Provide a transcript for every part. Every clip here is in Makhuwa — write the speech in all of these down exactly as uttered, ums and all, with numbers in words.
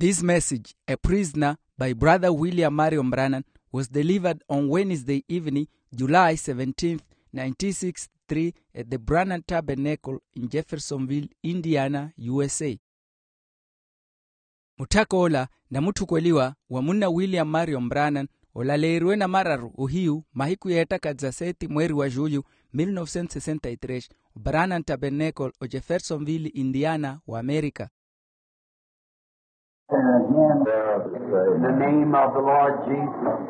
This message, a prisoner, by Brother William Marion Branham, was delivered on Wednesday evening, July seventeenth, nineteen sixty-three, at the Branham Tabernacle in Jeffersonville, Indiana, U S A. Mutthak'ola namutthukweliwa wa munna William Marion Branham, olaleeriwe namararu ohiyu mahiku yeettaka dezaseti mweeri wa julho, mil novecentos sessenta y tres, o Branham Tabernacle o Jeffersonville, Indiana, wa Amerika. And again, in the name of the Lord Jesus,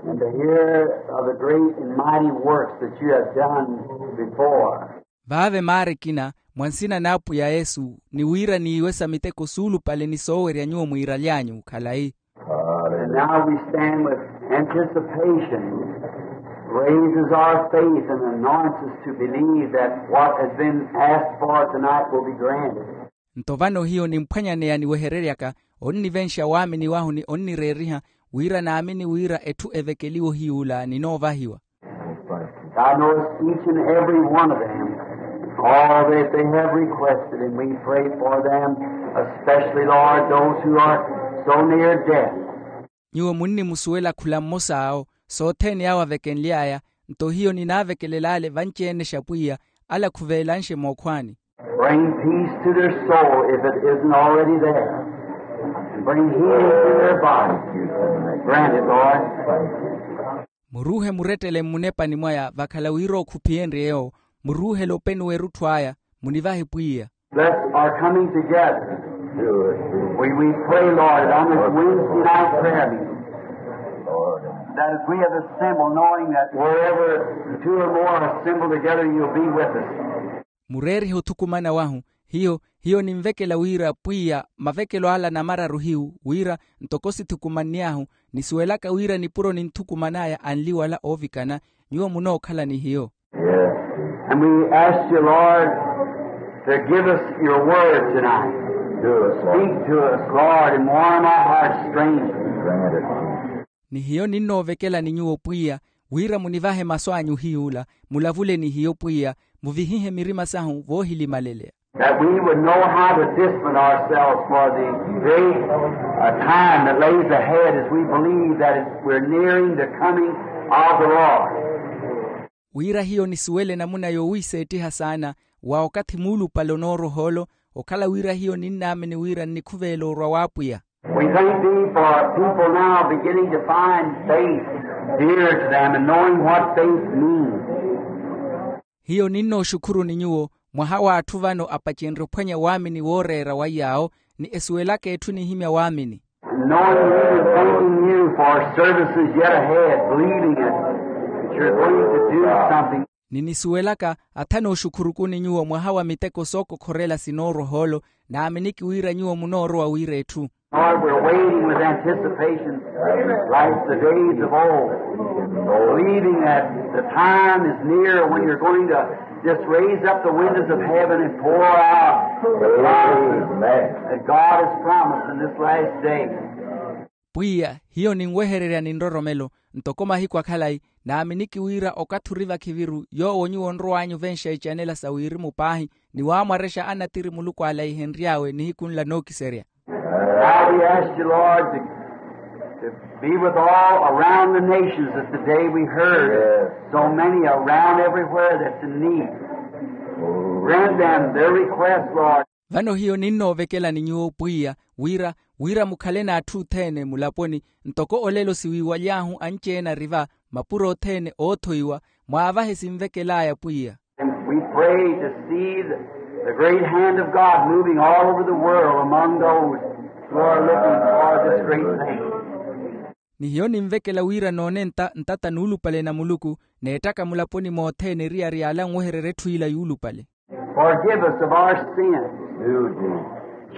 and to hear of the great and mighty works that you have done before. Vaave maari ekina mwa nsina n'apwiya yesu, ni wira niiwesa miteko suulupale ni soowerya nyuwo mwiiraly'anyu khalayi. And now we stand with anticipation, raises our faith and anoints us to believe that what has been asked for tonight will be granted. Nto vano hiyo nimphwanyaneya niwehereryaka, onnivenxa waamini wahu ni onnireeriha, wira naamini wira etthu evekeliwe ohiy'ula ninoovahiwa. God knows each and every one of them, all that they have requested, and we pray for them, especially, Lord, those who are so near death. Nyuwo munnimusuwela khula mmosa awo, sothene awo avekenly'aya. Nto hiyo ninaavekelela ale vanci-ene xa pwiya, ale akhuveelanxe mookhwani. Bring peace to their soul if it isn't already there. And bring healing to their bodies. Grant it, Lord. Muruuhe murettele mmunepani mwaya vakhala wira okhuphiyenrye yoowo. Muruuhele openi w'erutthu aya. Munivahe pwiya. Bless our coming together. We, we pray, Lord, on this Wednesday night prayer meeting, that as we have assembled, knowing that wherever two or more are assembled together, you'll be with us. Mureerihe othukumana wahu. Hiyo hiyo ninvekela wira pwiya mavekelo ala namararu hiyu wira ntoko sithukumanny'ahu, nisuwelaka wira nipuro ninthukuman'aya anli wala oovikana, nyuwo munookhala ni hiyo. And we ask you, Lord, to give us your word tonight. Speak to us, Lord, and warm our hearts strangely. Ni hiyo ninnoovekelani nyuwo pwiya, wira munivahe masu anyu hiy'ula, mulavule ni hiyo pwiya, muvihihe mirima sahu voohilimaleleya. That we would know how to discipline ourselves for the great, uh, time that lays ahead as we believe that it, we're nearing the coming of the Lord. Wira hiyo nisuwele namuna yoowiiseettiha saana wa okathi muulupale onooroha olo, okhala wira hiyo ninnaamini wira nnikhuveela orwa w'apwiya. We thank thee for people now beginning to find faith dear to them and knowing what faith means. Hiyo ninnooxukhuruni nyuwo mwaha w'atthu vano apacenrye ophwanya waamini wooreera wa yaawo, ni esuwelaka etthu enihimya waamini. Knowing you and thanking you for services yet ahead, believing it, that you're going to do something. Ni nisuwelaka atha nooxukhurukuni nyuwo mwaha wa miteko sookokhorela sinooroha olo, naaminiki wira nyuwo munoorowa wira etthu. Lord, we're waiting with anticipation like the days of old, believing that the time is near when you're going to just raise up the windows of heaven and pour out the promises that God has promised in this last day. Pwiya, hiyo ninwehererya ni nroromelo, ntoko mahiku akhalayi, naaminiki wira okathi ori vakhiviru yoowo nyuwo onrow'anyu venxa icanela sa wirimu paahi, ni waamwarexa anatiri muluku ale aihenry'awe nihiku nla nookiserya. Now we ask you, Lord, to, to be with all around the nations that today we heard so many around everywhere that's in need. Grant them their request, Lord. Vano hiyo ninnoovekelani nyuwo pwiya, wira wira mukhale n'atthu othene mulaponi, ntoko olelo siwiiwaly'ahu anci-ene ari va mapuro othene oothoiwa, mwaavahe sinvekel'aya pwiya. And we pray to see the, the great hand of God moving all over the world among those who are looking for this great thing. Ni hiyo ninvekela wira noone nta ntata nuulupale na muluku, n'ettaka mulaponi mothene eriyari y'ala anwehererya etthu ila yuulupale. Forgive us of our sins.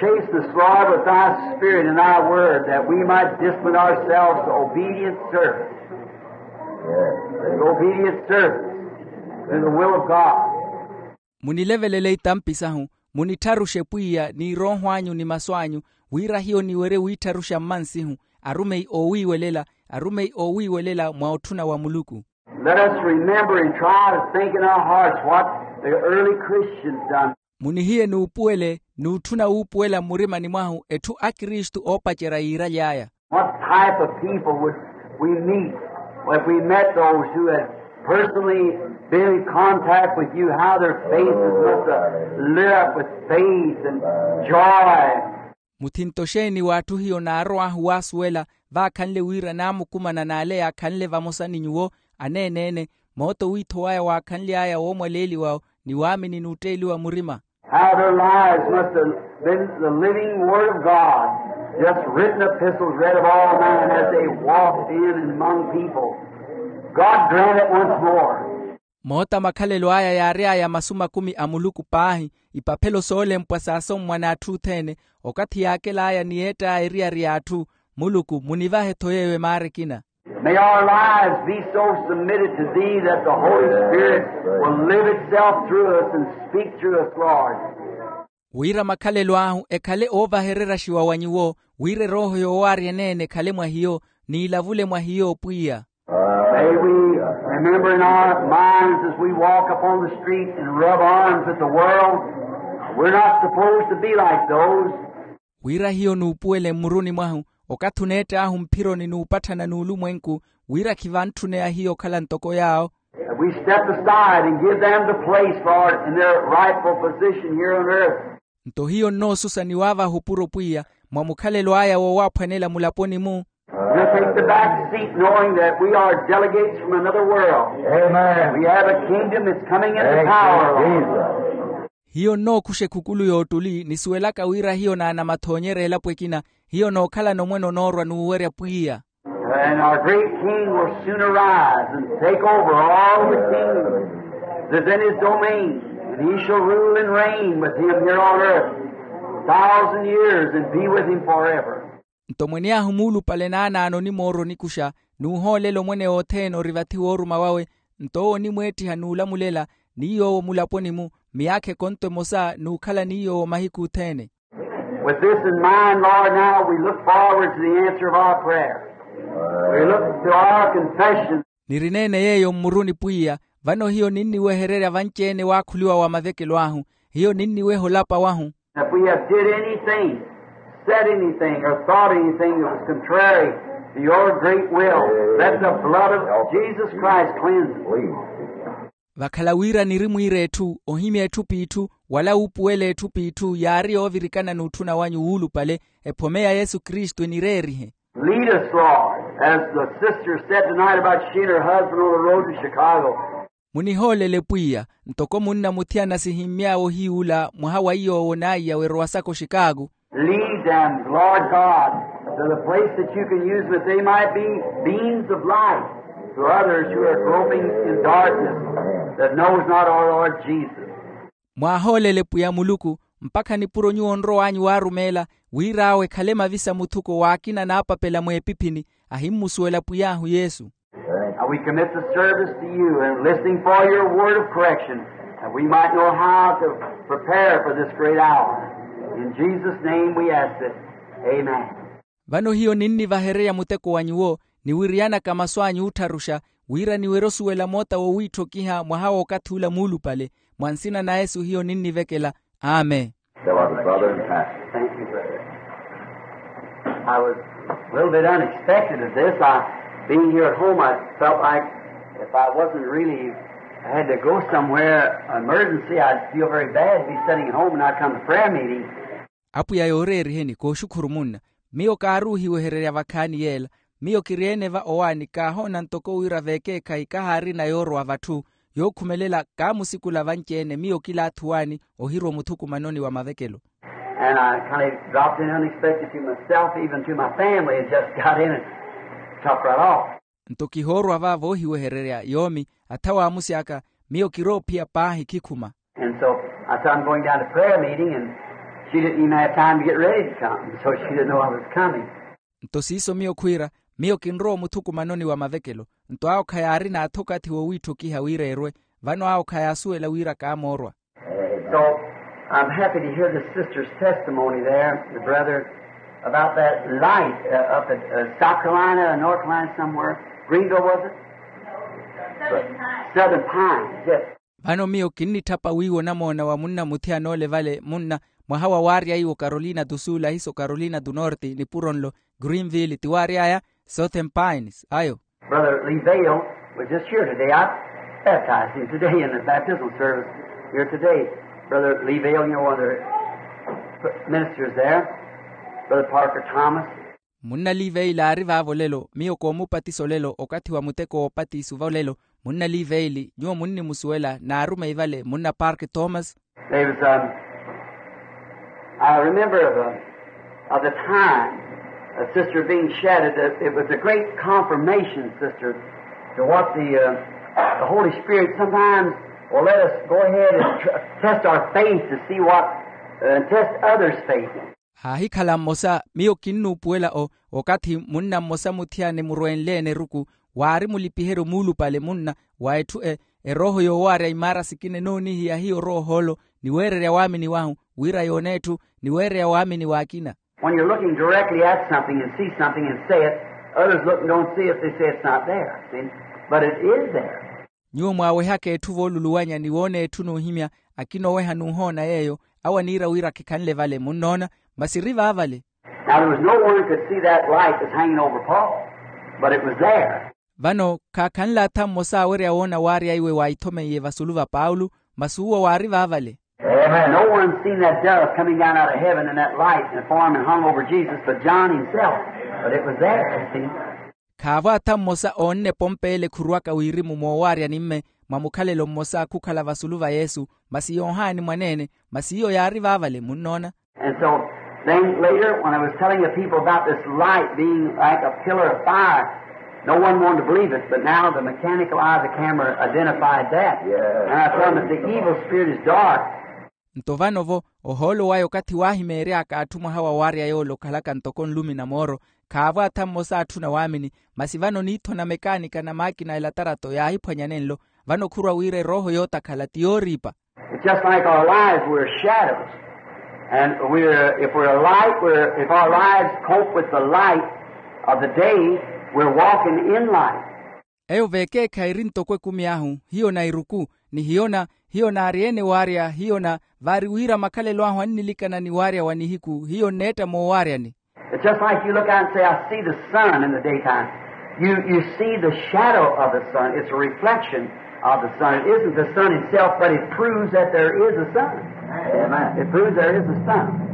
Chasten us, Lord, with thy spirit and thy word, that we might discipline ourselves to obedient service. Obedient service to the will of God. Munilevelele itampi sahu, munittharuxe pwiya ni erooho anyu ni masu anyu, wira hiyo niwerye wiittharuxa mmansihu, arumeyi oowiiwelela, arumeyi oowiiwelela mwa otthuna wa muluku. Let us remember and try to think in our hearts what the early Christians done. Munihiye n'upuwele n'utthuna wuupuwela mmurimani mwahu etthu akristu oopacerya yiiraly'aya. What type of people would we meet if we met those who had personally been in contact with you, how their faces must have lit up with faith and joy? Muthinto xeeni w'atthu hiyo naarow'ahu waasuwela vaakhanle wira naamukumana n'ale yaakhanle vamosa ni nyuwo aneene-ene, mooto wiitho waya waakhanly'aya woomwaleeliwa-wo ni waamini n'utteeliwa murima. How their lives must have been the living word of God, just written epistles read of all men as they walked in and among people. God grant it once more. Moota makhalelo aya yaary'aya masu makumi a muluku paahi, ipaphelo soolempwa saasommwa n'atthu othene, okathi yaakel'aya ni yeett'aya eriyari y'atthu. Muluku munivahe-tho yeeyo emaara ekina. May our lives be so submitted to thee that the Holy Spirit will live itself through us and speak through us, Lord. Wira makhalelo ahu ekhale oovahereryaxiwa wa nyuwo, wira erooho yoowaarya eneene ekhale mwa hiyo, n'ilavule mwa hiyo pwiya. May we remember in our minds as we walk upon the street and rub arms with the world, we're not supposed to be like those. Wira hiyo nuupuwele mmuruni mwahu, okathi oneett'ahu mphironi n'upatthana n'ulumwenku, wira khivantthune ahiyo okhala ntoko yaawo. That we step aside and give them the place, Lord, in their rightful position here on earth. Nto hiyo nnoosusa ni waavaha opuro pwiya, mwa mukhalelo aya wowaaphwanela mulaponi-mu. We'll take the back seat knowing that we are delegates from another world. Amen. We have a kingdom that's coming into power, Lord. Hiyo nnookuxa ekhukulu y'ottuli nisuwelaka wira hiyo naanamathoonyerya elapo ekina, hiyo nookhalana omwene onoorwa n'uwerya pwiya. And our great King will soon arise and take over all the kingdoms that's in his domain, and he shall rule and reign with him here on earth a thousand years and be with him forever. Nto mwene ahu muulupale naanaano onimoorwa onikuxa, n'uhoolela omwene othene ori vathi wooruma wawe. Nto owo onimweettiha n'ulamulela ni yoowo mulaponi-mu, miyaakha ekonto emosa n'ukhala ni yoowo mahiku othene. With this in mind, Lord, now we look forward to the answer of our prayer. We look to our confession. Nirineene yeeyo mmuruni pwiya, vano hiyo ninniwehererya vanci-ene waakhuliwa wa mavekelo ahu. Hiyo ninniweha olapa wahu. If we have did anything, said anything, or thought anything that was contrary to your great will, let the blood of Jesus Christ cleanse us. Vakhala wira niri mwiira etthu, ohimya etthu p'itthu, wala wuupuwela etthu p'itthu yaari yoovirikana n'utthuna wanyu wuulupale, ephome ya yesu kristu enireerihe. Lead us, Lord, as the sister said tonight about she and her husband on the road to Chicago. Munihoolele pwiya, ntoko munna muthiyana sihimmy'awe ohiy'ula mwaha wa iy'owo n'aiya weerowasaka oxikaaku. Lead them, Lord God, to the place that you can use, that they might be beams of light to others who are groping in darkness, that knows not our Lord Jesus. Mwaahoolele pwiya muluku, mpakha nipuro nyuwo onrow'anyu waarumeela, wira awo ekhale mavisa muthuko w'akina naapapela mweepiphini, ahimmusuwela pwiy'ahu yesu. Now we commit the service to you and listening for your word of correction, that we might know how to prepare for this great hour. In Jesus' name we ask it. Amen. Vano hiyo ninnivahererya muteko wa nyuwo, niwiriyanaka masu anyu oottharuxa, wira niwerye osuwela moota wowiitthokiha mwaha w'okathi ula muulupale. Mwa nsina na yesu hiyo ninnivekela. Amen. Beloved brother and pastor. Thank you, brother. I was a little bit unexpected at this. I, being here at home, I felt like if I wasn't really, I had to go somewhere, emergency, I'd feel very bad to be sitting at home and not come to prayer meeting. Apwiya yooreeriheni kooxukhuru munna. Miyo kaaruuhiwehererya vakhaani yeela. Miyo kiri-ene va owaani kaahoona ntoko wira veekeekhayi kahaarina yoorowa vatthu, yookhumelela kaamusikula vanci-ene miyo kila athuwaani ohirwa omuthukumanoni wa mavekelo. And I kind of dropped in unexpected to myself, even to my family, and just got in and took right off. Nto kihoorwa va voohiwehererya yoomi, atha waamusi aka, miyo kiroophiya paahi khikhuma. And so I said, I'm going down to prayer meeting, and she didn't even have time to get ready to come, so she didn't know I was coming. Nto siiso miyo khwiira, miyo kinrowa omuthukumanoni wa mavekelo. Nto awo khayaarina atha okathi wowiitthokiha wira erwe, vano awo khayaasuwela wira kaamoorwa. So I'm happy to hear the sister's testimony there, the brother, about that light, uh, up at, uh, South Carolina or North Carolina somewhere. Greenville, was it? Southern Pines. Southern Pines, yes. Vano miyo kinnitthapa wiiwa onamoona wa munna muthiyana ole vale munna, mwaha wa waarya iwo carolina do sul ahiso carolina do norte nipuro nlo greenville ti waary'aya southern pines ayo. Brother lee vale was just here today. I baptized him today in the baptismal service here today. Brother lee vale, you know, one of the ministers there, brother parker thomas. Munna liveili aari vaavo lelo miyo koomupatisa olelo okathi wa muteko w'opatisi vo lelo. Munna liveili nyuwo munnimusuwela naarumeyi vale munna park thomas. There was um, I remember of, a, of the time a sister being shattered that it was a great confirmation, sister, to what the, uh, the holy spirit sometimes will let us go ahead and tr- test our faith to see what, uh, and test others' faith. Haahikhala mmosa miyo kinnuupuwela o okathi munna mmosa muthiyana emurwenle-ene eruku waari mulipiheryo muulupale munna wa etthu erooho yoowaarya imaara sikina enoonihiya hiyo roohoolo ni weererya waamini wahu wira yoona etthu ni weererya waamini w'akina. When you're looking directly at something and see something and say it, others look and don't see it, they say it's not there. But it is there. Nyuwo mwaawehaka etthu vooluluwanya ni woona etthu n'uhimya akina oweha n'uhoona yeeyo awo aniira wira khikhanle vale munnoona masi eri vaavale. Now there was no one could see that light that's hanging over paul, but it was there. Vano khaakhanle atha mmosa awerya woona waarya iwe waaithomeiye vasulu va paulo masi uwo waari vaavale. No one seen that dove coming down out of heaven in that light and form and hung over jesus but john himself. But it was there, you see. Khaavo atha mmosa oonne epompa ele ekhuruwaka wirimu moowaarya ni mme mwa mukhalelo mmosa khukhala vasulu va yesu masi yoohaani mwaneene masi iyo yaari vaavale munnoona. And so then later when i was telling the people about this light being like a pillar of fire, no one wanted to believe it but now the mechanical eye of the camera identified that. And i told them that the evil spirit is dark. Nto vano-vo ohoolo waya okathi waahimeery'aka atthu mwaha wa waarya yoole okhalaka ntoko nlumi na mooro. Khaavo atha mmosa atthuna waamini masi vano niithona mekaanika na maakina a elatarato yaahiphwanya nenlo. Vano khurwa wira erooho yootakhala ti yooriipa. It's just like our lives we're shadows. And we're if we're a light we're if our lives cope with the light of the day, we're walking in light. Eyo veekeekhayi eri ntoko ekumi ahu hiyo na eruku ni hiyo na hiyo naari-ene waarya hiyo na vaari wira makhalelo ahu annilikana ni waarya wa nihiku hiyo nneetta moowaaryani. It's just like you look out and say i see the sun in the daytime. You see the shadow of the sun it's a reflection of the sun it isn't the sun itself but it proves that there is a sun. It proves there is a sun.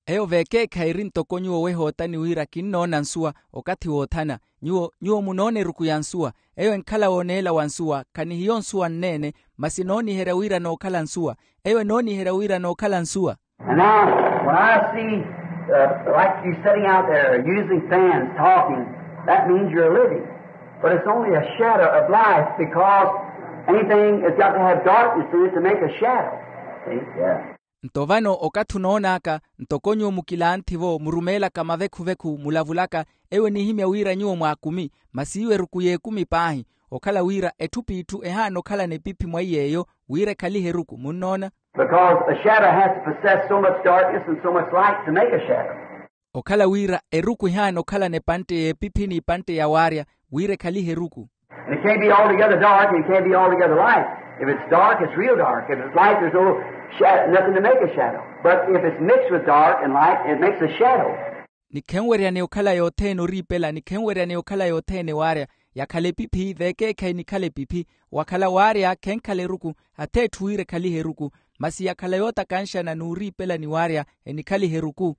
Eyo veekeekhayi eri ntoko nyuwo wehootani wira kinnoona nsuwa okathi woothana. Nyuwo nyuwo munoona eruku ya nsuwa. Eyo enkhala wooneela wa nsuwa khanihiyo nsuwa nneene masi enooniherya wira nookhala nsuwa. Eyo enooniherya wira nookhala nsuwa. And now when i see like you sitting out there using fans talking, that means you're living. But it's only a shadow of life because anything has got to have darkness in it to make a shadow. Nto vano okathi onoon'aka ntoko nyuwo mukilanthi-vo murumeelaka mavekhu-vekhu mulavulaka eyo enihimya wira nyuwo mwaakumi masi iwo eruku y'ekumi paahi. Okhala wira etthu p'itthu ehaana okhalana epiphi mwa iy'eyo wira ekhalihe eruku munnoona. Because a shadow has to possess so much darkness and so much light to make a shadow. Okhala wira eruku ehaana okhalana epantte y'epiphi n'ipantte ya waarya wira ekhalihe eruku. And it can't be altogether dark and it can't be altogether light. If it's dark it's real dark, if it's light there's no nothing to make a shadow. But if it's mixed with dark and light it makes a shadow. Ni khenweryane okhala yothene oriipela ni khenweryane okhala yothene waarya. Yakhala epiphi veekeekhayi nikhala epiphi. Wakhala waarya khenkhala eruku ath'etthu wira ekhalihe eruku. Masi yakhala yootakanxana n'uriipela ni waarya enikhalihe eruku.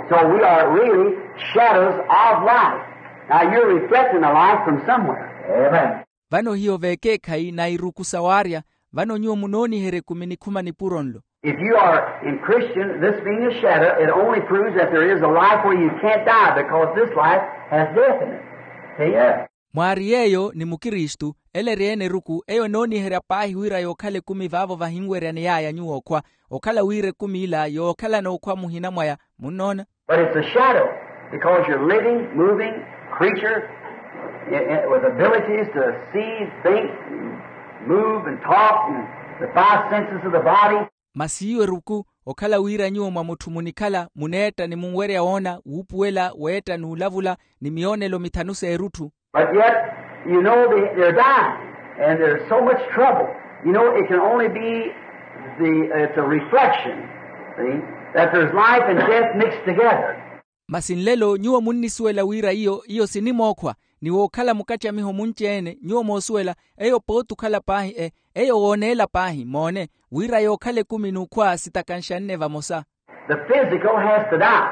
So we are really shadows of life. Now you're reflecting the life from somewhere. Vano hiyo veekeekhayi na iruku sa waarya. Vano nyuwo munooniherya ekumi nikhuma nipuro nlo. If you are in christian this being a shadow it only proves that there is a life where you can't die because this life has death in it. Mwaari yeeyo ni mukristu ele eri-ene eruku eyo enooniherya paahi wira yookhala ekumi vaavo vahinweryaney'aya nyuwo okhwa. Okhala wira ekumi ila yookhalana okhwa muhina mwaya munnoona. But it's a shadow because you're living moving creature with abilities to see, think, move and talk and the five senses of the body. Masi iwo eruku okhala wira nyuwo mwa mutthu munikhala muneetta ni munwerya woona wuupuwela weetta n'ulavula ni miyoonelo mithanu s'erutthu. But yet you know they're dying and there's so much trouble. You know it can only be the it's a reflection. See? That there's life and death mixed together. Masi nlelo nyuwo munnisuwela wira iyo iyo sinimookhwa, ni wookhala mukattamiho munci-ene nyuwo moosuwela eyo pooti okhala paahi e eyo wooneela paahi moone, wira yookhala ekumi n'ukhwa sitakanxanne vamosa. The physical has to die.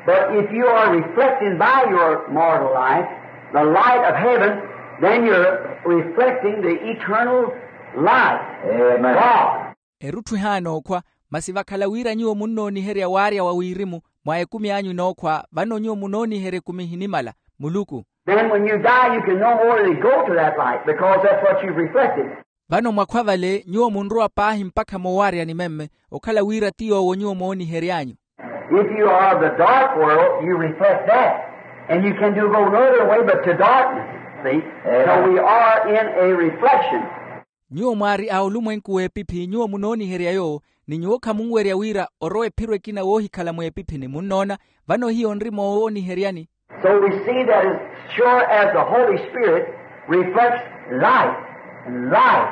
But if you are reflecting by your mortal life the light of heaven, then you're reflecting the eternal life. Amen. God. Erutthu ehaana okhwa. Masi vakhala wira nyuwo munnooniherya waarya wa wirimu mwa ekumi anyu enookhwa vano nyuwo munooniherya ekumi ehinimala muluku. Then when you die you can no more go to that light because that's what you've reflected. Vano mwakhwa vale nyuwo munrowa paahi mpakha moowaryani memme okhala wira ti yoowo nyuwo moonihery'anyu. If you are of the dark world you reflect that, and you can do go no other way but to darkness. See? So we are in a reflection. Nyuwo mwaari a olumwenku w'epiphi nyuwo munooniherya yoowo, ni nyuwo khamunwerya wira orowa ephiro ekina woohikhala mweepiphini munnoona. Vano hiyo nri moowooniheryani. So we see that as sure as the Holy Spirit reflects light and life,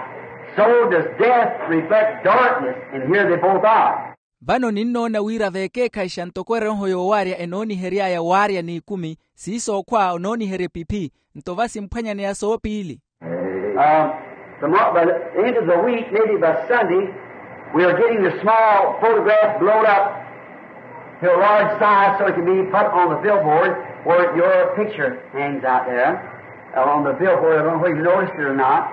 so does death reflect darkness, and here they both are. Vano ninnoona wira veekeekhayixa ntoko erooho yoowaarya enoonihery'aya waarya n'ikumi siiso okhwa onooniherya epiphi. Nto va simphwanyaneya soopiili. Into the week maybe by Sunday we are getting the small photograph blown up to a large size so it can be put on the billboard where your picture hangs out there on the billboard. I don't know if you noticed it or not.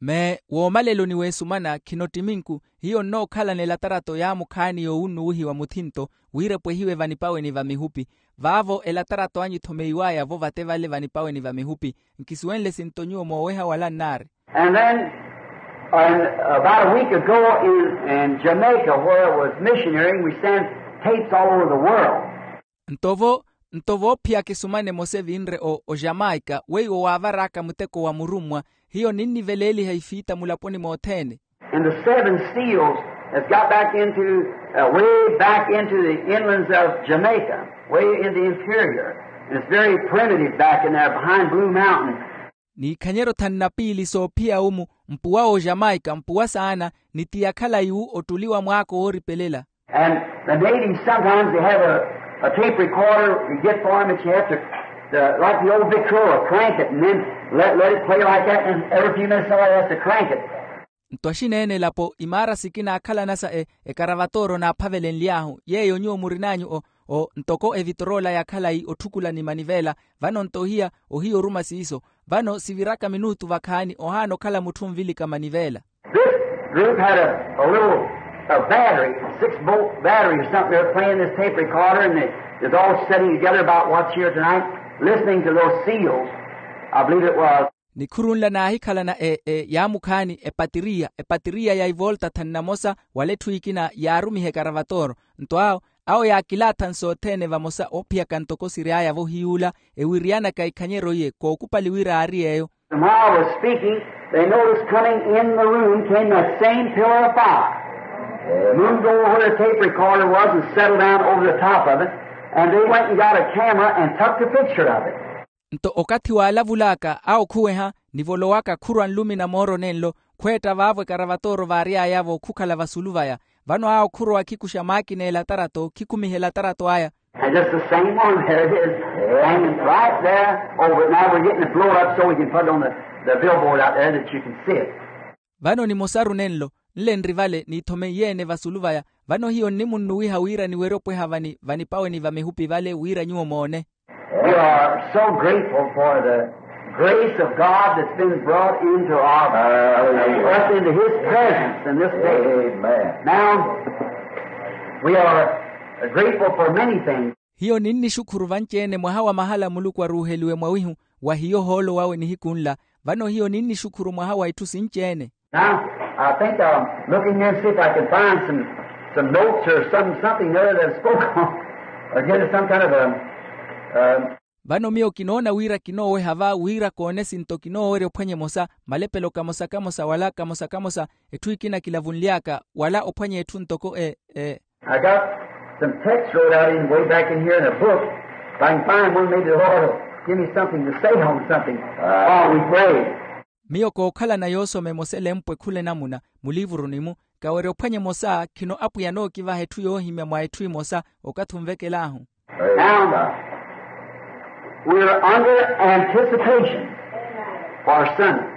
Mee woomaleloni w'esumana khinotti minku hiyo nnookhalana elatarato yaamukhaani yoowunnuwihiwa muthinto wira epwehiwe vanipaweni va mihupi. Vaavo elatarato anyu ethomeyiwaya-vo vate vale vanipaweni va mihupi. Nkisuwenle sinto nyuwo mooweha wala nnaari. And then about a week ago in jamaica where I was missionaring we sent tapes all over the world. Nto vo nto voophiyaka esumana emosa evinre o jamaika weiwo waavar'aka muteko wa murummwa. Hiyo ninniveleeliha ifiita mulaponi mothene. And the seven seals has got back into way back into the inlands of jamaica, way in the interior, and it's very primitive back in there behind blue mountain. N'ikhanyeryo thanu na piili soophiya umu mpuwa w'ojamaika mpuwa saana, ni ti ya khalayi-wu ottuli wa mwaako wooripelela. And the natives sometimes they have a tape recorder you get for them that you have to like the old victrola crank it and then let it play like that and every few minutes somebody has to crank it. Nto axineene elapo imaara sikina aakhalanasa ekaravatora onaaphavelenly'ahu yeeyo nyuwo murin'anyu o ntoko evitrola ya khalayi otthukula ni manivela. Vano nto ohiya ohiya oruma siiso. Vano siviraka minutu vakhaani ohaana okhala mutthu onvilika manivela. This group had a little battery, six bolt battery or something they were playing this tape recorder and they was all sitting together about what's here tonight listening to those seals. I believe it was. Nikhuru nla naahikhalana e e yaamukhaani epatiriya epatiriya ya ivolta thanu na mosa wala etthu ekina yaarumiha ekaravatora. Nto awo awo yaakilaatha nsothene vamosa oophiyaka ntoko siry'aya-vo hiy'ula ewiriyanaka ikhanyeryo iye kookupali wira aari yeeyo. And while I was speaking they noticed coming in the room came that same pillar of fire, moved over where the tape recorder was and settled down over the top of it. And they went and got a camera and took the picture of it. Nto okathi waalavul'aka awo khuweha nivolowaka khurwa nlumina mooro nenlo. Khweetta vaavo ekaravatora vaary'aya-vo khukhala vasulu vaya. Vano awo khurowa khikuxa maakina elatarato khikhumiha elatarato aya. And just the same one there it is, hanging right there over it now we're getting it blown up so we can put it on the billboard out there that you can see it. Vano nimosaru nenlo nle nri vale niithomeiye-ene vasulu vaya. Vano hiyo nnimunnuwiha wira niwerye opweha vani vanipaweni va mihupi vale wira nyuwo moone. We are so grateful for the grace of God that's been brought into our us into his presence in this day. Now we are grateful for many things. Hiyo ninnixukhuru vanci-ene mwaha wa mahala muluku aruuheliwe mwawihu wa hiyo ohoolo wawe nihiku nla. Vano hiyo ninnixukhuru mwaha wa itthu sinci-ene. Now I think I'll look in here and see if I can find some notes or something there that spoke on or get some kind of a. Vano miyo kinoona wira kinooweha va wira koone sinto kinoowerya ophwanya emosa malepelo kamosa kamosa wala kamosa kamosa etthu ekina kilavunly'aka wala ophwanya etthu ntoko e e. I got some text wrote out in way back in here in a book. If I can find one maybe the lord will give me something to say on something while we pray. Miyo kookhalana yoosoma emosa elempwe khula enamuna muliivuruni-mu. Kawerya ophwanya emosa khino apwiya anookivaha etthu yoohimya mwa etthu emosa. Okathi onvekel'ahu. Now, we're under anticipation for Sunday.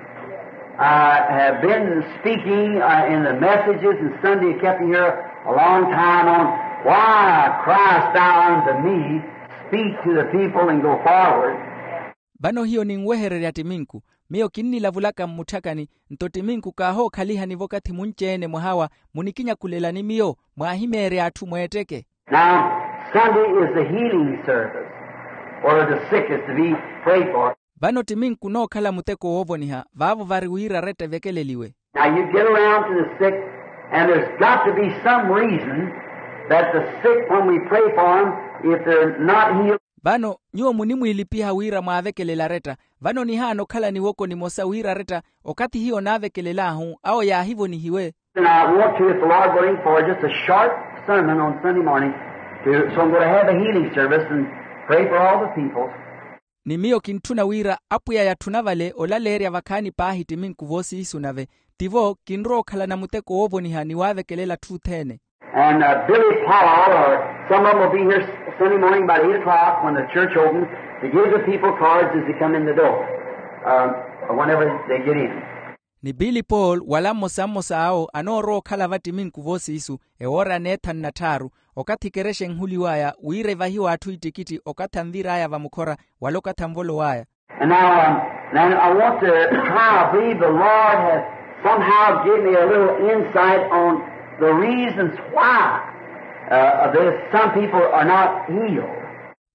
I have been speaking, uh, in the messages and Sunday kept here a long time on why Christ thou unto me speak to the people and go forward. Vano hiyo ninwehererya ttiminku. Miyo kinnilavulaka mmutthakani, nto ttiminku kaahookhaliha ni vookathi munci-ene mwahawa, munikinyakulela ni miyo mwaahimeerya atthu mweetteke. Now, Sunday is the healing service, where the sick is to be prayed for. Vano ttiminku nookhala muteko woovoniha vaavo vari wira aretta evekeleliwe. Now, you get around to the sick, and there's got to be some reason that the sick, when we pray for 'em, if they're not healed. Vano nyuwo munimwiilipiha wira mwaavekelele aretta. Vano nihaana okhala niwoko nimosa wira aretta, okathi hiyo naavekelel'ahu awo yaahivonihiwe. And I want to, if the Lord willing, for just a short sermon on Sunday morning, to, so I'm going to have a healing service and pray for all the people. Ni miyo kintthuna wira apwiya yatthuna vale olaleerya vakhaani paahi ttiminku voosiisu nave, ttivo kinrowa okhalana muteko woovoniha ni waavekelela atthu othene. And, uh, Billy Paul, or some of 'em will be here S-, Sunday morning about eight o'clock when the church opens, to give the people cards as they come in the door, uh, whenever they get in. Ni Billy Paul wala mmosa mmosa awo anoorowa okhala va ttiminku voosiisu, ewoora ya neethanu na tthaaru, okathi ekerexa enhuliw'aya wira evahiwe atthu ittikitthi okathi anvir'aya vamukhora wala okathi anvolow'aya. And now, um, now I want to try, I believe the Lord has somehow given me a little insight on the reasons why, uh, there's some people are not healed.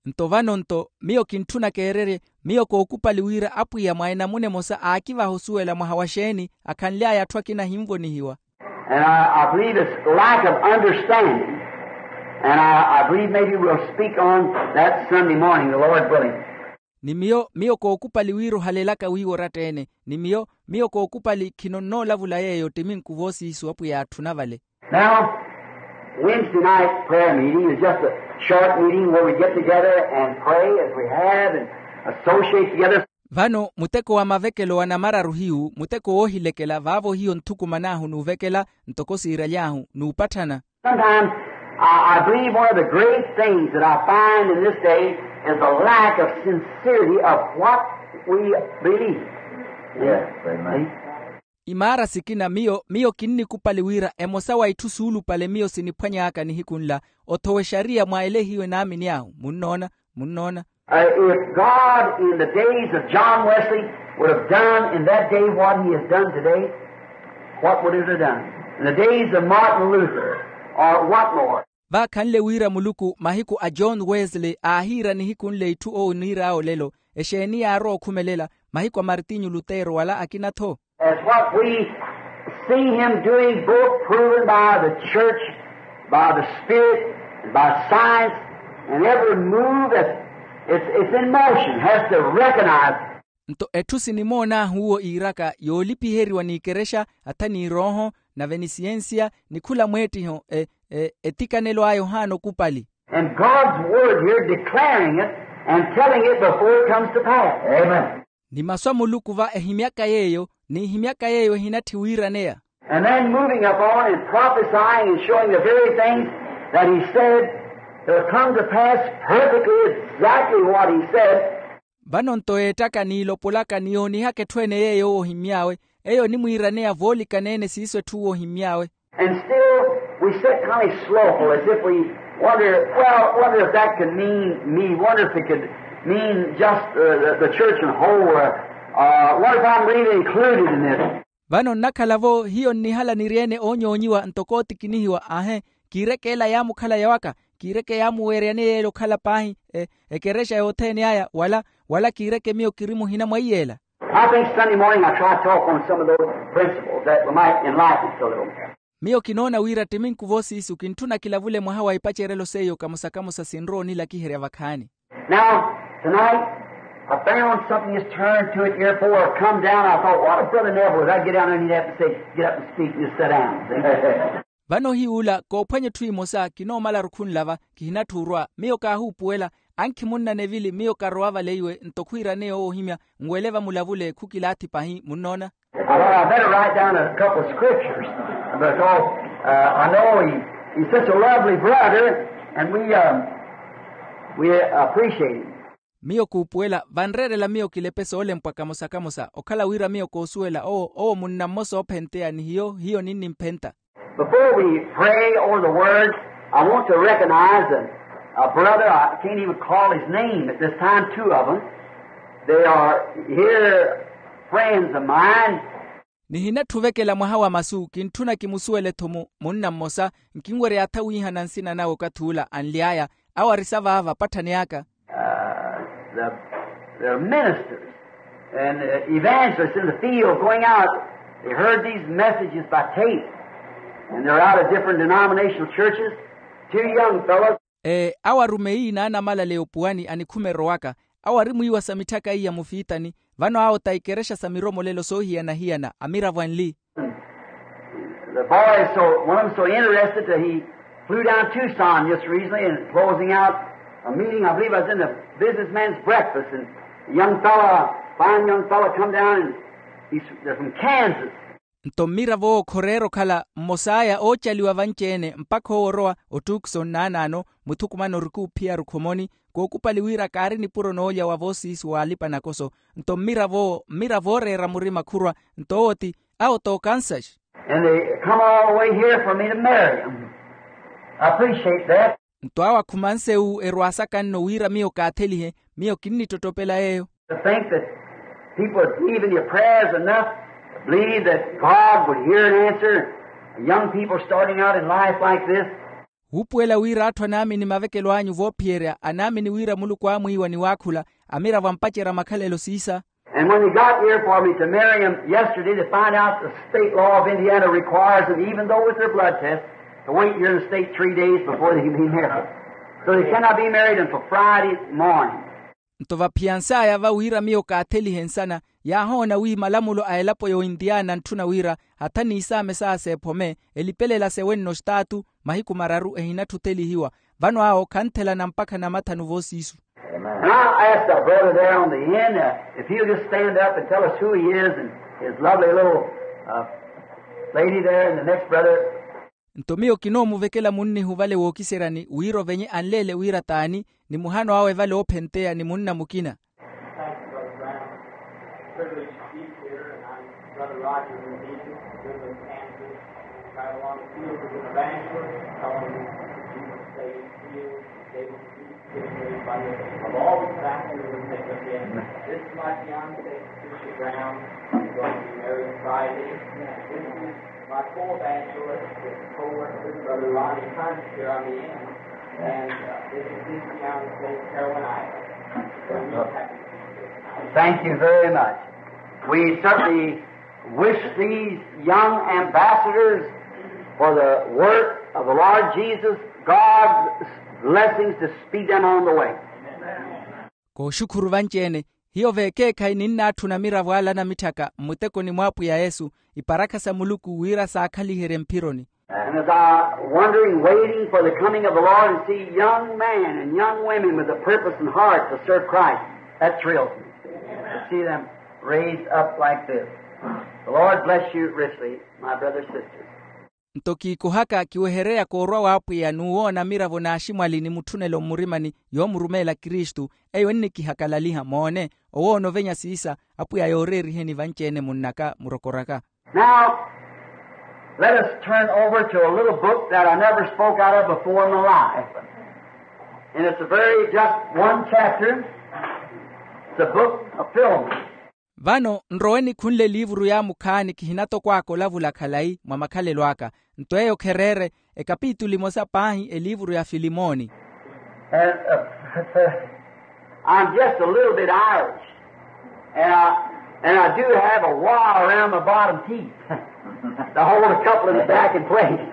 Nto vano nto miyo kintthuna keererye, miyo kookupali wira apwiya mwa enamuna emosa aakivaha osuwela mwaha wa xeeni akhanly'aya atthu akina ahinvonihiwa. And I, I believe it's lack of understanding. And I, I believe maybe we'll speak on that Sunday morning, the Lord willing. Ni miyo miyo kookupali wira ohalelaka wiiwo oratta-ene. Ni miyo miyo kookupali khino nnoolavula yeeyo ttiminku voosiisu apwiya atthuna vale. Now, Wednesday night prayer meeting is just a short meeting where we get together and pray as we have and associate together. Vano muteko wa mavekelo wa namararu hiyu muteko woohilekela vaavo hiyo nthukuman'ahu n'uvekela ntoko siiraly'ahu n'upatthana. Sometimes I, I believe one of the great things that I find in this day is a lack of sincerity of what we believe. Yes, amen. Imaara sikina miyo miyo kinnikupali wira emosa wa itthu suulupale miyo siniphwany'aka nihiku nla othowa exariya mwa ele hiyo enaamini ahu munnoona munnoona. Uh, if God in the days of John Wesley would have done in that day what he has done today, what would it have done? In the days of Martin Luther, or what more? Vaakhanle wira muluku mahiku a john wesley aahiira nihiku nle itthu ooniir'aya olelo, exeeni yaarowa okhumelela mahiku a martinyu lutero wala akina-tho? As what we see him doing, both proven by the church, by the spirit, and by science, and every move that's it's, it's in motion has to recognize. Nto etthu sinimoon'ahu uwo iiraka yoolipiheriwa n'ikerexa atha n'irooho nave ni siyensiya ni khula mweettiho e, e, etikanelo aya ohaana okupali. And God's word here declaring it and telling it before it comes to pass. Amen. Ni masu a muluku va ehimyaka yeeyo n'ihimyaka yeeyo ehinatthi wiiraneya. And then moving upon and prophesying and showing the very things that he said will come to pass perfectly exactly what he said. Vano nto yeettaka n'ilopolaka ni yoonihaka etthu ene yeeyo owo ohimmy'awe eyo onimwiiraneya voolikaneene siiso etthu uwo ohimmy'awe. And still we sit kind of slowful as if we wonder, well, wonder if that could mean me, wonder if it could mean just uh, the, the church in whole, uh, uh, wonder if I'm really included in this. Vano nnakhala-vo hiyo nnihala niri-ene oonyoonyiwa ntoko ootikinihiwa ahe, kiireke ela yaamukhala yawaka? Kiireke yaamuweeryaneya yeela okhala paahi e, ekerexa yothene aya wala wala kiireke miyo kiri muhina mwa iy'ela? I think Sunday morning I try to talk on some of those principles that might enlighten us a little. Miyo kinoona wira ttiminku voosiisu kintthuna kilavule mwaha wa ipacerelo seiyo kamosa-kamosa sinrowa onilakiherya vakhaani. Now, tonight, I found something is turned to it here before I come down. I thought, what if Brother Neville, if I get down there and he'd have to say, get up and speak, and just sit down. Vano ohiy'ula koophwanya etthu emosa kinoomala rukhunlava kihinatthi orwa miyo kaahuupuwela. Ankhi munna nevili miyo karowa vale iwe nto khwiiraneya owo ohimya nwele vamulavule khukilaathi pahi munnoona. I thought I'd better write down a couple of scriptures because uh, I know he, he's such a lovely brother, and we uh, we appreciate him. Miyo kuupuwela vanreerela miyo kilepe soolempwa kamosa-kamosa okhala wira miyo koosuwela owo owo munna mmosa oophenteya ni hiyo hiyo ninnimphenta. Before we pray over the word, I want to recognize a, a brother. I can't even call his name at this time, two of them. They are here friends of mine. Nihinatthu ovekela mwaha wa masu kintthuna kimusuwele-tho munna mmosa. Nkinwerya atha wiihana nsina nawe okathi ula anly'aya awo ari savaava patthani aka. Uh, the, they're ministers and uh, evangelists in the field going out. They heard these messages by tape, and they're out of different denominational churches. Two young fellows. Ee awo arumeyi n'anamalaleya opuwani anikhume erowaka. Awo ari mwiiwa sa mitthaka iya mufiitani. Vano awo ta ikerexa sa miromolelo soohiyana-hiyana amiravo anli. The boy is so, one of them so interested that he flew down Tucson just recently and closing out a meeting. I believe I was in the businessman's breakfast, and a young fellow, a fine young fellow, come down, and he's, they're from Kansas. Nto mmiravo owo khoreera okhala mmos'aya oocaliwa vanci-ene mpakha owo orowa ottuukisa onnaanaano muthukumana orikuuphiya rukhomoni. Kookupali wira kaari nipuro noolya wa voosiisu w'alipa-nakoso. Nto mmiravo owo mmiravo ooreera murima khurwa. Nto owo ti awo t'okansaxi. And they come all the way here for me to marry them. I appreciate that. Nto awo akhumanse wu erwaasaka nno wira miyo kaathelihe. Miyo kinnittottopela yeeyo. To think that people would believe in your prayers enough to believe that God would hear and answer young people starting out in life like this. Wuupuwela wira atthu anaamini mavekelo anyu voophiyerya anaamini wira muluku aamwiiwa ni waakhula amiravo ampacerya makhalelo siisa. And when they got here for me to marry him yesterday, they find out the state law of Indiana requires them, even though with their blood test, to wait here in the state three days before they can be married. So they cannot be married until Friday morning. Nto vaphiyansaya va wira miyo kaathelihe nsana yaahoona wi malamulo a elapo y'ointiyana antthuna wira hatha n'isaame saaseephome elipelela sewenno staatu mahiku mararu ehinatthutelihiwa. Vano awo khanthelana mpakha namathanu voosiisu. And I asked our brother there on the end uh, if he'll just stand up and tell us who he is and his lovely little uh, lady there and the next brother. Nto miyo kinoomuvekela munnihu vale wookiseryani wira ovenye anleele wira t'ani ni muhano awe vale oophenteya ni munna mukina. Thank you, Brother Brown. Privilege to be here, and I'm Brother Rogers in Egypt, Goodland, Kansas. Right along the field with an evangelist, telling me that Jesus saved, healed, gave us peace, gave us everybody. I've always been asking them to take us in. This is my fiancée, Patricia Brown. We're going to be married Friday. This is my co-evangelist, his co-worker, Brother Ronnie Hunt, here on the end. And uh, this is his fiancée, Carolina. We're real happy to be here. Thank you very much. We certainly wish these young ambassadors for the work of the Lord Jesus, God's blessings to speed them on the way. Kooxukhuru vanci-ene hiyo veekeekhayi ninnaatthuna miravo ala namitthaka mmutekoni mw'apwiya yesu iparakha sa muluku wira saakhaliherye mphironi. And as I wondering, waiting for the coming of the Lord, and see young men and young women with a purpose and heart to serve Christ, that thrills me. To see them raised up like this. The Lord bless you richly, my brothers and sisters. Nto kiikohaka kiwehereya koorwa w'apwiya n'uwoona miravo n'aximwali ni mutthunelo mmurimani yoomurumeela kristu. Eyo ennikihakalaliha moone owoona ovenya siisa apwiya yooreeriheni vanci-ene munnaka murokoraka. Now, let us turn over to a little book that I never spoke out of before in my life. And it's a very, just one chapter. It's a book of Philemon. Vano nroweni khunle eliivuru yaamukhaani kihinatokwaka olavula khalayi mwa makhalelo aka. Nto eyo khereere ekapitulu emosa paahi eliivuru ya filimoni. And uh, I'm just a little bit Irish, and I, and I do have a wire around my bottom teeth to hold a couple in the back in place.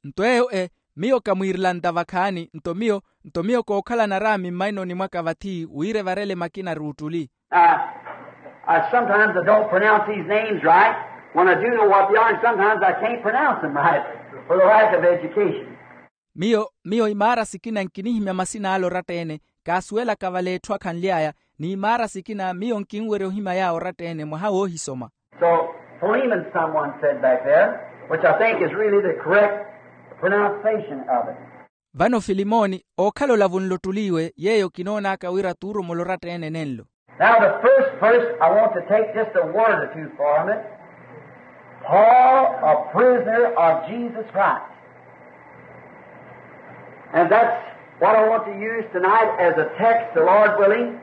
Nto eyo e miyo kamwiirilanta vakhaani nto miyo nto miyo kookhalana araami mmainoni mwaka vathi wira evarele makina ruuttuli. Uh, I sometimes I don't pronounce these names right when I do know what they are, and sometimes I can't pronounce them right for the lack of education. Miyo miyo imaara sikina nkinihimya masina ale oratta-ene kaasuwelaka vale etthu akhanly'aya. N'imaara sikina miyo nkinwerya ohimya yaawo oratta-ene mwaha woohisoma. So, Philemon, someone said back there, which I think is really the correct pronunciation of it. Vano filimoni, ookhala olavunle ottuli iwe yeeyo kinoonaka wira tuuromola oratta-ene nenlo. Now the first verse, I want to take just a word or two from it. Paul, a prisoner of Jesus Christ. And that's what I want to use tonight as a text, the Lord willing,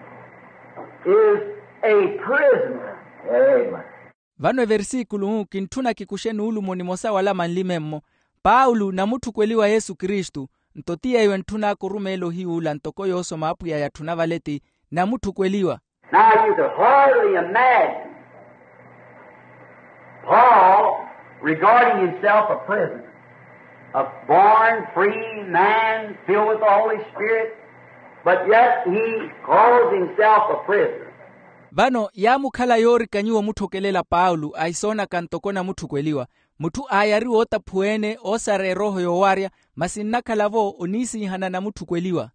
is a prisoner. Amen. Vano eversikulu-u kintthuna kikuxe nuulumo nimosa wala manlime-mmo, paulo namutthukweliwa yesu kristu. Nto ti yeeyo entthunaka orumeela ohiy'ula ntoko yoosoma apwiya yatthuna vale ti namutthukweliwa. Now you could hardly imagine Paul regarding himself a prisoner, a born free man filled with the Holy Spirit, but yet he calls himself a prisoner. Vano yaamukhala yoorikanyiwa omutthokelela paulo ahisoonaka ntoko namutthukweliwa, mutthu aayariwa ootaphuwa-ene oosara erooho yoowarya, masi nnakhala-vo oniisiihana namutthukweliwa.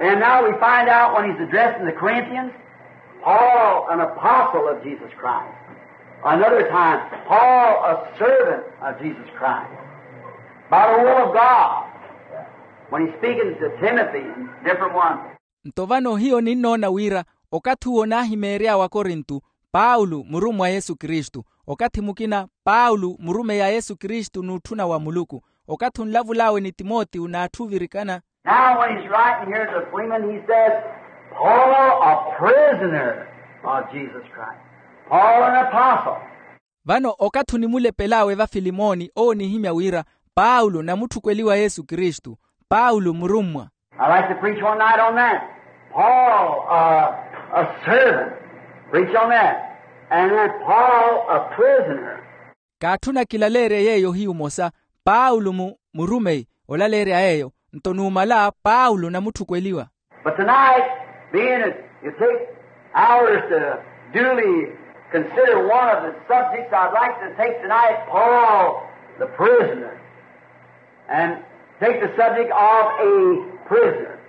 And now we find out when he's addressing the Corinthians, Paul, an apostle of Jesus Christ. Another time, Paul, a servant of Jesus Christ. By the will of God, when he's speaking to Timothy and different ones. Nto vano hiyo ninnoona wira okathi uwo naahimeery'awe akorinto, paulo murummwa a yesu kristu. Okathi mukina paulo murumeyi a yesu kristu n'utthuna wa muluku. Okathi onlavul'awe ni timotiyo n'atthu ovirikana. Now when he's writing here to Philemon, he says, Paul, a prisoner of Jesus Christ. Paul, an apostle. Vano okathi onimulepel'awe va filimoni owo onihimya wira, paulo namutthukweliwa yesu kristu, paulo murummwa. I like to preach one night on that. Paul, uh, a servant. Preach on that. And then Paul, a prisoner. Kaatthuna kilaleerye yeeyo ohiyu omosa, paulo mu murumeyi olaleerya yeeyo. Nto numala paulo namutthukweliwa. But tonight, being that you take hours to duly consider one of the subjects, I'd like to take tonight Paul the prisoner and take the subject of a prisoner.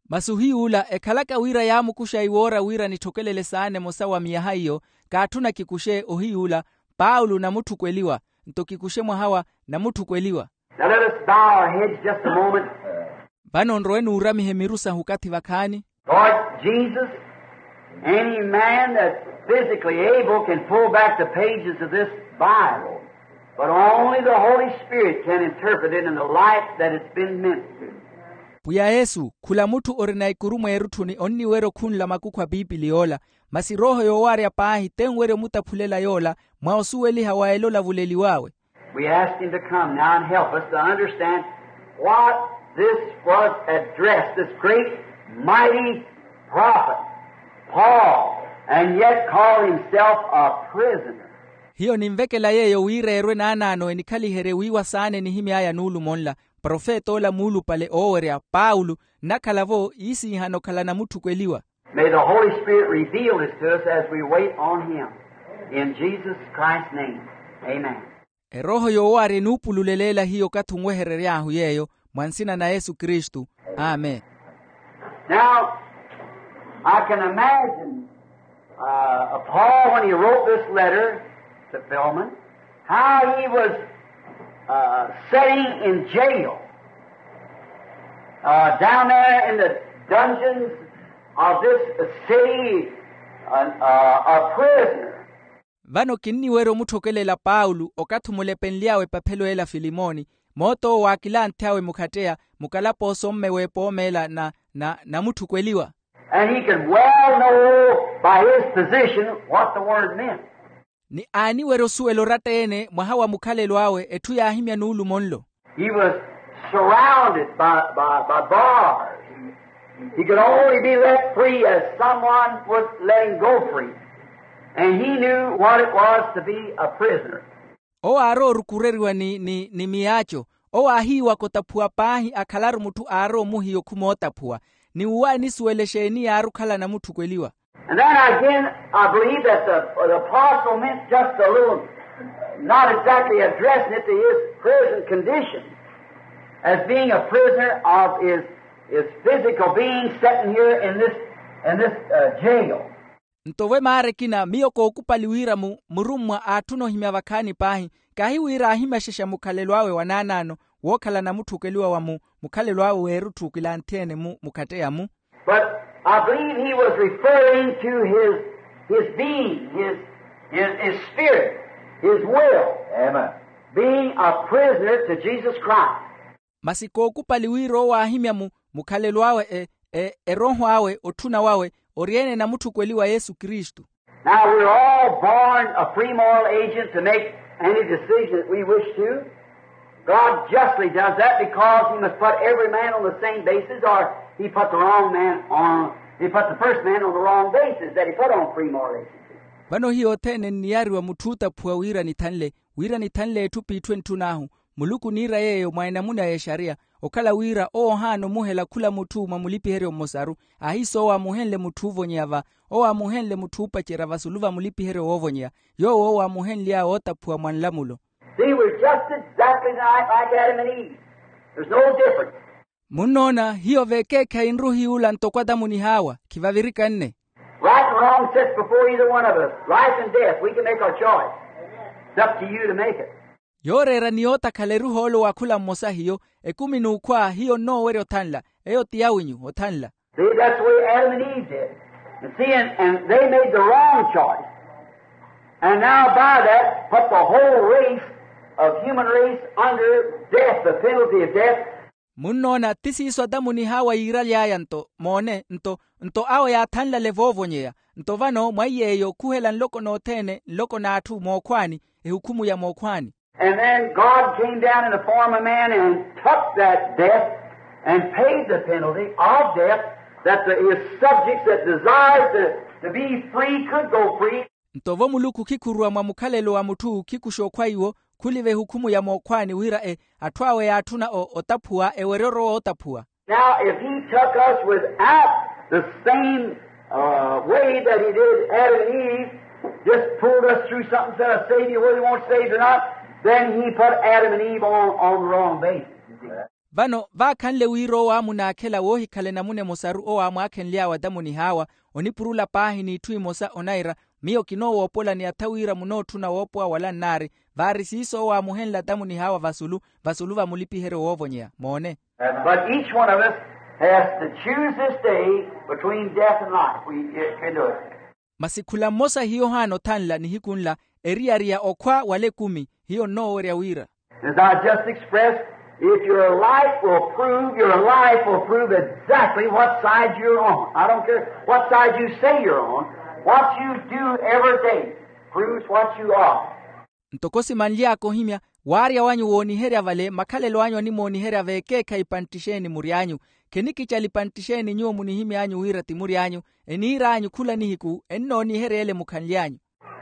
Masi ohiy'ula ekhalaka wira yaamukuxa iwoora wira nitthokelele saana emosa wa miyaha iyo, kaatthuna kikuxe ohiy'ula paulo namutthukweliwa. Nto kikuxe mwaha wa namutthukweliwa. Now let us bow our heads just a moment. Vano nrowe nuuramihe miru sahu okathi vakhaani. Lord Jesus, any man that's physically able can pull back the pages of this Bible, but only the Holy Spirit can interpret it in the light that it's been meant to. Pwiya yesu, khula mutthu orina ikuru mweerutthuni onniwerya okhunla makukhu a piipili yoola, masi erooho yoowarya paahi tenwerya omutaphulela yoola mwa osuweliha wa ela olavuleliw'awe. We ask him to come now and help us to understand what this was addressed, this great, mighty prophet, Paul, and yet call himself a prisoner. Hiyo ninvekela yeeyo wira erwe naanaano enikhaliherye wiiwa saana enihimy'aya nuulumo nla, profet'ola muulupale oowerya paulo, nnakhala-vo iisiihana okhala namutthukweliwa. May the Holy Spirit reveal this to us as we wait on him. In Jesus Christ's name, amen. Erooho yoowarya enuupululelela hiyo okathi onweherery'ahu yeeyo, mwa nsina na yesu kristu. Amen. Now, I can imagine, uh, Paul, when he wrote this letter to Philemon, how he was, uh, sitting in jail, uh, down there in the dungeons of this city, uh, uh, a prisoner. Vano kinniwerya omutthokelela paulo okathi omulepenly'awe epaphelo ela filimoni, moot'owo waakilanthy'awe mukhatteya mukalapooso mme w'epoomeela na na namutthukweliwa. And he could well know by his position what the word meant. Ni aaniwerya osuwela oratta-ene mwaha wa mukhalelo awe etthu yaahimya nuulumo nlo. He was surrounded by, by, by bars. He could only be let free as someone would let him go free. And he knew what it was to be a prisoner. Owo aarowa orukureriwa ni ni ni miyaaco. Owo aahiiwaka otaphuwa paahi akhalaru mutthu aarowa omuhiya okhuma otaphuwa. Ni uwo aanisuwela exeeni yaari okhala namutthukweliwa. And then again, I believe that the, the apostle meant just a little, not exactly addressing it to his present condition as being a prisoner of his, his physical being sitting here in this, in this, uh, jail. Nto vo emaara ekina miyo kookupali wira mu murummwa aatthuna ohimya vakhaani paahi, kahi wira aahimaxexa mukhalelo awe wa naanaano, wookhala namutthukweliwa wa mu mukhalelo awe weerutthukwila anthi ene mu mukhatteya mu. But I believe he was referring to his, his being, his, his, his spirit, his will, being a prisoner to Jesus Christ. Masi kookupali wira owo aahimya mu mukhalelo awe e e erooho awe otthuna wawe, ori ene namutthukweliwa yesu kristu. Now we're all born a free moral agent to make any decision that we wish to. God justly does that because he must put every man on the same basis, or he put the wrong man on, he put the first man on the wrong basis that he put on free moral agency. Vano hiyo othene nniyariwa mutthu ootaphuwa wira nithanle, wira nithanle etthu p'itthu entthun'ahu. Muluku oniira yeeyo mwa enamuna y'exariya, okhala wira owo ohaana omuhela khula mutthu mwa mulipiheryo mmosaru, ahiisa owo aamuhenle mutthu oovonyeya va, owo aamuhenle mutthu oopacerya vasulu va mulipiheryo woovonyeya, yoowo owo aamuhenly'awe ootaphuwa mwa nlamulo. See, we're just exactly like, like Adam and Eve. There's no difference. Munnoona hiyo veekeekhayi nruhiy'ula ntoko adamu ni hawa khivavirikanne. Right and wrong sits before either one of us. Life and death, we can make our choice. It's up to you to make it. Yooreera ni yootakhala eruhoolo wa khula mmosa hiyo, ekumi n'ukhwa hiyo nnoowerya othanla. Eyo ti yawinyu othanla. See, that's the way Adam and Eve did. And see, and, and they made the wrong choice. And now by that, put the whole race of human race under death, the penalty of death. Munnoona ti siiso adamu ni hawa yiiraly'aya nto moone nto nto awo yaathanlale voovonyeya. Nto vano mwa iy'eyo khuhela nloko nothene nloko n'atthu mookhwaani, ehukhumu ya mookhwaani. And then God came down in the form of man and took that death and paid the penalty of death, that the, his subjects that desired to, to be free could go free. Nto vo muluku khikhuruwa mwa mukhalelo wa mutthu khikuxa okhwa iwo, khuliva ehukhumu ya mookhwaani wira e atthu awe yaatthuna o otaphuwa ewerye orowa ootaphuwa. Now if he took us without the same way that he did Adam and Eve, just pulled us through something, said a savior whether he wants saved or not, then he put Adam and Eve on, on the wrong basis. Vano vaakhanle wira owo aamunaakhela woohikhala enamuna emosaru owo aamwaakhenly'awe adamu ni hawa, onipurula paahi n'itthu emosa onaira, miyo kinoowoopola ni atha wira munootthuna woopowa wala nnaari. Vaari siiso owo aamuhenle adamu ni hawa vasulu vasulu va mulipiheryo woovonyeya moone. But each one of us has to choose this day between death and life. We can do it. Masi khula mmosa hiyo ohaana othanla nihiku nla, eriyari ya okhwa wala ekumi hiyo nnoowerya wira. As I just expressed, if your life will prove, your life will prove exactly what side you're on. I don't care what side you say you're on. What you do every day proves what you are. Ntoko simanly'aka ohimya, waarya wanyu wooniherya vale makhalelo anyu animooniherya veekeekhayi ipantti exeeni mury'anyu. Khenikicala ipantti exeeni nyuwo munihimy'anyu wira ti mury'anyu, eniir'anyu khula nihiku ennooniherya ele mukhanly'anyu.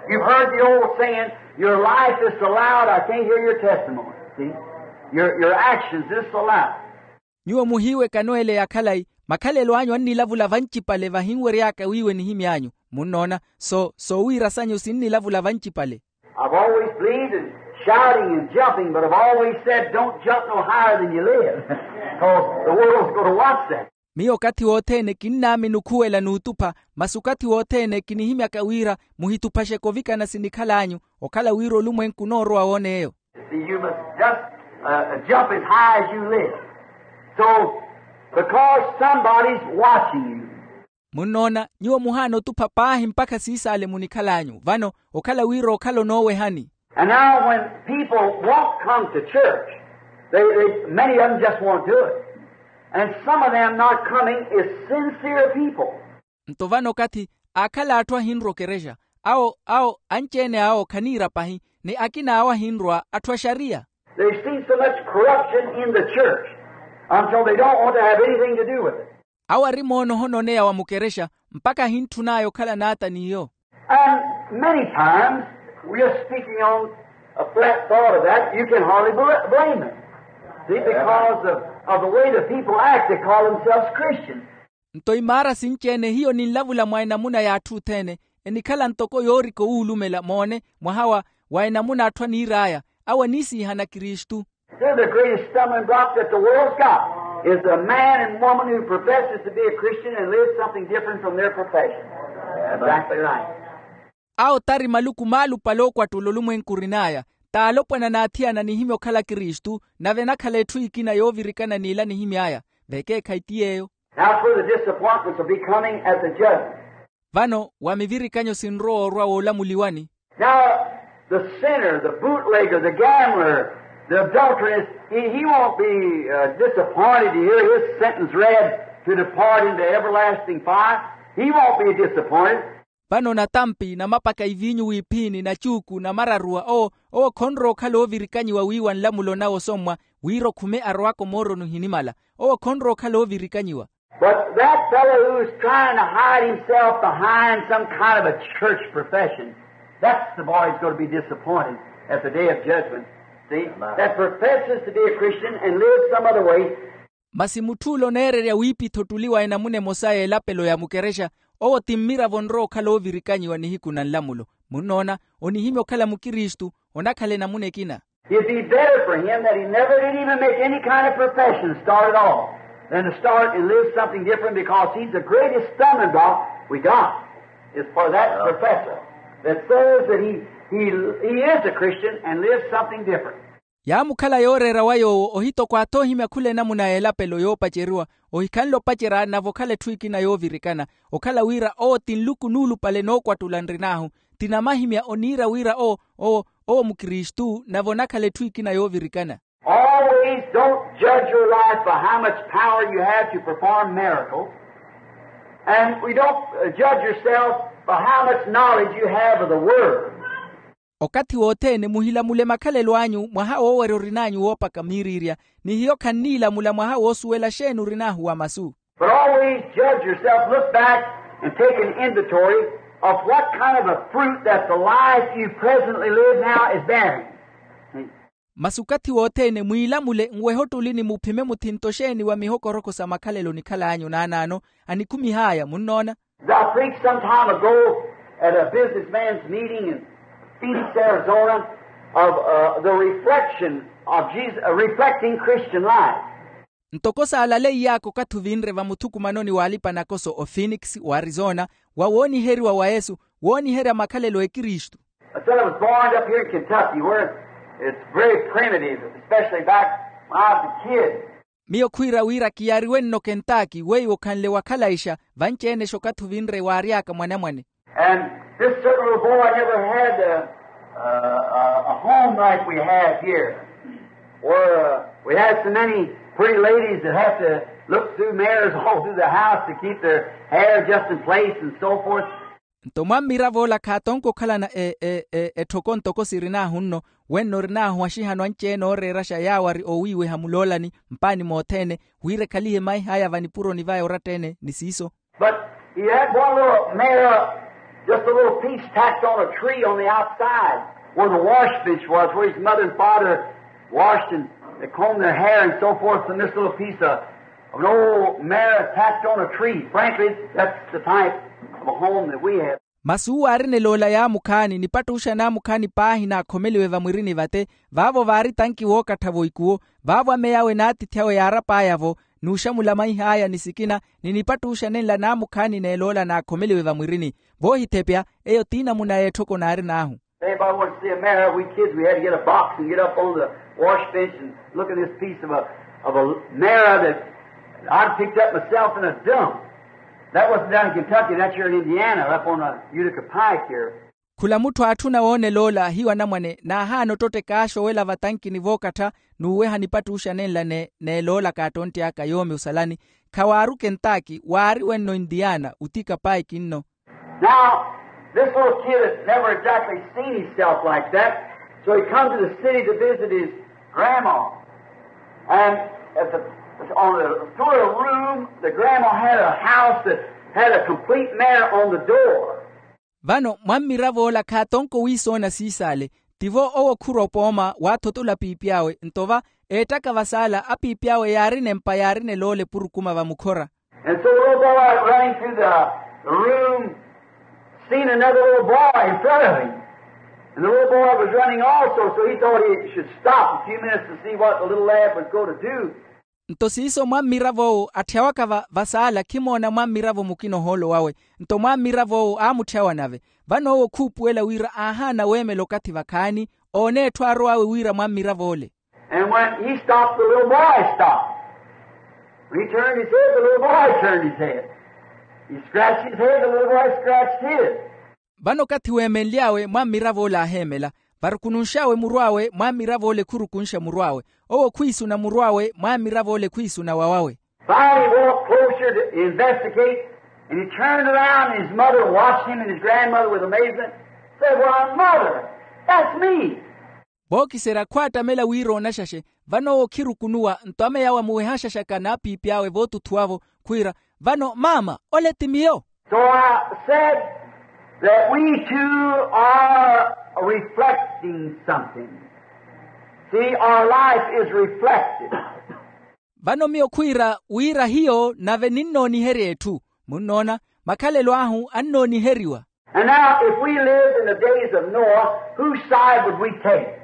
You've heard the old saying, your life is so loud I can't hear your testimony. See? Your, your actions is so loud. Nyuwo muhiiwekano ele ya khalayi, makhalelo anyu annilavula vancipale vahinwery'aka wiiwe nihimy'anyu. Munnoona, so soowiira sanyu sinnilavula vancipale. I've always believed in shouting and jumping, but I've always said don't jump no higher than you live, because the world's going to watch that. Miyo okathi wothene kinnaamini okhuwela n'utupha, masi okathi wothene kinihimyaka wira muhituphaxeke ovikana sinikhal'anyu, okhala wira olumwenku onoorowa woon'eyo. See, you must just jump as high as you live. So, because somebody's watching you. Munnoona, nyuwo muhaana otupha paahi mpakha siisaale munikhal'anyu vano, okhala wira okhala onoowehani. And now when people won't come to church, they, they, many of them just won't do it. And some of them not coming is sincere people. Nto vano okathi aakhala atthu ahinrwa okerexa, awo awo anci-ene awo khaniira pahi, ni akina awo ahinrwa atthu axariya. They've seen so much corruption in the church until they don't want to have anything to do with it. Awo ari moona ohononeya wa mukerexa, mpakha ahintthun'aya okhala n'ata n'iyo. And many times, we're speaking on a flat thought of that, you can hardly bl- blame them. See, because of, of the way the people act, they call themselves Christians. Nto imaara sinci-ene hiyo ninlavula mwa enamuna y'atthu othene, enikhala ntoko yoorika owuulumela moone mwaha wa wa enamuna atthu aniir'aya, awo aniisiihana kristu. They're the greatest stumbling block that the world's got, is a man and woman who professes to be a Christian and lives something different from their profession. Exactly right. Awo tari maluku maalupale ookwattula olumwenku orin'aya. T'alopwana n'athiyana anihimya okhala kristu, nave enakhala etthu ekina yoovirikana n'ila anihimy'aya. Vekeekhayi ti yeeyo. Now for the disappointments will be coming at the judgment. Vano wa mivirikanyo sinrowa orwa woolamuliwani. Now the sinner, the bootlegger, the gambler, the adulteress, he, he won't be uh, disappointed to hear his sentence read to depart into everlasting fire. He won't be disappointed. Vano natampi namapaka iviinyu wiiphini nachuuku namararuwa owo, owo khonrowa okhala oovirikanyiwa wiiwa nlamulo nawe osommwa, wira okhume arowaka omooroni ohinimala. Owo khonrowa okhala oovirikanyiwa. But that fellow who's trying to hide himself behind some kind of a church profession, that's the boy who's going to be disappointed at the day of judgment. See, that professes to be a Christian and lives some other way. Masi mutth'ule oneererya wiipitha ottuli wa enamuna emosa y'elapelo ya mukerexa, owo ti mmiravo onrowa okhala oovirikanyiwa nihiku na nlamulo. Munnoona, onihimya okhala mukristu, onakhala enamuna ekina. It'd be better for him that he never did even make any kind of profession start at all than to start and live something different, because he's the greatest stumbling block we got is for that professor that says that he, he, he is a Christian and lives something different. Yaamukhala yooreera wa yoowo ohitokwaatha ohimya khula enamuna y'elapelo yoopaceriwa, ohikhanle opacerya nave okhala etthu ekina yoovirikana. Okhala wira owo ti nluku nuulupale nookwattula nrin'ahu, ti namahimya oniira wira owo, owo, owo mukristu nave onakhala etthu ekina yoovirikana. Always don't judge your life by how much power you have to perform miracles, and we don't uh, judge yourself by how much knowledge you have of the word. Okathi wothene muhilamule makhalelo anyu mwaha woowerya orin'anyu woopaka miiriirya, ni hiyo khanniilamula mwaha woosuwela xeeni orin'ahu wa masu. But always judge yourself, look back and take an inventory of what kind of a fruit that the life you presently live now is bearing. Masi okathi wothene mwiilamule nwehe ottulini muphime muthinto xeeni wa mihokoroko sa makhalelo onikhal'anyu naanaano, anikhumih'aya munnoona. I preached some time ago at a businessman's meeting in Phoenix, Arizona, of uh, the reflection of Jesus, uh, reflecting Christian life. Ntoko saalaleiy'aka okathi ovinre vamuthukumanoni w'alipa-nakoso o phoenix w'arizona, wa wooniheriwa wa yesu, wooniherya makhalelo a ekristu. I said I was born up here in Kentucky, where it's very primitive, especially back when I was a kid. Miyo khwiira wira kiyaariwe nno kentaki weiwo khanle wakhalaixa, vanci-enexa okathi ovinre waary'aka mwanamwane. And this certain little boy never had a, a, a home like we have here, where uh, we had so many pretty ladies that have to look through mirrors all through the house to keep their hair just in place and so forth. Nto mwammiravo ola khaatonka okhalana e, e, e, etthoko ntoko sirin'ahu nno, wenno orin'ahu axihano anci-ene ooreeraxa yaawo ari oowiiweha muloolani mpaani mothene, wira ekhalihe maih'aya vanipuroni vaya oratta-ene ni siiso. But he had one little mirror, just a little piece tacked on a tree on the outside where the wash bench was, where his mother and father washed and they combed their hair and so forth from this little piece of, of an old mirror tacked on a tree. Frankly, that's the type of a home that we have. Masi uwo aari neloola yaamukhaani nipattuxa naamukhaani paahi naakhomeliwe vamwirini vate, vaavo vaari tanki wookattha-vo ikuwo. Vaavo ameyawe n'atiithi awe yaarap'aya-vo, n'uxamula maih'aya ni sikina, ni nipattuxa nenla naamukhaani n'eloola naakhomeliwe vamwirini. Voohithepya, eyo t'inamuna y'etthoko naarin'ahu. If anybody wanted to see a mirror, we kids, we had to get a box and get up on the wash bench and look at this piece of a, of a mirror that I'd picked up myself in a dump. That wasn't down in Kentucky, that's here in Indiana, up on a Utica Pike here. Khula mutthu aatthuna wooneloola hiyo anamwane naahaana ottotteka axowela vatankini vookattha, n'uweha nipattuxa nenla n'eloola kaattontti aka yoomi osalani. Khawaaru kentaki waari wenno intiyaana utika paiki nno. Now this little kid had never exactly seen himself like that, so he come to the city to visit his grandma. And at the, on the through a room, the grandma had a house that had a complete mirror on the door. Vano mwammirav'ola khaatonko wiisoona siisaale. Tivo owo khurwa opooma waathotola piipi awe nto va eettaka vasaala apiipi awe yaarina empa yaarina eloole purukuma vamukhora. And so the little boy running through the room seen another little boy in front of him. And the little boy was running also, so he thought he should stop a few minutes to see what the little lad was going to do. Nto siiso mwammirav'owo atthya waka va vasaala khimoona mwammiravo mukina ohoolo wawe. Nto mwammirav'owo aamutthyawa nave. Vano owo khuupuwela wira aahaana weemela okathi vakhaani oone etthu aarow'awe wira mwammirav'ole. And when he stopped, the little boy stopped. When he turned his head, the little boy turned his head. He scratched his head, the little boy scratched his. Vano okathi weemenly'awe mwammirav'ole aaheemela. Varukununx'awe murw'awe mwammirav'ole khurukunxa murw'awe. Owo khwiisuna murw'awe mwammirav'ole khwiisuna wawawe. Finally he walked closer to investigate, and he turned around, and his mother watched him and his grandmother with amazement, said, "Why, mother, that's me." Vookiserya khwaattamela wira oonaxaxe. Vano owo khirukunuwa nto ameyawe amuwehaxaxaka n'apiipi awe vootuthuwavo khwiira, "Vano maama ole ti miyo." So I said that we too are reflecting something. See, our life is reflected. Vano miyo khwiira wira hiyo nave ninnooniherya etthu. Munnoona, makhalelo ahu annooniheriwa. And now, if we lived in the days of Noah, whose side would we take?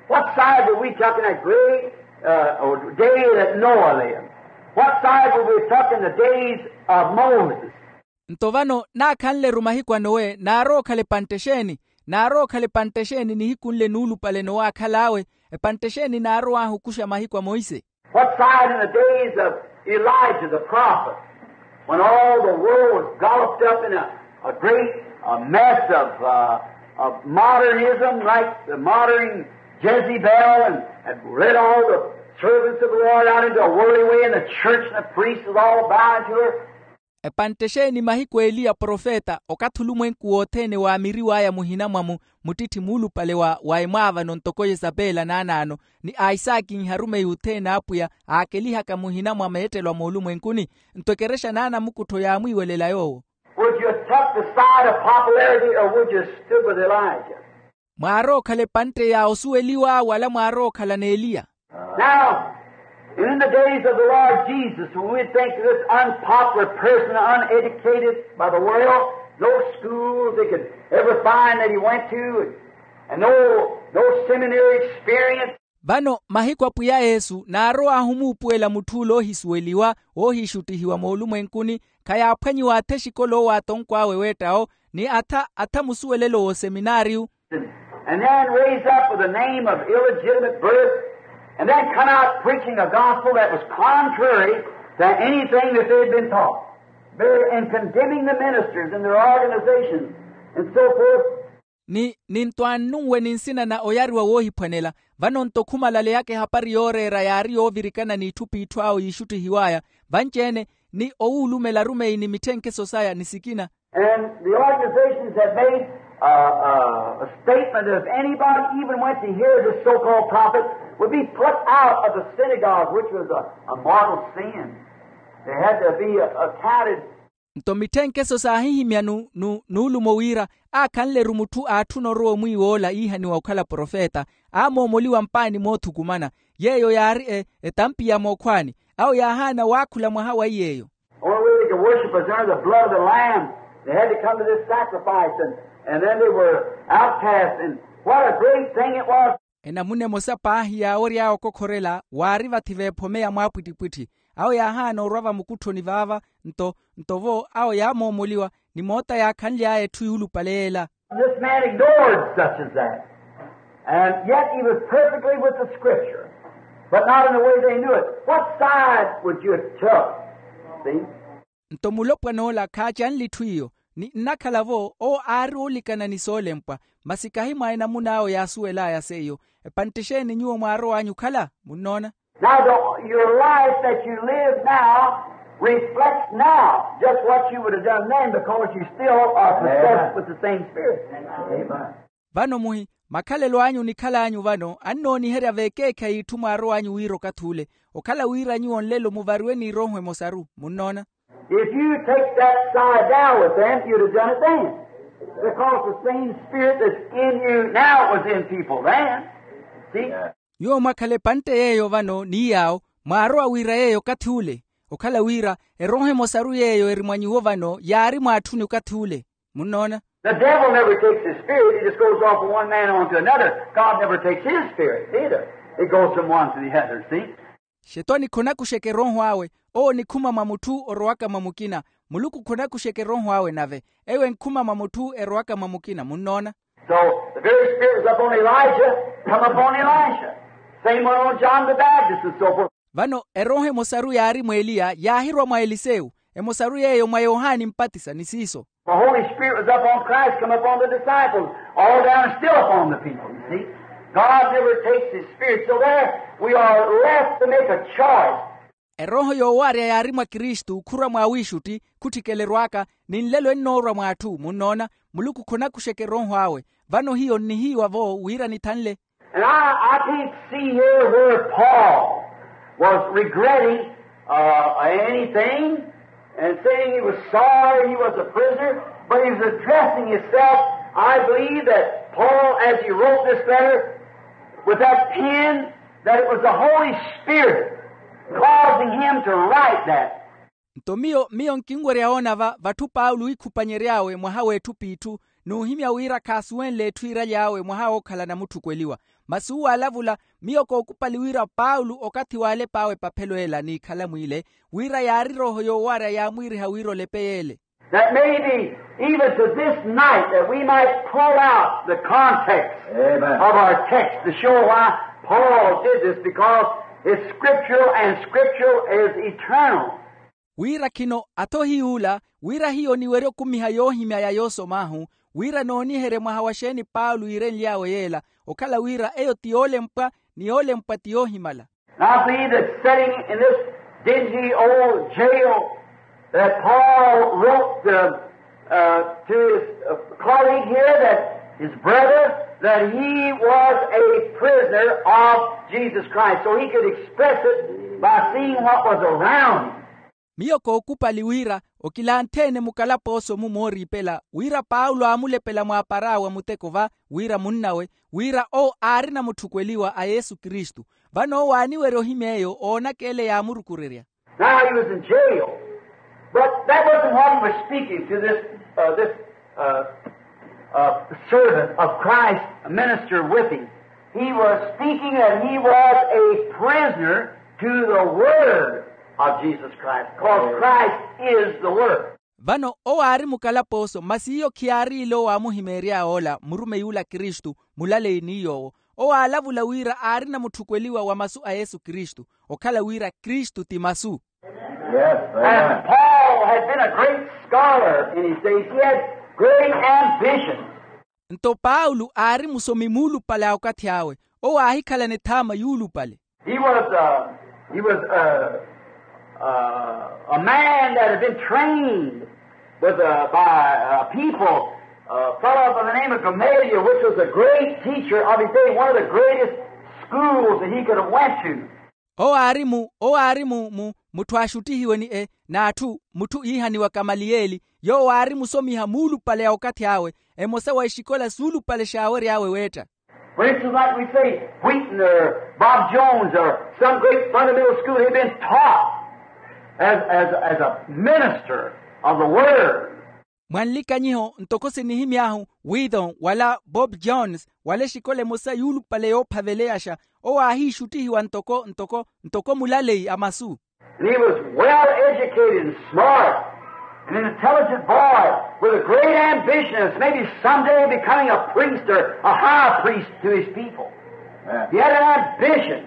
What side would we take in that great uh, day that Noah lived? What side would we take in the days of Moses? Nto vano naakhanle-ru mahiku a nowe naarowa okhala epantte exeeni? Naarowa okhala epantte exeeni nihiku nle nuulupale nowaakhal'awe? Epantte exeeni naarowa ahu okuxa mahiku a monse? What side in the days of Elijah the prophet, when all the world was gulfed up in a, a great a mess of, uh, of modernism, like the modern Jezebel, and had led all the servants of the Lord out into a worldly way, and the church and the priests was all bowing to her? Epantte exeeni mahiku a eliya profeta okathi olumwenku wothene waamiriw'aya muhina mwa mu muttitthi muulupale wa wa emwaavano ntoko yesapela naanaano, ni aisaakinha arumeyi othene a apwiya aakelihaka muhina mwa meettelo a moolumwenkuni. Nto ekerexa n'anamukuttho yaamwiiwelela yoowo. Would you have took the side of popularity, or would you have stood with Elijah? Mwaarowa okhala epantte ya osuweliwa wala mwaarowa okhala n'eliya? Now, in the days of the Lord Jesus, when we think of this unpopular person, uneducated by the world, no schools they could ever find that he went to, and no, no seminary experience. Vano mahiku a pwiya yesu naarowa ahu omuupuwela mutth'ule oohisuweliwa oohiixuttihiwa moolumwenkuni, khayaaphwanyiwa atha exikola owo atonkw'awe weett'awo, ni atha atha musuwelelo w'oseminaariyu. And then raised up with the name of illegitimate birth, and then come out preaching a gospel that was contrary to anything that they had been taught, and condemning the ministers and their organizations, and so forth. Ni ni nto annunwe ni nsina na oyariwa woohiphwanela. Vano nto khumalaleyaka ehapari yooreera yaari yoovirikana n'itthu p'itthu awo yiixuttihiw'aya vanci-ene, ni owuulumela arumeyi ni mitthenkeso saya ni sikina. And the organizations had made a, a, a statement that if anybody even went to hear this so-called prophet, would be put out of the synagogue, which was a, a mortal sin. They had to be, uh, accounted. Nto mitthenkeso saahihimya nu nu nuulumo wira aakhanle-ru mutthu aatthuna orowa omwiiw'ola iihaniwa okhala profeta, aamoomoliwa mpaani moothukumana. Yeeyo yaari e etampi ya mookhwaani. Awo yaahaana waakhula mwaha wa iy'eyo. Only way they could worship was under the blood of the Lamb. They had to come to this sacrifice, and, and then they were outcast. And what a great thing it was. Enamuna emosa paahi yaawery'awe okokhorela waari vathi veephomeya mwaapwittipwitthi. Awo yaahaana orwa vamukutthoni vaava. Nto nto vo awo yaamoomoliwa ni moota yaakhanly'aya etthu yuulupale yeela. This man ignored such as that. And yet he was perfectly with the Scripture, but not in the way they knew it. What side would you have took? See? Nto mulopwan'ola khaacanle itthu iyo, ni nnakhala-vo owo aari oolikana ni soolempwa, masi kahi mwa enamun'awe yaasuwel'aya seiyo. Epantte exeeni nyuwo mwaarow'anyu okhala? Munnoona? Now, the, your life that you live now reflects now just what you would have done then, because you still are possessed with the same Spirit. Amen. Vano muhi, makhalelo anyu onikhal'anyu vano annooniherya veekeekhayi itthu mwaarow'anyu wira okathi ule, okhala wira nyuwo nlelo muvariwe ni erooho emosaru. Munnoona? If you take that side down with them, you'd have done it then. Because the same Spirit that's in you now was in people then. See? Nyuwo mwakhala epantte yeeyo vano ni yaawo, mwaarowa wira yeeyo okathi ule. Okhala wira erooho emosaru yeeyo eri mwa nyuwo vano yaari mwaatthuni okathi ule. Munnoona? The devil never takes his spirit, he just goes off from one man on to another. God never takes his spirit either. It goes from one to the other, see? Xetwani khonakuxeke erooho awe. Owo onikhuma mwa mutthu orowaka mwa mukina. Muluku khonakuxeke erooho awe nave eyo enkhuma mwa mutthu erowaka mwa mukina munnoona. So the very spirit was upon Elijah, come upon Elisha. Same one on John the Baptist and so forth. Vano erooho emosaru yaari mw'eliya yaahirwa mwa elisewu. Emosaru yeeyo mwa yohani mpatisa ni siiso. The Holy Spirit was upon Christ, come upon the disciples, all down and still upon the people, you see. God never takes his spirit, so there we are left to make a choice. Erooho yoowarya yaari mwa kristu khurwa mwa wiixutti khutthikeleriwaka. Ni nlelo ennoorwa mw'atthu munnoona. Muluku khonakuxeke erooho awe. Vano hiyo nnihiiwa-vo wira nithanle. And I, I can't see here where Paul was regretting uh, anything and saying he was sorry he was a prisoner, but he was addressing himself. I believe that Paul, as he wrote this letter with that pen, that it was the Holy Spirit causing him to write that. Nto miyo miyo nkinwerya oona va vatthu paulo iikhupanyery'awe mwaha w'etthu p'itthu n'uhimya wira khaasuwenle etthu iiraly'awe mwaha wookhala namutthukweliwa. Masi uwo aalavula. Miyo kookupali wira paulo okathi waalepa awe epaphelo ela n'ikhalamu ile wira yaari erooho yoowarya yaamwiiriha wira olepe yeele. That maybe even to this night that we might pull out the context of our text to show why Paul did this, because it's scriptural and scriptural is eternal. Wira khino atho hiy'ula wira hiyo niwerye okumiha yoohimya ya yoosom'ahu wira nooniherye mwaha wa xeeni paulo iirenly'awe yeela okhala wira eyo ti yoolempwa ni yoolempwa ti yoohimala. And I believe that sitting in this dingy old jail that Paul wrote to, uh, to his uh, colleague here, that his brother, that he was a prisoner of Jesus Christ. So he could express it by seeing what was around him. Miyo kookupali wira okilanthe-ene mukalapooso-mu mooriipela wira paulo aamulepela mwaapar'awe a muteko va wira munn'awe wira owo aarina mutthukweliwa a yesu kristu. Vano owo aaniwerya ohimya eyo oonaka ele yaamurukurerya. Now he was in jail, but that wasn't what he was speaking to this uh, this uh, uh, servant of Christ, a minister with him. He was speaking that he was a prisoner to the word of Jesus Christ, because Christ is the word. Vano owo aari mukalapooso masi iyo khiyaari ile owo aamuhimeery'awe ola murumeyi ula kristu mulaleyi ni yoowo. Owo aalavula wira aarina mutthukweliwa wa masu a yesu kristu okhala wira kristu ti masu. And Paul had been a great scholar in his days. He had great ambitions. Nto paulo aari musomi muulupale a okathi awe. Owo aahikhalana ethaama yuulupale. He was uh, he was uh, uh, a man that had been trained with uh, by uh, people, a fellow by the name of Gamaliel, which was a great teacher of his day, one of the greatest schools that he could have went to. Owo aari mu owo aari mu mu mutthu aaxuttihiwe ni e n'atthu mutthu iihaniwa kamaliyeli. Yoowo aari musomiha muulupale a okathi awe emosa wa exikola suulupale xaawery'awe weetta. For instance, like we say, Wheaton or Bob Jones or some great fundamental school, they've been taught as, as, as a minister of the word. Mwa nlikanyiho ntoko sinihimy'ahu withon wala bob jones wala exikola emosa yuulupale yoophaveleyaxa. Owo aahiixuttihiwa ntoko ntoko ntoko mulaleyi a masu. And he was well educated and smart and an intelligent boy with a great ambition of maybe someday becoming a priest or a high priest to his people. He had an ambition.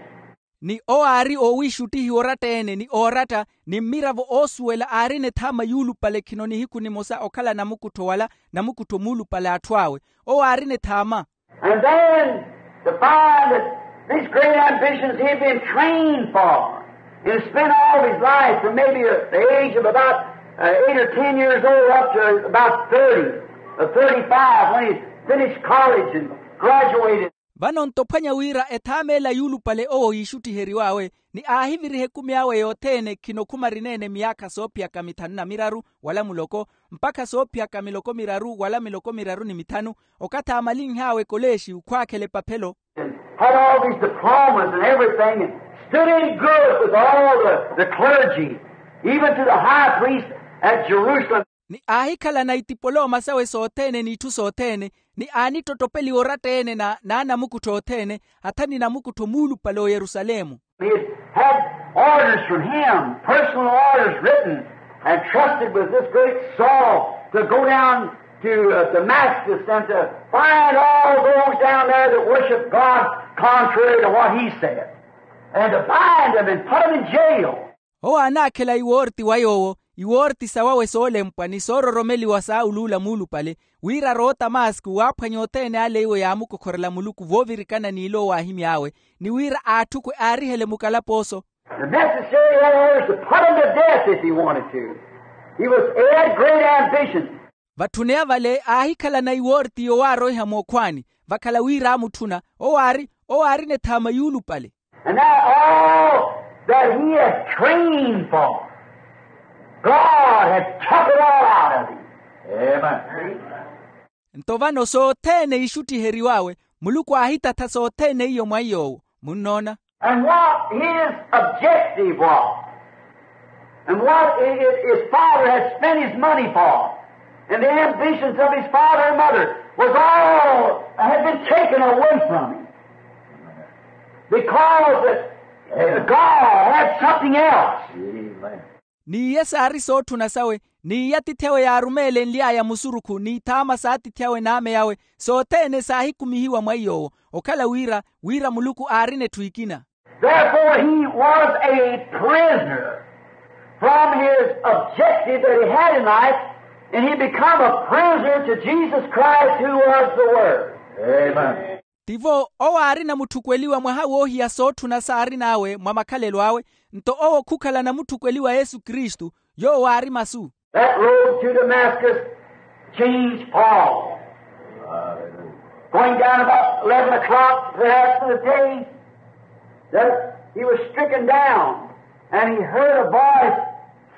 Ni owo aari oowiixuttihiwa oratta-ene ni ooratta ni mmiravo oosuwela aarina ethaama yuulupale khino nihiku nimosa okhala namukuttho wala namukuttho muulupale a atthu awe. Owo aarina ethaama. And then to find that these great ambitions he had been trained for and spent all of his life from maybe the age of about uh, eight or ten years old up to about thirty or thirty-five when he finished college and graduated. Vano nto ophwanya wira ethaama ela yuulupale owo yiixutthiheriw'awe ni aahiviriha ekumi awe yothene khino khumarineene miyaakha soophiyaka mithanu na miraru wala muloko mpakha soophiyaka miloko miraru wala miloko miraru ni mithanu. Okathi aamalinh'awe ekolexi khwaakhela epaphelo. Had all these diplomas and everything and stood in good with all the, the clergy, even to the high priest at Jerusalem. Ni aahikhalana itipoloma sawe sothene n'itthu sothene ni aanittottopeliwa oratta-ene na naanamukuttho othene hatha ni namukuttho muulupale oyerusalemu. He had Orders from him, personal orders written and trusted with this great Saul to go down to uh, Damascus and to find all those down there that worship God contrary to what he said, and to bind them and put them in jail. Owo aanaakhela iwoorti wa yoowo, iwoorti sawawe soolempwa ni soororomeliwa saawuluula muulupale, wira aroowa otamasku waaphwanya othene ale iwo yaamukokhorela muluku voovirikana n'ilo owaahimy'awe, ni wira aatthukwe aarihele mukalapooso. The necessary orders to put him to death if he wanted to. He was he had great ambition. Vatthuneya vale aahikhalana iwoorti yowaaroiha mookhwaani, vakhala wira aamutthuna. Owo aari owo aarina ethaama yuulupale. And that all that he had trained for, God had took it all out of him. Amen. Nto vano sothene ixuttiheriw'awe, muluku aahitatha sothene iyo mwa iy'owo. Munnoona? And what his objective was, and what his father had spent his money for, and the ambitions of his father and mother was all had been taken away from him. Because that God had something else. Ni iye saari sootthuna sawe, ni iya atiithi awe yaarumeelenly'aya musurukhu n'ithaama s'atiithi awe n'ame awe, sothene saahikumihiwa mwa iy'owo, okhala wira wira muluku aarina etthu ekina. Therefore he was a prisoner from his objective that he had in life, and he become a prisoner to Jesus Christ, who was the Word. Amen. Tivo owo aarina mutthukweliwa mwaha woohiya sootthuna saarin'awe mwa makhalelo awe, nto owo khukhalana mutthukweliwa yesu kristu, yoowo aari masu. That road to Damascus changed Paul. Going down about eleven o'clock, perhaps, in the day, that he was stricken down, and he heard a voice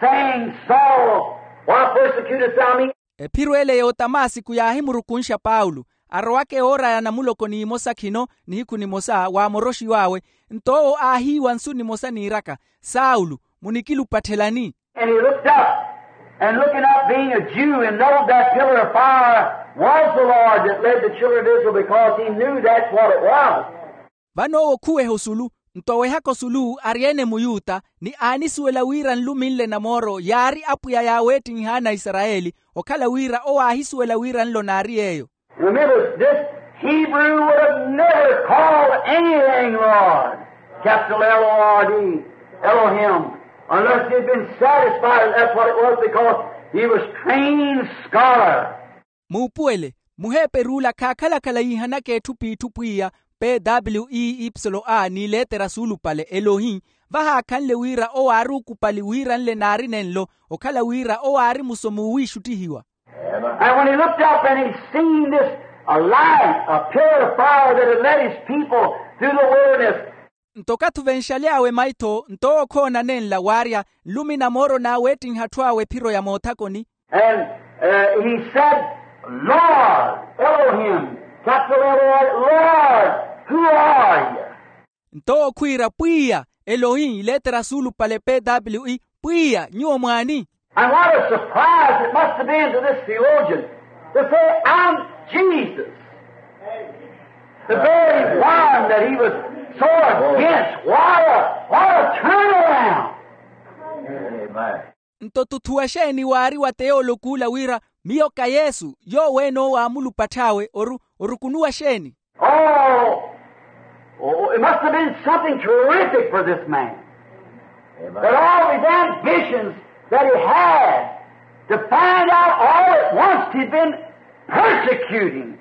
saying, Saul, why persecutest thou me? Ephiro ele y'otamasiku yaahimurukunxa paulo, arowaka ewoor'aya namuloko n'imosa khino, nihiku nimosa waamoroxiw'awe. Nto owo aahiiwa nsu nimosa niiraka, saulo, munikilupatthelani? And he looked up, and looking up, being a Jew, and knowed that pillar of fire was the Lord that led the children of Israel, because he knew that's what it was. Vano owo khuweha osulu, nto awehaka osulu ari-ene muyuta, ni aanisuwela wira nlumi nle na mooro yaari apwiya yaaweettinha anaisarayeli, okhala wira owo aahisuwela wira nlo naari yeeyo. Remember, this Hebrew would have never called anything Lord, capital L O R D, Elohim, unless he had been satisfied that that's what it was, because he was trained scholar. Muupuwele, muheeper'ula khaakhalakhala yiihanaka etthu p'itthu pwiya, pw ipslo a n'iletera suulupale elohi, vahaakhanle wira owo aari ukupali wira nle naari nenlo, okhala wira owo aari musomi owiixuttihiwa. And when he looked up and he seen this, a light, a pillar of fire that had led his people through the wilderness. Nto okathi ovenxaly'awe maitho nto owo khoona nenla waarya, nlumi na mooro naaweettinha atthu awe ephiro ya moothakoni. And he said, Lord, Elohim, capital L O R D, Lord, who are you? Nto owo khwiira pwiya, elohi iletera suulupale pw, pwiya nyuwo mwaani? And what a surprise it must have been to this theologian to say, I'm Jesus, the very one that he was so against. What a, what a turnaround. Nto tuthuwa xeeni waari wa teolokuula wira, miyo ka yesu, yoowo ene owo aamulupatth'awe oru orukunuwa xeeni? Oh, it must have been something terrific for this man, that all these ambitions that he had to find out all at once he'd been persecuting.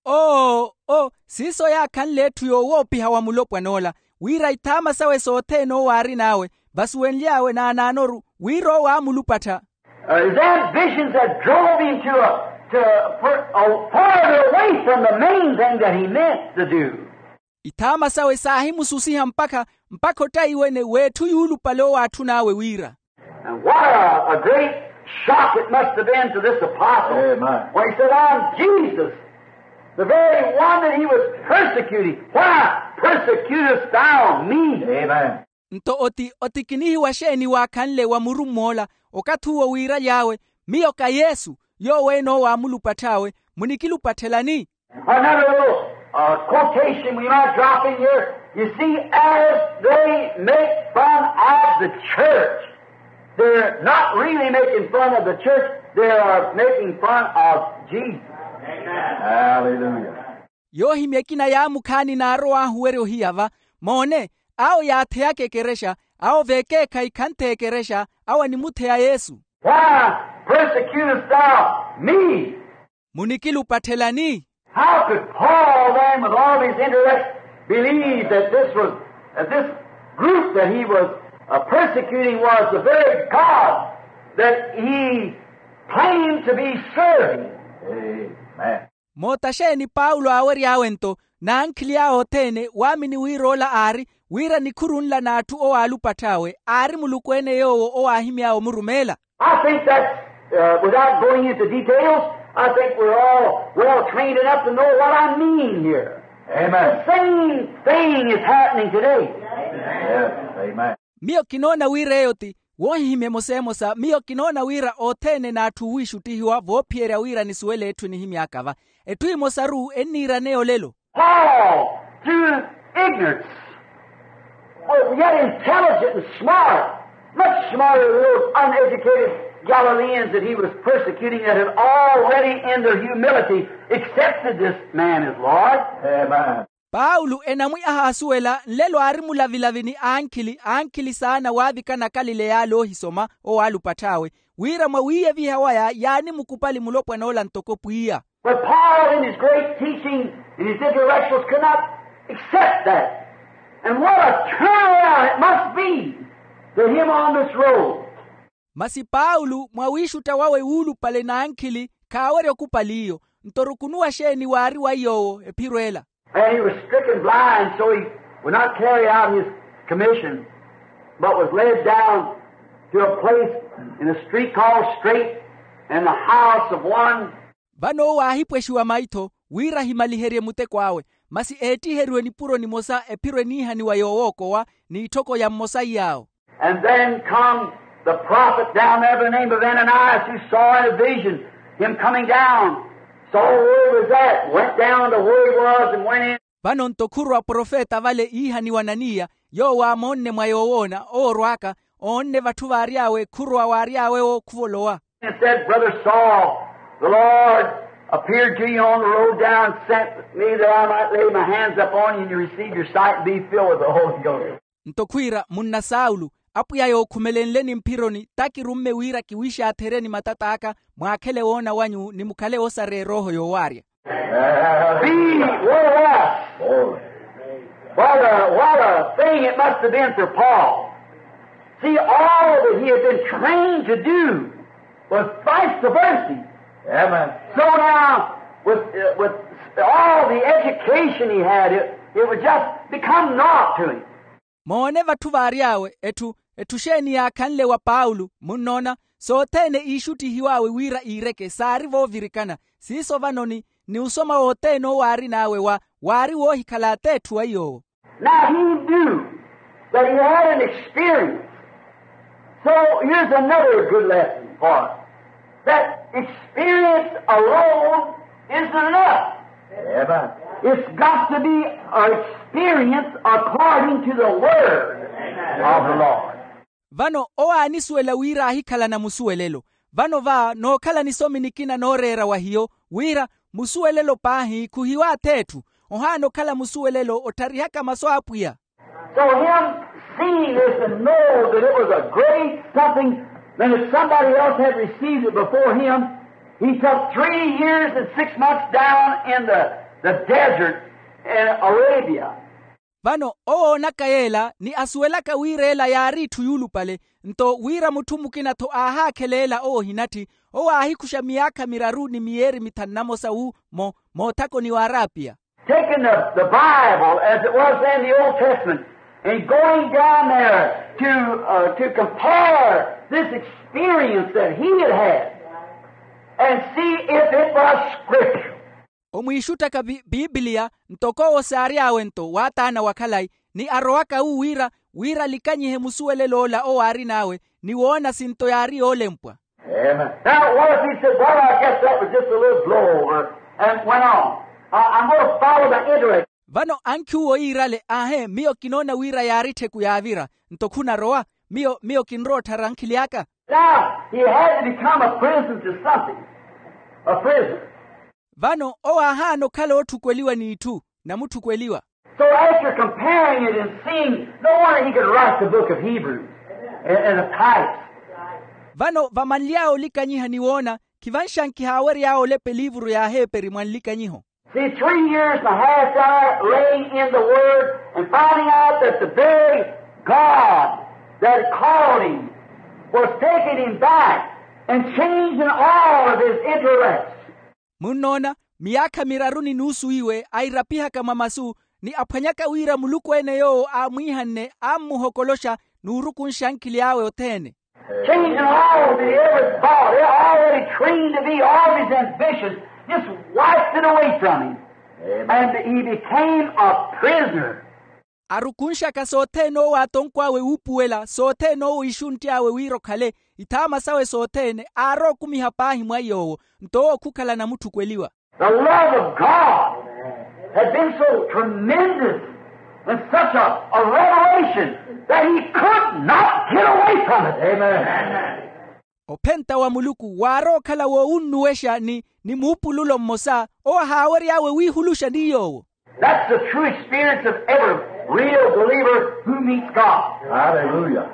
Oo oo, siiso yaakhanle etthu yoowoopiha wa mulopwan'ola, wira ithaama sawe sothene owo aarin'awe, vasuwenly'awe naanaanoru wira owo aamulupattha. His ambitions had drove him to a, to a further away from the main thing that he meant to do. Ithaama sawe saahimususiha mpakha mpakha ottaiwene w'etthu yuulupale owo aatthun'awe wira. And what a, a great shock it must have been to this apostle when he said, I'm Jesus, the very one that he was persecuting. Why persecutest thou me? Amen. Nto oti otikinihiwa xeeni waakhanle wa murumm'ola, okathi uwo wiiraly'awe, miyo ka yesu, yoowo ene owo aamulupatth'awe, munikilupatthelani? Another little uh, quotation we might drop in here. You see, as they make fun of the church, they're not really making fun of the church, they are making fun of Jesus. Hallelujah. Yoohimya ekina yaamukhaani naarow'ahu werya ohiya va. Moone, awo yaatheyaka ekerexa, awo veekeekhayi khantheya ekerexa, awo animutheya yesu. Why persecutest thou me? Munikilupatthelani? How could Paul then, with all his intellect, believe that this was, that this group that he was, uh, persecuting was the very God that he claimed to be serving? Amen. Moota xeeni paulo aawery'awe nto, n'ankhili awe othene waamini wira ola aari, wira nikhuru nla n'atthu owaalupatth'awe aari muluku-ene yoowo owaahimy'awe omurumeela? I think that, uh, without going into details, I think we're all well trained enough to know what I mean here. Amen. The same thing is happening today. Yes, amen. Miyo kinoona wira eyo ti woohihimya emosa emosa. Miyo kinoona wira othene n'atthu oowiixuttihiwa voophiyerya wira nisuwele etthu enihimy'aka va. Etthu emosa-ru enniirana eyo olelo. Paul, through ignorance, was yet intelligent and smart, much smarter than those uneducated Galileans that he was persecuting, that had already in their humility accepted this man as Lord. Amen. Paulo enamwi ahaasuwela nlelo aari mulavilavi ni ankhili ankhili saana waavikana akalileya ale oohisoma owaalupatth'awe, wira mwawiiyeviha waya yaanimukupali mulopwana ola ntoko pwiya. But Paul, in his great teaching and his intellectuals, could not accept that. And what a turnaround it must be to him on this road. Masi paulo mwawiixutta wawe wuulupale n'ankhili khaawerya okupali iyo. Nto rukunuwa xeeni waari wa iy'owo ephiro ela? And he was stricken blind, so he would not carry out his commission, but was led down to a place in a street called Straight, in the house of one. Vano owo aahipwexiwa maitho wira ahimaliherye muteko awe, masi eettiheriwe nipuro nimosa ephiro eniihaniwa yoowookowa n'itthoko ya mmosa iy'awo. And then come the prophet down there by the name of Ananias, who saw in a vision him coming down. Saw where he was at, went down to where he was and went in. Vano nto khuru aprofeta vale iihaniwa ananiya, yoowo aamoonne mwa yoowoona owo orw'aka, oonne vatthu vaary'awe khurowa waary'awe-wo khuvolowa. And said, Brother Saul, the Lord appeared to you on the road down, sent me that I might lay my hands upon you and you receive your sight and be filled with the Holy Ghost. Nto khwiira munna saulo, apwiya yookhumelenleni mphironi takirumme wira kiwiixaatherye ni matat'aka mwaakhele woona wanyu ni mukhale osareya erooho yoowaarya. Be, what a loss. What a, what a thing it must have been for Paul. See, all that he had been trained to do was vice versa. Amen. So now, with, uh, with all the education he had, it, it would just become naught to him. Moone vatthu vaary'awe etthu, etthu xeeni yaakhanle wa paulo munnoona, sothene iixuttihiw'awe wira iireke saari voovirikana. Siiso vano ni, ni osoma wothene owo aarin'awe wa waari woohikhala ateetthu wa iy'owo. Now he knew that he had an experience. So here's another good lesson for us. That experience alone is enough. Amen. It's got to be an experience according to the word of the Lord. Vano owo aanisuwela wira aahikhalana musuwelelo. Vano va nookhala nisomi nikina nooreera wa hiyo wira musuwelelo paahi khuhiwa atheetthu, ohaana okhala musuwelelo ottharihaka masu a apwiya. So him seeing this and know that it was a great something, then if somebody else had received it before him, he took three years and six months down in the, the desert in Arabia. Vano owoonaka yeela ni asuwelaka wira ela yaari itthu yuulupale, nto wira mutthu mukina-tho aahaakhela ela owo ohinatthi, owo aahikuxa miyaakha miraru ni miyeeri mithanu na mosa wu mo moothakoni w'arapiya. Taking the, the Bible as it was then, the Old Testament, and going down there to, uh, to compare this experience that he had had and see if it was scriptural. Omwiixuttaka biblia ntoko owo saary'awe nto waataana wa khalayi, ni arowaka wu wira wira alikanyihe musuwelel'ola owo aarin'awe ni woona sinto yaari yoolempwa. Now what if he said, well, I guess that was just a little blow over and went on. I, I'm going to follow the intellect. Vano ankhi uwo yiirale, aahe, miyo kinoona wira yaari ttheku yaavira. Nto khunarowa? Miyo miyo kinrowa otthara ankhili aka. Now he had to become a prison to something. A prison. Vano owo aahaana okhala ootthukweliwa n'itthu, namutthukweliwa. So after comparing it and seeing, no wonder he could write the book of Hebrews and, and of Titus. Vano vamanly'awe olikanyiha ni woona, khivanxankiha aawery'awe olepa eliivuru y'aheeperi mwa nlikanyiho. See, three years and a half down there laying in the word and finding out that the very God that called him was taking him back and changing all of his intellects. Munnoona, miyaakha miraru ni nuusu iwe airapihaka mwa masu, ni aphwanyaka wira muluku-ene yoowo aamwiihanne ammuhokoloxa n'urukunxa ankhili awe othene. Changing all the every thought, already trained to be all of his ambitions, just wiped it away from him. And he became a prisoner. Arukunxaka sothene owo atonkw'awe wuupuwela, sothene owo ixunty'awe wira okhale, ithaama sawe sothene aarowa okumiha paahi mwa iy'owo. Nto owo khukhala namutthukweliwa. The love of God had been so tremendous and such a, a revelation that he could not get away from it. Amen. Ophenta wa muluku waarowa okhala woowunnuwexa ni ni muupululo mmosa owo ahaawery'awe wiihuluxa ni yoowo. That's the true experience of every real believer who meets God. Hallelujah.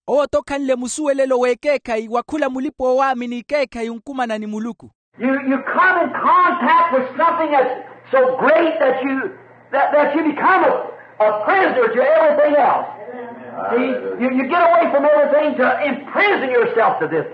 Owo-tho okhanle musuwelelo w'ekeekhayi wa khula mulipa-oowaamini ekeekhayi onkumana ni muluku. You, you come in contact with something that's so great that you, that, that you become a, a prisoner to everything else. See, you, you get away from everything to imprison yourself to this.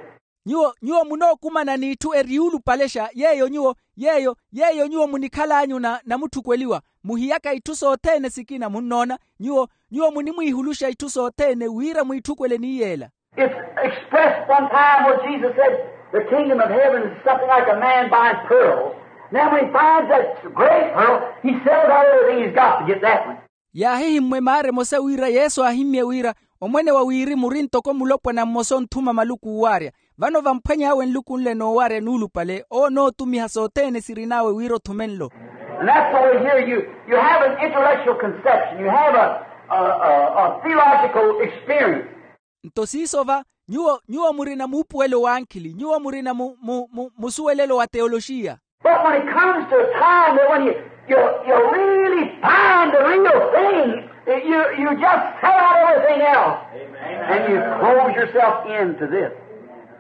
Nyuwo nyuwo munookumana n'itthu eriyuulupalexa yeeyo nyuwo yeeyo yeeyo nyuwo munikhal'anyu na namutthukeliwa. Muhiyaka itthu sothene sikina munnoona. Nyuwo nyuwo munimwiihuluxa itthu sothene wira mwiitthukwele ni yeela. It's expressed one time where Jesus said, the kingdom of heaven is something like a man buying pearls. Now when he finds that great pearl, he sells out everything he's got to get that one. Yaahihimmwa emaara emosa wira yesu aahimmye wira omwene wa wirimu ori ntoko mulopwana mmosa onthuma maluku oowarya. Vano vamphwany'awe nluku nle noowarya nuulupale owo onootumiha sothene sirin'awe wira othume nlo. And that's why here you, you have an intellectual conception, you have a, a, a, a theological experience. Nto siiso va nyuwo nyuwo murina muupuwelo w'ankhili nyuwo murina mu mu mu musuwelelo wa teyoloxiya. But when it comes to a time that when you, you, you really find the real thing, you, you just set out everything else. And you close yourself in to this.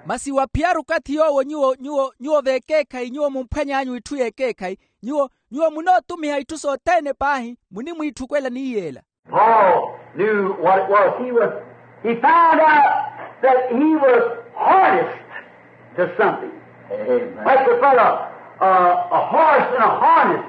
Masi waphiyaru okathi yoowo nyuwo nyuwo nyuwo v'ekeekhayi nyuwo mumphwany'anyu itthu y'ekeekhayi nyuwo nyuwo munootumiha itthu sothene paahi munimwiitthukwela ni yeela. Paul knew what it was. He was, he found out that he was harnessed to something. Amen. Like the fellow, uh, a horse in a harness.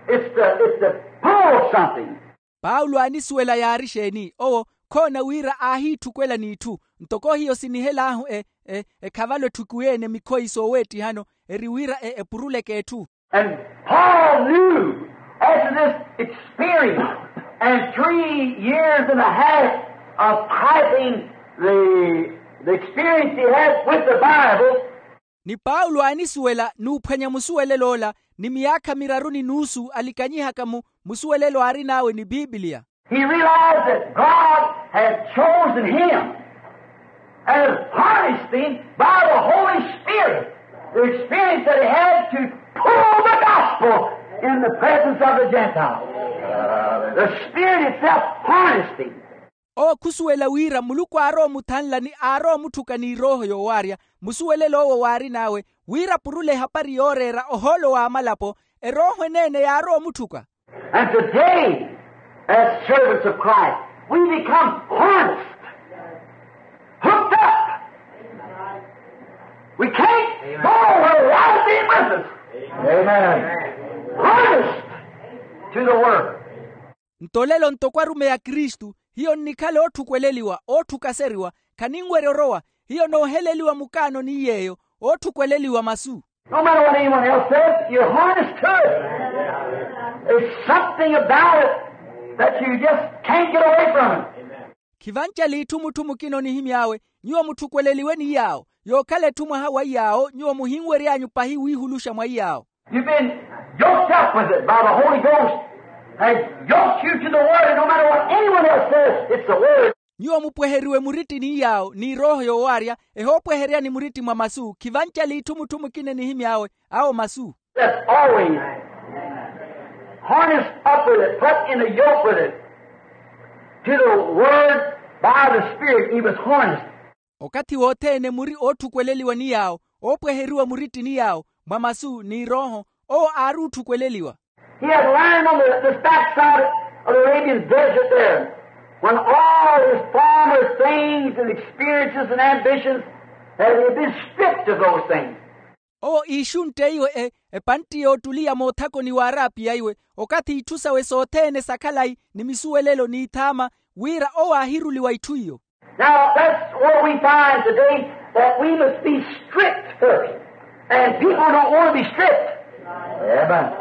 It's the, it's the pull of something. Paulo aanisuwela yaari exeeni owo khoona wira aahiitthukwela n'itthu ntoko hiyo sinihel'ahu e e ekhavalo etthuku ene mikhoyi sooweettihano eri wira e epuruleke etthu. And Paul knew after this experience and three years and a half of typing the, the experience he had with the Bible. Ni paulo aanisuwela n'uphwanya musuwelelo ola ni miyaakha miraru ni nuusu alikanyihaka mu musuwelelo aarin'awe ni pipiliya. He realized that God had chosen him and had harnessed him by the Holy Spirit. The experience that he had to pull the gospel in the presence of the Gentiles. The Spirit itself harnessed him. Owo khusuwela wira muluku aarowa omuthanla ni aarowa omutthuka n'irooho yoowarya musuwelelo owo waarin'awe wira apurule ehapari yooreera ohoolo w'amalapo erooho eneene yaarowa omutthuka. And today, as servants of Christ, we become harnessed, hooked up. We can't go where the Lord be with us. Amen. Harnessed to the word. Nto lelo ntoko arumeyi a kristu hiyo nnikhala ootthukwelela ootthukaseriwa khaninwerya orowa hiyo nooheleliwa mukaano ni yeeyo ootthukwelela masu. No matter what anyone else says, you're harnessed to it. There's something about it that you just can't get away from it. Khivancela itthu mutthu mukina onihimy'awe nyuwo mutthukweleliwe ni yaawo yookhala etthu mwaha wa yaawo nyuwo muhinwery'anyu pahi wiihuluxa mwa yaawo. You've been yoked up with it by the Holy Ghost. Has yoked you to the word, no matter what anyone else says, it's the word. Nyuwo mupweheriwe muritti ni yaawo ni rooho yoowaarya, ehoopweheryani muritti mwa masu khivancali itthu mutthu mukina enihimy'awe, awo masu. That's always harnessed up with it, put in a yoke with it, to the word by the Spirit. He was harnessed. Okathi wothene muri ootthukweleliwa ni yaawo, oopweheriwa muritti ni yaawo mwa masu ni rooho, owo aari ootthukweleliwa. He had learned on the, this backside of the Arabian desert there, when all his former things and experiences and ambitions had been stripped of those things. Owo iixuntteiwe e epantti yoottuliya moothakoni w'arapiya iwe, okathi itthu sawe sothene sa khalayi ni misuwelelo n'ithaama, wira owo aahiruliwa itthu iyo. Now that's what we find today, that we must be stripped first. And people don't want to be stripped. Amen.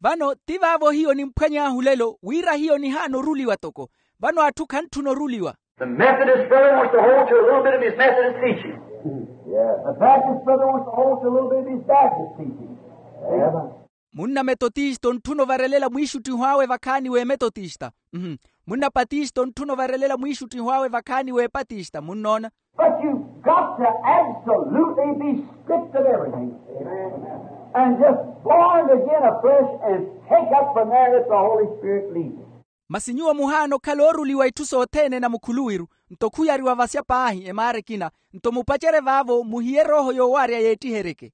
Vano ti vaavo hiyo nimphwany'ahu lelo wira hiyo nihaana oruliwa toko. Vano atthu khantthuna oruliwa. The Methodist brother wants to hold to a little bit of his Methodist teaching. The Baptist brother wants to hold to a little bit of his Baptist teaching. Munna metotista ontthuna ovarelela mwiixuttiho awe vakhaani w'emetotista. Munna patista ontthuna ovarelela mwiixuttiho awe vakhaani w'epatista munnoona. But you've got to absolutely be stripped of everything and just born again afresh and take up from there if the Holy Spirit leads. Masi nyuwo muhaana okhala ooruliwa itthu sothene na mukhuluwiru, nto khuyariwa vasya paahi emaara ekina, nto mupacerye vaavo muhiye erooho yoowaarya yeettiheryeke.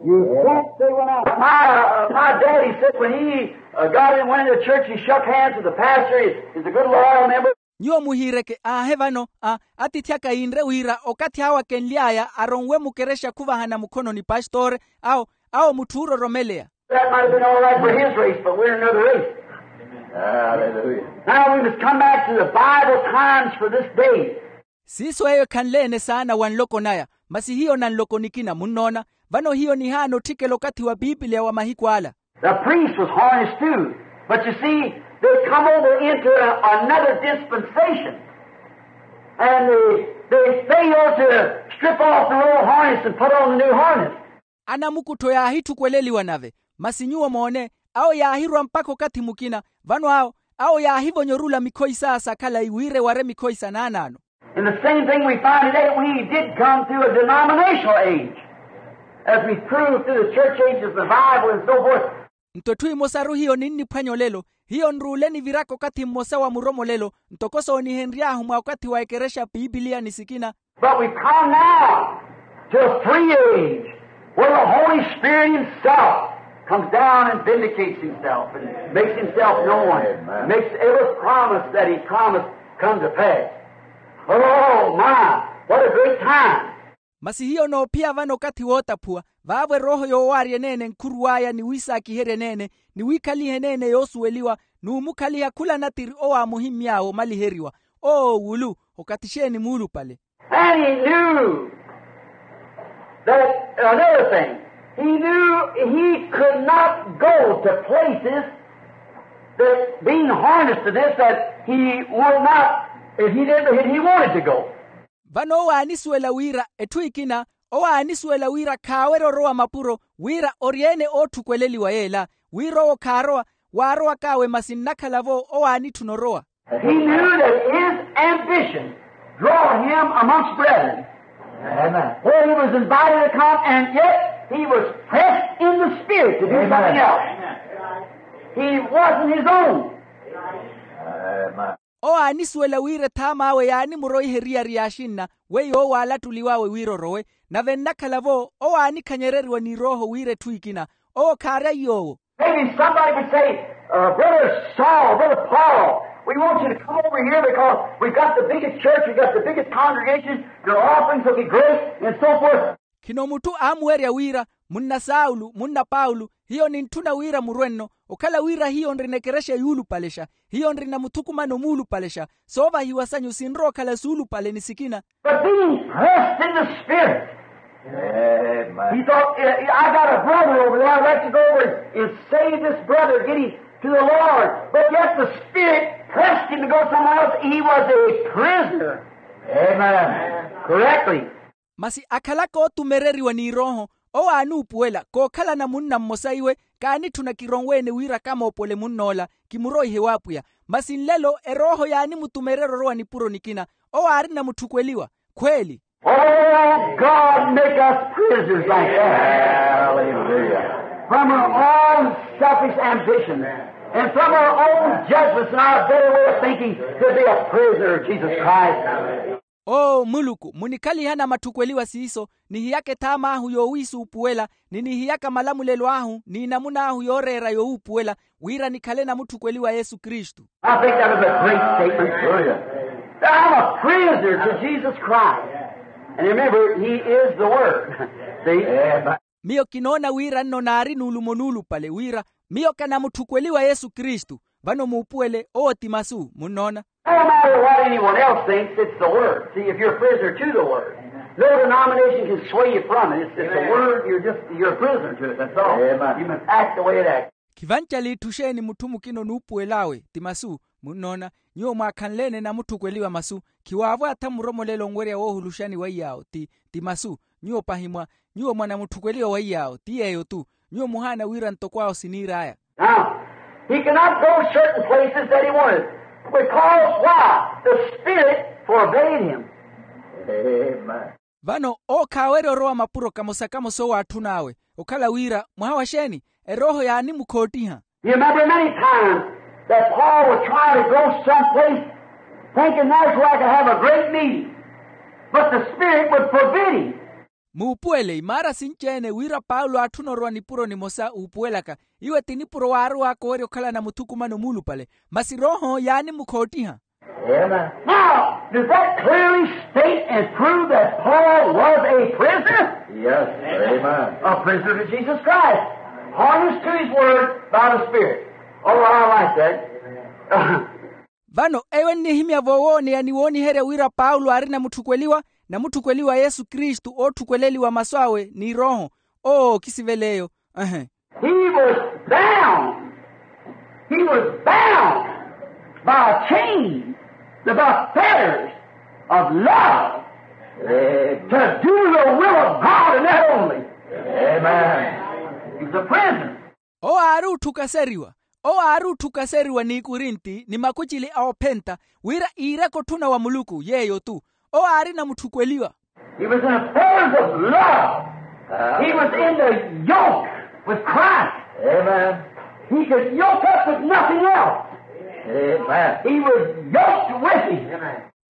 You can't say when I, my, uh, my daddy said when he uh, got in, went into church, he shook hands with the pastor. He's a good loyal member. Nyuwo muhiireke aahe vano a atiithi aka yiinre wira okathi awo akenly'aya aronwe mukerexa khuvahana mukhono ni pastore, awo awo mutthu oororomeleya. That might have been all right for his race, but we're another race. Hallelujah. Now we must come back to the Bible times for this day. Siiso eyo ekhanle-ene saana wa nloko naya, masi hiyo na nloko nikina munnoona. Vano hiyo nihaana otthikela okathi wa pipiliya wa mahiku ala. The priest was harnessed too, but you see, they come over into a, another dispensation, and they, they fail to strip off the old harness and put on the new harness. Anamukuttho yaahitthukweleliwa nave, masi nyuwo moone, awo yaahirwa mpakha okathi mukina. Vano awo awo yaahivonyorula mikhoyi saya sa khalayi wira eware mikhoyi sa naanaano. And the same thing we find today, we did come through a denominational age, as we proved through the church ages, the Bible, and so forth. Nto etthu emosaru hiyo ninniphwanya olelo, hiyo nruule niviraka okathi mmosa wa muromolelo, ntoko soonihenry'ahu mwa okathi wa ekerexa pipiliya ni sikina. But we've come now to a free age where the Holy Spirit himself comes down and vindicates himself and makes himself known, makes every promise that he promised come to pass. Oh my, what a great time. Masi hiyo noophiya vano okathi wootaphuwa, vaavo erooho yoowaarya eneene nkhuruw'aya ni wiisaakiherya eneene ni wiikhaliha eneene yoosuweliwa, n'umukhaliha khula natiri owo aamuhimmy'awe omaliheriwa. Oo wulu, okathi xeeni muulupale. And he knew that, another thing, he knew he could not go to places that being harnessed to this, that he would not, if he didn't, if he wanted to go. Vano owo aanisuwela wira etthu ekina, owo aanisuwela wira khaawerya orowa mapuro, wira ori-ene ootthukweleliwa yeela, wira owo khaarowa, waarowak'awe masi nnakhala-vo owo aanitthuna orowa. He knew that his ambition draw him amongst brethren. Amen. Where he was invited to come, and yet he was pressed in the spirit to do something else. He wasn't his own. Owo aanisuwela wira ethaam'awe yaanimuroiha eriyari y'axinna weiwo owo aalattuliw'awe wira orowe, nave nnakhala-vo owo aanikhanyereriwa ni erooho wira etthu ekina, owo khaarya iy'owo. Maybe somebody would say, uh, Brother Saul, Brother Paul, we want you to come over here because we've got the biggest church, we've got the biggest congregation, your offerings will be great, and so forth. Khino mutthu aamuwerya wira, munna saulu, munna paulo, hiyo nintthuna wira murwe-nno, okhala wira hiyo nrina ekerexa yuulupalexa, hiyo nrina muthukumano muulupalexa, soovahiwa sanyu sinrowa okhala suulupale ni sikina. But being pressed in the spirit, he thought, I got a brother over there, I'd like to go over and save this brother, get him to the Lord. But yet the spirit pressed him to go somewhere else. He was a prisoner. Correctly. Masi akhalaka ootumereriwa ni erooho, Owo aanuupuwela kookhalana munna mmosa iwe. Kaanitthuna kironwe-ene wira kamoopole munn'ola kimuroihe w'apwiya. Masi nlelo erooho yaanimutumererya orowa nipuro nikina. Owo aarina mutthukweliwa khweeli. Oh, God, make us prisoners like that. Hallelujah. From our own selfish ambition and from our own judgments and our better way of thinking to be a prisoner of Jesus Christ. Oo muluku, munikhalihana matthukweliwa siiso, nihiyaka ethaam'ahu yoowiisuupuwela, ni nihiyaka malamulelo ahu ni inamun'ahu yooreera yowuupuwela, wira nikhale namutthukweliwa yesu kristu. I think that was a great statement. That I'm a prisoner to Jesus Christ. And remember, he is the word. See? Miyo kinoona wira nno naari n'ulumo nuulupale wira miyo kanamutthukweliwa yesu kristu. Vano muupuwele owo ti masu munnoona. No matter what anyone else thinks, it's the word. See, if you're a prisoner to the word, no denomination can sway you from it. It's just the word. You're just, you're a prisoner to it. That's all. You must act the way it acts. Khivancali itthu xeeni mutthu mukina onuupuwel'awe ti masu. Munnoona, nyuwo mwaakhanle-ene namutthukweliwa masu. Khiwaavo atha muromolela onwerya woohuluxani wa iyaawo ti ti masu. Nyuwo pahi mwa nyuwo mwanamutthukweliwa wa iyaawo ti yeeyo-tu. Nyuwo muhaana wira ntoko awo siniir'aya. Now, he cannot go certain places that he wanted because why? The Spirit forbade him. Vano owo khaawerya orowa mapuro kamosa-kamosa owo aatthun'awe. Okhala wira mwaha wa xeeni? Erooho yaanimukhoottiha. You remember many times that Paul was trying to go someplace thinking that's where I could have a great meeting, but the Spirit would forbid him. Muupuwele imaara sinci-ene wira paulo aatthuna orowa nipuro nimosa uupuwelaka. Iwe ti nipuro waarow'aka owerya okhalana muthukumano muulupale. Masi rooho yaanimukhoottiha. Now, does that clearly state and prove that Paul was a prisoner? A prisoner to Jesus Christ, harnessed to his word by the Spirit. Oh, I like that. Vano eyo ennihimya voowooneya ni wooniherya wira paulo aari namutthukweliwa namutthukweliwa yesu kristu ootthukweleliwa masu awe ni rooho. Oo kisivela eyo. Ehe. He was bound. He was bound by a chain, by fetters of love to do the will of God and that only. He was a prisoner. Owo aari otthukaseriwa. Owo aari otthukaseriwa n'ikurinti ni makucili a ophenta wira iireke otthuna wa muluku yeeyo-tu. Owo aari namutthukweliwa. He was in the fetters of love. He was in the yoke with Christ. He could yoke up with nothing else. He was yoked with him.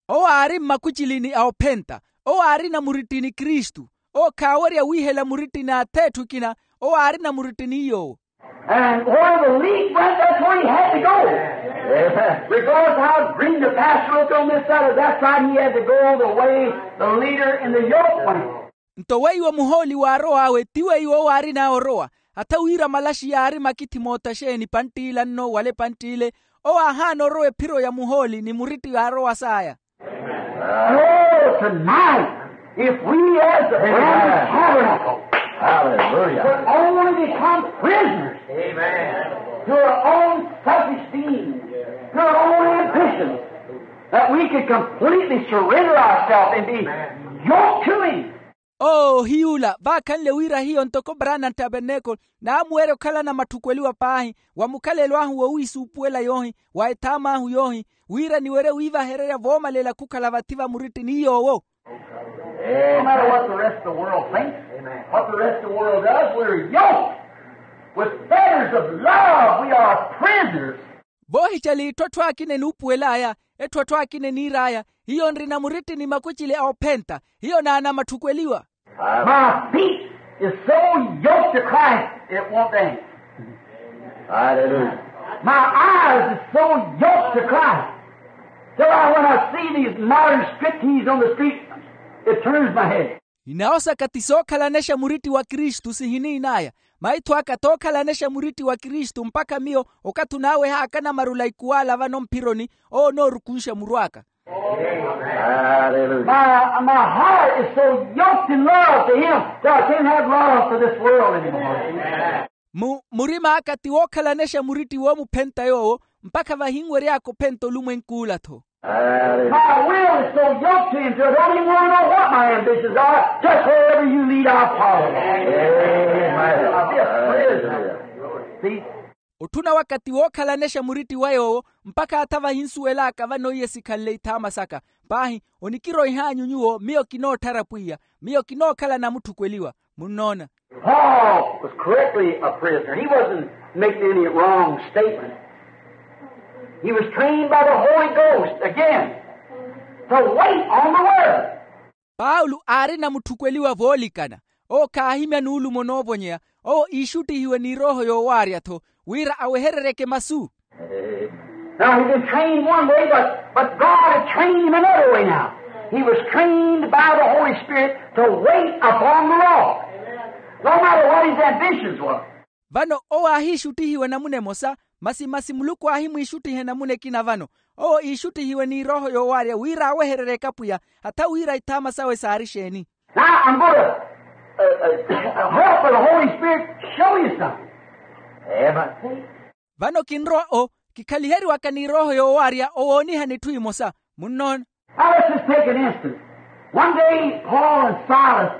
Owo aari mmakucilini a ophenta. Owo aari na muritti ni kristu. Owo khaawerya wiihela muritti n'ath'etthu ekina. Owo aari na muritti ni yoowo. And where the leak went, that's where he had to go. Regardless how green the pasture looked on this side or that side, he had to go the way the leader in the yoke went. Nto weiwo muhooli waarow'awe ti weiwo owo aarin'aya orowa. Hatha wira malaxi yaari makithi moota xeeni pantt'ila nno wala epantt'ile, owo aahaana orowa ephiro ya muhooli ni muritti yaarowa saaya. Oh, tonight, if we as the Brahmin tabernacle could only become prisoners to our own selfish being, to our own ambitions, that we could completely surrender ourselves and be yoked to him. Oo hiy'ula vaakhanle wira hiyo ntoko brana ntabernacle naamuwerya okhalana matthukweliwa paahi wa mukhalelo ahu wowiisuupuwela yoohi wa ethaam'ahu yoohi wira niwerye wiivahererya voomalela khukhala vathi va muritti ni yoowo. No matter what the rest of the world thinks, what the rest of the world does, we're yoked with fetters of love. We are prisoners. Voohicela itthu atthu akina enuupuwel'aya, etthu atthu akina eniir'aya, hiyo nrina muritti ni makucili a ophenta. Hiyo naana matthukweliwa. My feet is so yoked to Christ, it won't dance. My eyes is so yoked to Christ, till I, when I see these modern striptease on the street, it turns my head. Inawo saka ti sookhalanexa muritti wa kristu sihiniin'aya. Maitho aka tookhalanexa muritti wa kristu mpakha miyo okathi onaawehaaka namarula ikuwaala vano mphironi, owo onoorukunxa muru aka. My heart is so yoked in love to him that I can't have love for this world anymore. Murima aka ti wookhalanexa muritti woomuphenta yoowo mpakha vahinwery'aka ophenta olumwenk'ula-tho. My will is so yoked to him to it, I don't even want to know what my ambitions are. Just wherever you lead, I'll follow. I'll be a prisoner. See? Otthuna wakathi wookhalanexa muritti wa yoowo, mpakha atha vahinsuwel'aka vano iye sikhanle ithaama saka. Paahi, onikiroih'anyu nyuwo, miyo kinootthara pwiya. Miyo kinookhala namutthukweliwa. Munnoona? Paul was correctly a prisoner. He wasn't making any wrong statement. He was trained by the Holy Ghost again to wait on the word. Paulo aari namutthukweliwa voolikana. Owo khaahimya nuulumo noovonyeya. Owo iixuttihiwe ni erooho yoowaarya-tho, wira awehereryeke masu. Now, he'd been trained one way, but, but God had trained him another way now. He was trained by the Holy Spirit to wait upon the Lord, no matter what his ambitions were. Vano owo aahiixuttihiwe namuna emosa, masi masi muluku aahimwiixuttiha enamuna ekina vano. Owo iixuttihiwe ni erooho yoowaarya wira awehereryeke apwiya, atha wira ithaama sawe saari exeeni. Now, I'm going to, uh, uh, help the Holy Spirit show you something. Amen. Vano kinrowa o, kikhaliheriwaka ni erooho yoowaarya owoonihani etthu emosa. Munnoona? Now, let's just take an instance. One day, Paul and Silas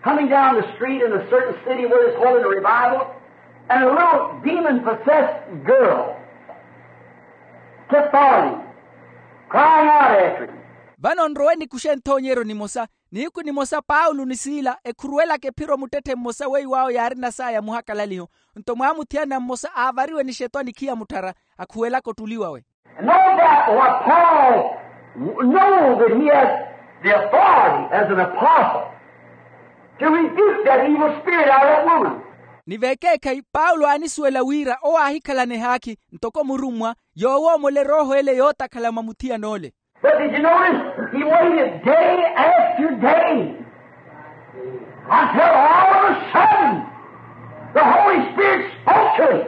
coming down the street in a certain city where they're holding a revival, and a little demon-possessed girl kept following, crying out after him. Vano nrowe nikuxe nthoonyeryo nimosa. Nihiku nimosa paulo ni siila ekhuruwelaka ephiro muttetthe mmosa weiwo awo yaarina saya muhakalaliho. Nto mwaamuthiyana mmosa aavariwe ni xetwani khiya mutthara, akhuwelaka ottuli wawe. And no doubt what Paul know that he has the authority as an apostle to rebuke that evil spirit out of that woman. Ni vekeekhayi paulo aanisuwela wira owo aahikhalana ehaakhi ntoko murummwa, yoowoomole erooho ele yootakhala mwa muthiyan'ole. But did you notice? He waited day after day until all of a sudden the Holy Spirit spoke to him.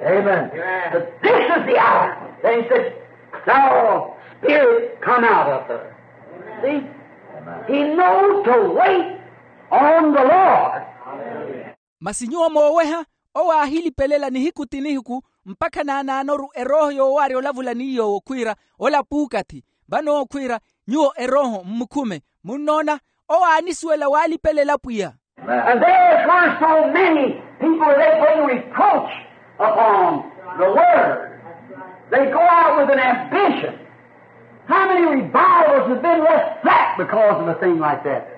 Amen. That this is the hour. Then he said, "Thou spirit, come out of her." See? He knows to wait on the Lord. Masi nyuwo mooweha, owo aahilipelela nihiku ti nihiku, mpakha naanaanoru erooho yoowaarya olavula ni yoowo khwiira, ola puukathi. Vano owo khwiira, nyuwo erooho mmukhume. Munnoona? Owo aanisuwela waalipelela pwiya. And there were so many people that they bring reproach upon the word. They go out with an ambition. How many revivals have been left flat because of a thing like that?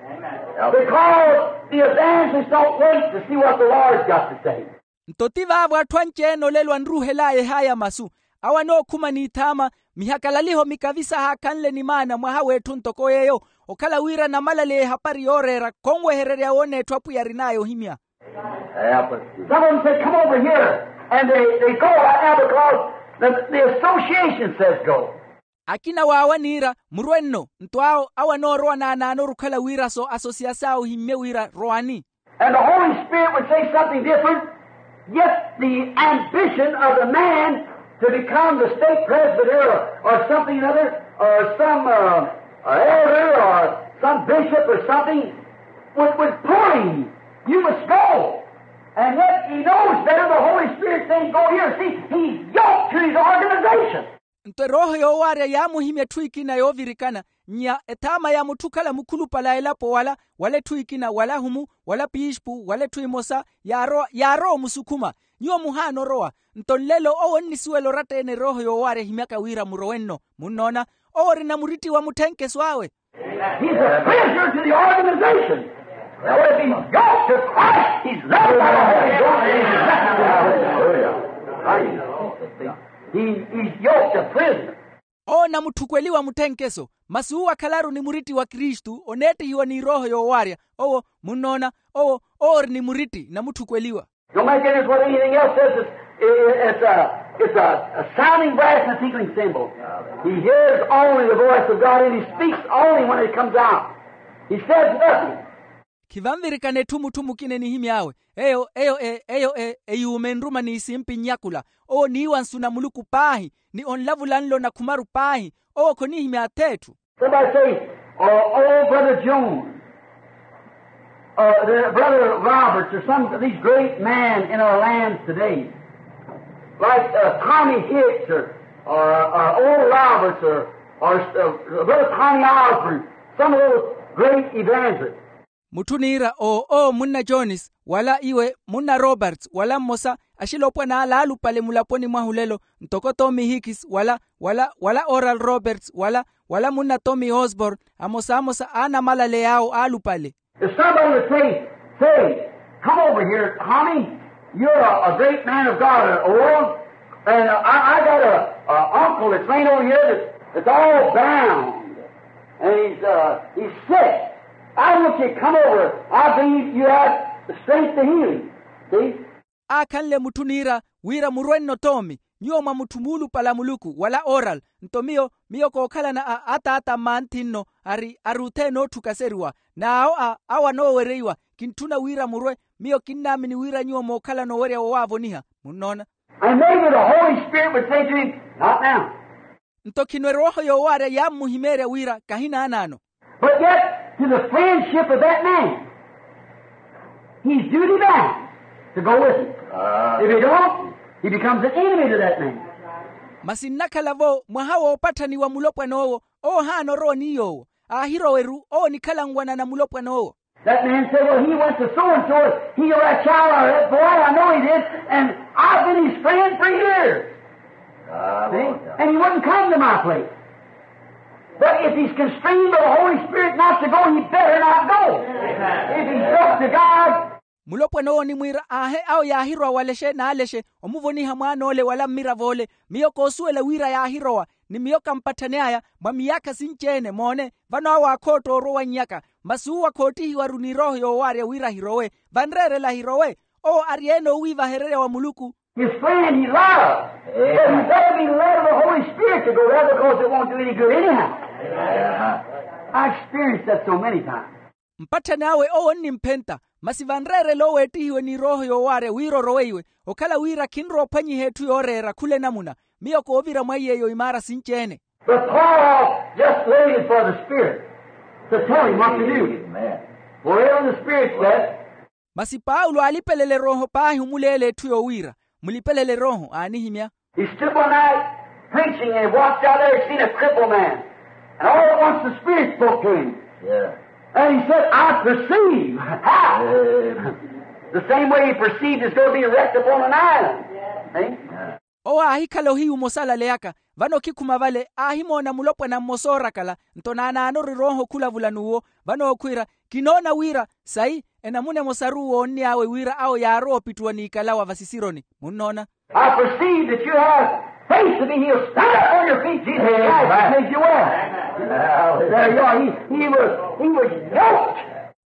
Because the evangelists don't wait to see what the Lord's got to say. Nto ti vaavo atthu anci-ene olelo anruuhel'aya ehaya masu, awo anookhuma n'ithaama, mihakalaliho mikavisa haakhanle ni maana mwaha w'etthu ntoko yeeyo, okhala wira namalaleya ehapari yooreera khonwehererya woona etthu apwiya arin'aya ohimya. Some of them said, "Come over here," and they, they go right now because the, the association says go. Akina waawo aniira, murwe nno. Nto awo awo anoorowa naanaanoru okhala wira so asosiyasi awo ohimmye wira rowani. And the Holy Spirit would say something different, yet the ambition of the man to become the stake presbyter or, or something another, or some, uh, uh, elder or some bishop or something would, would pull him. You must go. And yet he knows better the Holy Spirit saying, "Go here." See, he's yoked to his organization. Nto erooho yoowaarya yaamuhimya etthu ekina yoovirikana, nnya ethaama ya mutthu okhala mukhulupale a elapo wala, wala etthu ekina wala ahumu, wala piispu wala etthu emosa, yaarowa yaarowa omusukhuma. Nyuwo muhaana orowa. Nto nlelo owo onnisuwela oratta-ene erooho yoowaarya ehimyaka wira murowe nno. Munnoona? Owo orina muritti wa mutthenkeso awe. He's a prisoner to the organization. Now, if he's yoked to Christ, he's loved by the Holy Ghost. He, he's yoked a prisoner. Owo namutthukweliwa mutthenkeso, masi uwo akhalaru ni muritti wa kristu oneettihiwa n'irooho yoowaarya. Owo, munnoona, owo owo ori ni muritti namutthukweliwa. Don't make any what anything else says. It's, it's a, it's a, a sounding brass and a tinkling cymbal. He hears only the voice of God, and he speaks only when it comes out. He says nothing. Khivanvirikana etthu mutthu mukina enihimy'awe. Eyo eyo e eyo e eyuuma enruma n'isimpi nnyakula. Owo niiwa nsu na muluku paahi, ni onlavula nlo na khumaru paahi. Owo khonihimya ath'etthu. Somebody say, "Oh, oh, Brother Jones, uh, the, Brother Roberts, or some of these great men in our lands today, like, uh, Tommy Hicks or, or, or Oral Roberts or Or brother Tommy Osborne, some of those great evangelists. Mutthu niira oo owo munna jones wala iwe munna roberts wala mmosa axilopwana ala aalupale mulaponi mwahu lelo, ntoko tommy hickis wala wala wala oral roberts wala wala munna tommy osborne, amosamosa aanamalale yaawo aalupale. If somebody would say, say, come over here, Tommy. You're a, a great man of God, uh, old, and uh, I, I got a, a uncle that's laying over here that, that's all bound, and he's, uh, he's sick. I want you to come over. I believe you have the strength to heal him. See? Aakhanle mutthu niira wira murwe-nno toomi, nyuwo mwa mutthu muulupale a muluku wala oral. Nto miyo miyo kookhalana a ataata mmanthi-nno ari ari othene ootthuka seriwa n'awo a awo anoowereiwa. Kintthuna wira murwe. Miyo kinnaamini wira nyuwo mookhalana owerya wowaavoniha. Munnoona? And maybe the holy spirit would say to him, not now. Nto khino erooho yoowaarya yaammuhimeerya wira kahinaanaano. But yet to the friendship of that man, he's duty bound to go with him. If he don't, he becomes an enemy to that man. Masi nnakhala-vo mwaha woopatthaniwa mulopwan'owo. Owo ohaana orowa ni yoowo. Aahirowa-ru owo onikhala nwanana mulopwan'owo. That man said, well, he went to so and so, he or that child or that boy, I know he did, and I've been his friend for years. And he wouldn't come to my place. But if he's constrained by the holy spirit not to go, he better not go. If he's just to god. Mulopwana owo onimwiira aahe awo yaahirowa walexe n'alexe omuvoniha mwaan'ole wala mmirav'ole. Miyo koosuwela wira yaahirowa ni miyo kampatthane aya mwa miyaakha sinci-ene moone. Vano awo aakhootta orwa owannyaka. Masi uwo akhoottihiwa-ru n'irooho yoowaarya wira ahirowe. Vanreerela ahirowe. Owo ari ene oowiivahererya wa muluku. His friend he loves. But he better be led of the holy spirit to go there because it won't do any good anyhow. I experienced that so many times. Mpatthani awe owo onnimphenta. Masi vanreerela oweettihiwe n'irooho yoowaarya wira oroweiwe okhala wira khinrowa ophwanyiha etthu yooreera khula enamuna. Miyo koovira mwa iy'eyo imaara sinci-ene. But paul just waited for the spirit to tell him what to do. Wherever the spirit said. Masi paulo aalipelela erooho paahi omuleela etthu yoowiira. Mulipelele erooho aanihimya. He stood one night preaching and he walked out there and seen a crippled man. And all at once the spirit spoke to him. And he said, I perceive. Ha! The same way he perceived is going to be wrecked upon an island. Owo aahikhala ohiyu omosalaleyaka. Vano okhikhuma vale aahimoona mulopwana mmosa oorakala. Nto naanaanoru erooho okhulavula n'uwo. Vano okhwiira, kinoona wira sayi enamuna emosaru woonn'awe wira awo yaarowa opittuwa n'ikalawa vasisironi. Munnoona? I perceive that you have faith to be healed. Stand up on your feet. Jesus christ has made you well. There you are. He was yoked.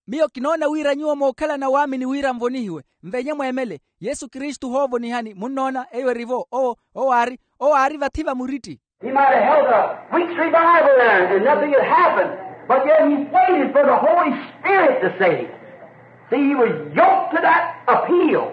Miyo kinoona wira nyuwo mookhalana waamini wira nvonihiwe. Nvenye mweemele. Yesu kristu hoovonihani munnoona eyo erivo owo owo aari owo aari vathi va muritti. He might have held a week's revival there and nothing had happened. But yet he waited for the holy spirit to save. See, he was yoked to that appeal.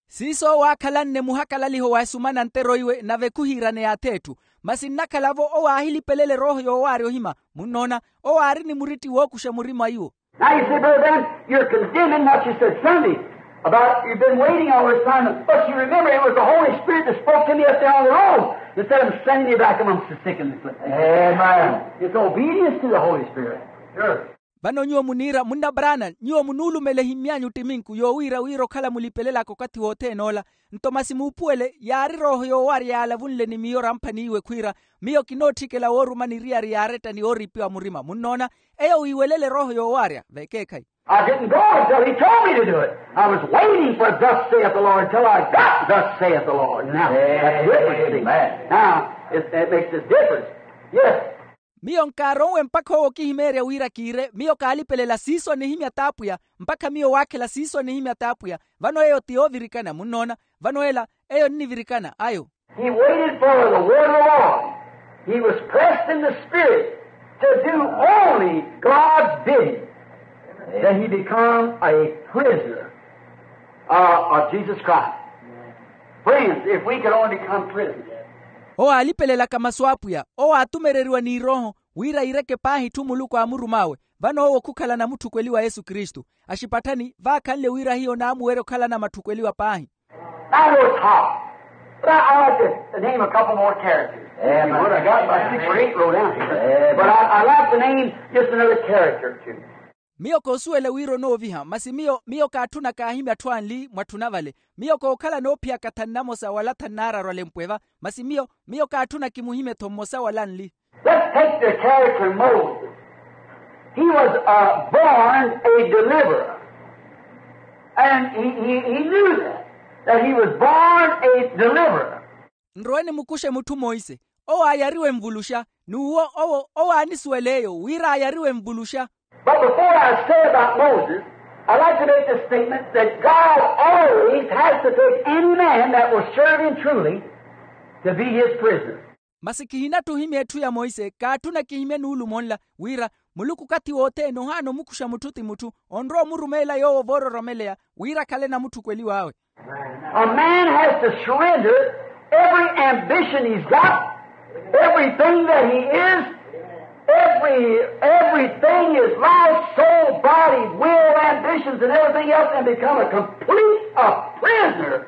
Siiso owo aakhalanne muhakalaliho wa esumana nteroiwe nave khuhiirane yaath'etthu. Masi nnakhala-vo owo aahilipelela erooho yoowaarya ohima. Munnoona? Owo aari ni muritti wookuxa murima iwo. Now you say, brother branham, you're condemning what you said sunday about you've been waiting all this time, but you remember it was the holy spirit that spoke to me up there on the road instead of sending me back amongst the sick and the afflicted. It's obedience to the holy spirit. Vano nyuwo muniira munna brana nyuwo munuulumela ehimmy'anyu ttiminku yoowiira wira okhala mulipelelaka okathi wothene ola. Nto masi muupuwele yaari erooho yoowarya yaalavunle ni miyo ramphaniiwe khwiira, miyo kinootthikela wooruma niriyari yaaretta ni ooriipiwa murima munnoona. Eyo wiiwelela erooho yoowarya vekeekhayi. I didn't go until he told me to do it. I was waiting for thus saith the lord till I got thus saith the lord now. Now it makes a difference. Yes. Miyo nkaaronwe mpakha owo okihimeerya wira kiire miyo kaalipelela siiso anihimya t'apwiya. Mpakha miyo waakhela siiso anihimya t'apwiya. Vano eyo ti yoovirikana munnoona. Vano ela eyo nnivirikana ayo. He waited for the word of the lord. He was pressed in the spirit to do only god's bidding. Then he become a prisoner of jesus christ. Friends, if we could only become prisoners. Owo aalipelelaka masu a apwiya owo aatumereriwa n'irooho wira iireke paahi itthu muluku aamurum'awe. Vano owo khukhalana mutthukweliwa yesu kristu. Axipatthani vaakhanle wira hiyo naamuwerya okhalana matthukweliwa paahi. Now notice how. But I, I like to name a couple more characters. If you would, I got about six or eight wrote down here. But I, I like to name just another character or two. Miyo koosuwela wira onooviha, masi miyo miyo kaatthuna kaahimya atthu anli mwatthuna vale. Miyo kookhala noophiyaka thanu namosa wala thanu naararu alempwe va. Masi miyo miyo kaatthuna kimuhimye-tho mmosa wala anli. Let's take the character of Moses. He was, uh, born a deliverer. And he, he, he knew that, that he was born a deliverer. Nrowe nimukuxe mutthu monse owo aayariwe nvuluxa. N'uwo owo owo aanisuwela eyo wira aayariwe nvuluxa. But before I say about Moses, I'd like to make the statement that God always has to take any man that will serve him truly to be his prisoner. Masi kihinatthu ohimya etthu ya monse kaatthuna kihimye nuulumo nla wira muluku okathi wothene ohaana omukuxa mutthu ti mutthu onrowa omurumeela yoowo voororomeleya wira akhale namutthukweliw'awe. A man has to surrender every ambition he's got, everything that he is, every, everything, his life, soul, body, will, ambitions, and everything else, and become a complete, a prisoner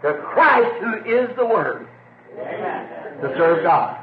to Christ, who is the Word, to serve God.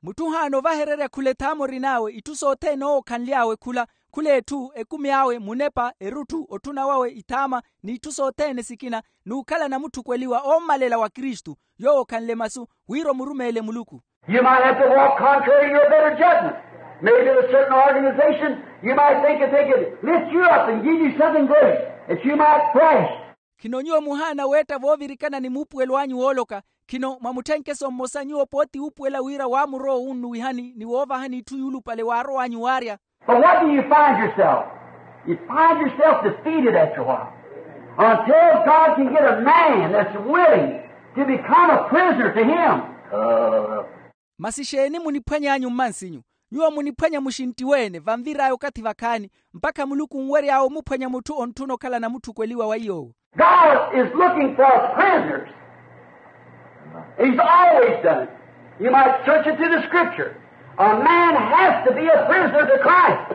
Mutthu ohaana ovahererya khula ethaama orin'awe itthu sothene owo okhanly'awe khula khula etthu ekumi awe munepa erutthu otthuna wawe ithaama n'itthu sothene sikina n'ukhala namutthukweliwa ommalela wa kristu yoowo okhanle masu wira omurumeele muluku. You might have to walk contrary to your better judgment. Maybe there's a certain organization, you might think that they could lift you up and give you something great, that you might flash. Khino nyuwo muhaana weetta voovirikana ni muupuwelo anyu wooloka khino mwamutthenkeso mmosa nyuwo pooti wuupuwela wira waamurowa owunnuwihani ni woovahani itthu yuulupale waarowanyu waarya. But what do you find yourself? You find yourself defeated after a while. Until God can get a man that's willing to become a prisoner to him. Masi xeeni muniphwany'anyu mmansinyu? Nyuwo muniphwanya muxinttiwe-ene vanvir'aya okathi vakhaani mpakha muluku onwery'awe omuphwanya mutthu ontthuna okhala namutthukweliwa wa iy'owo. God is looking for prisoners. He's always done it. You might search it through the scripture. A man has to be a prisoner to Christ.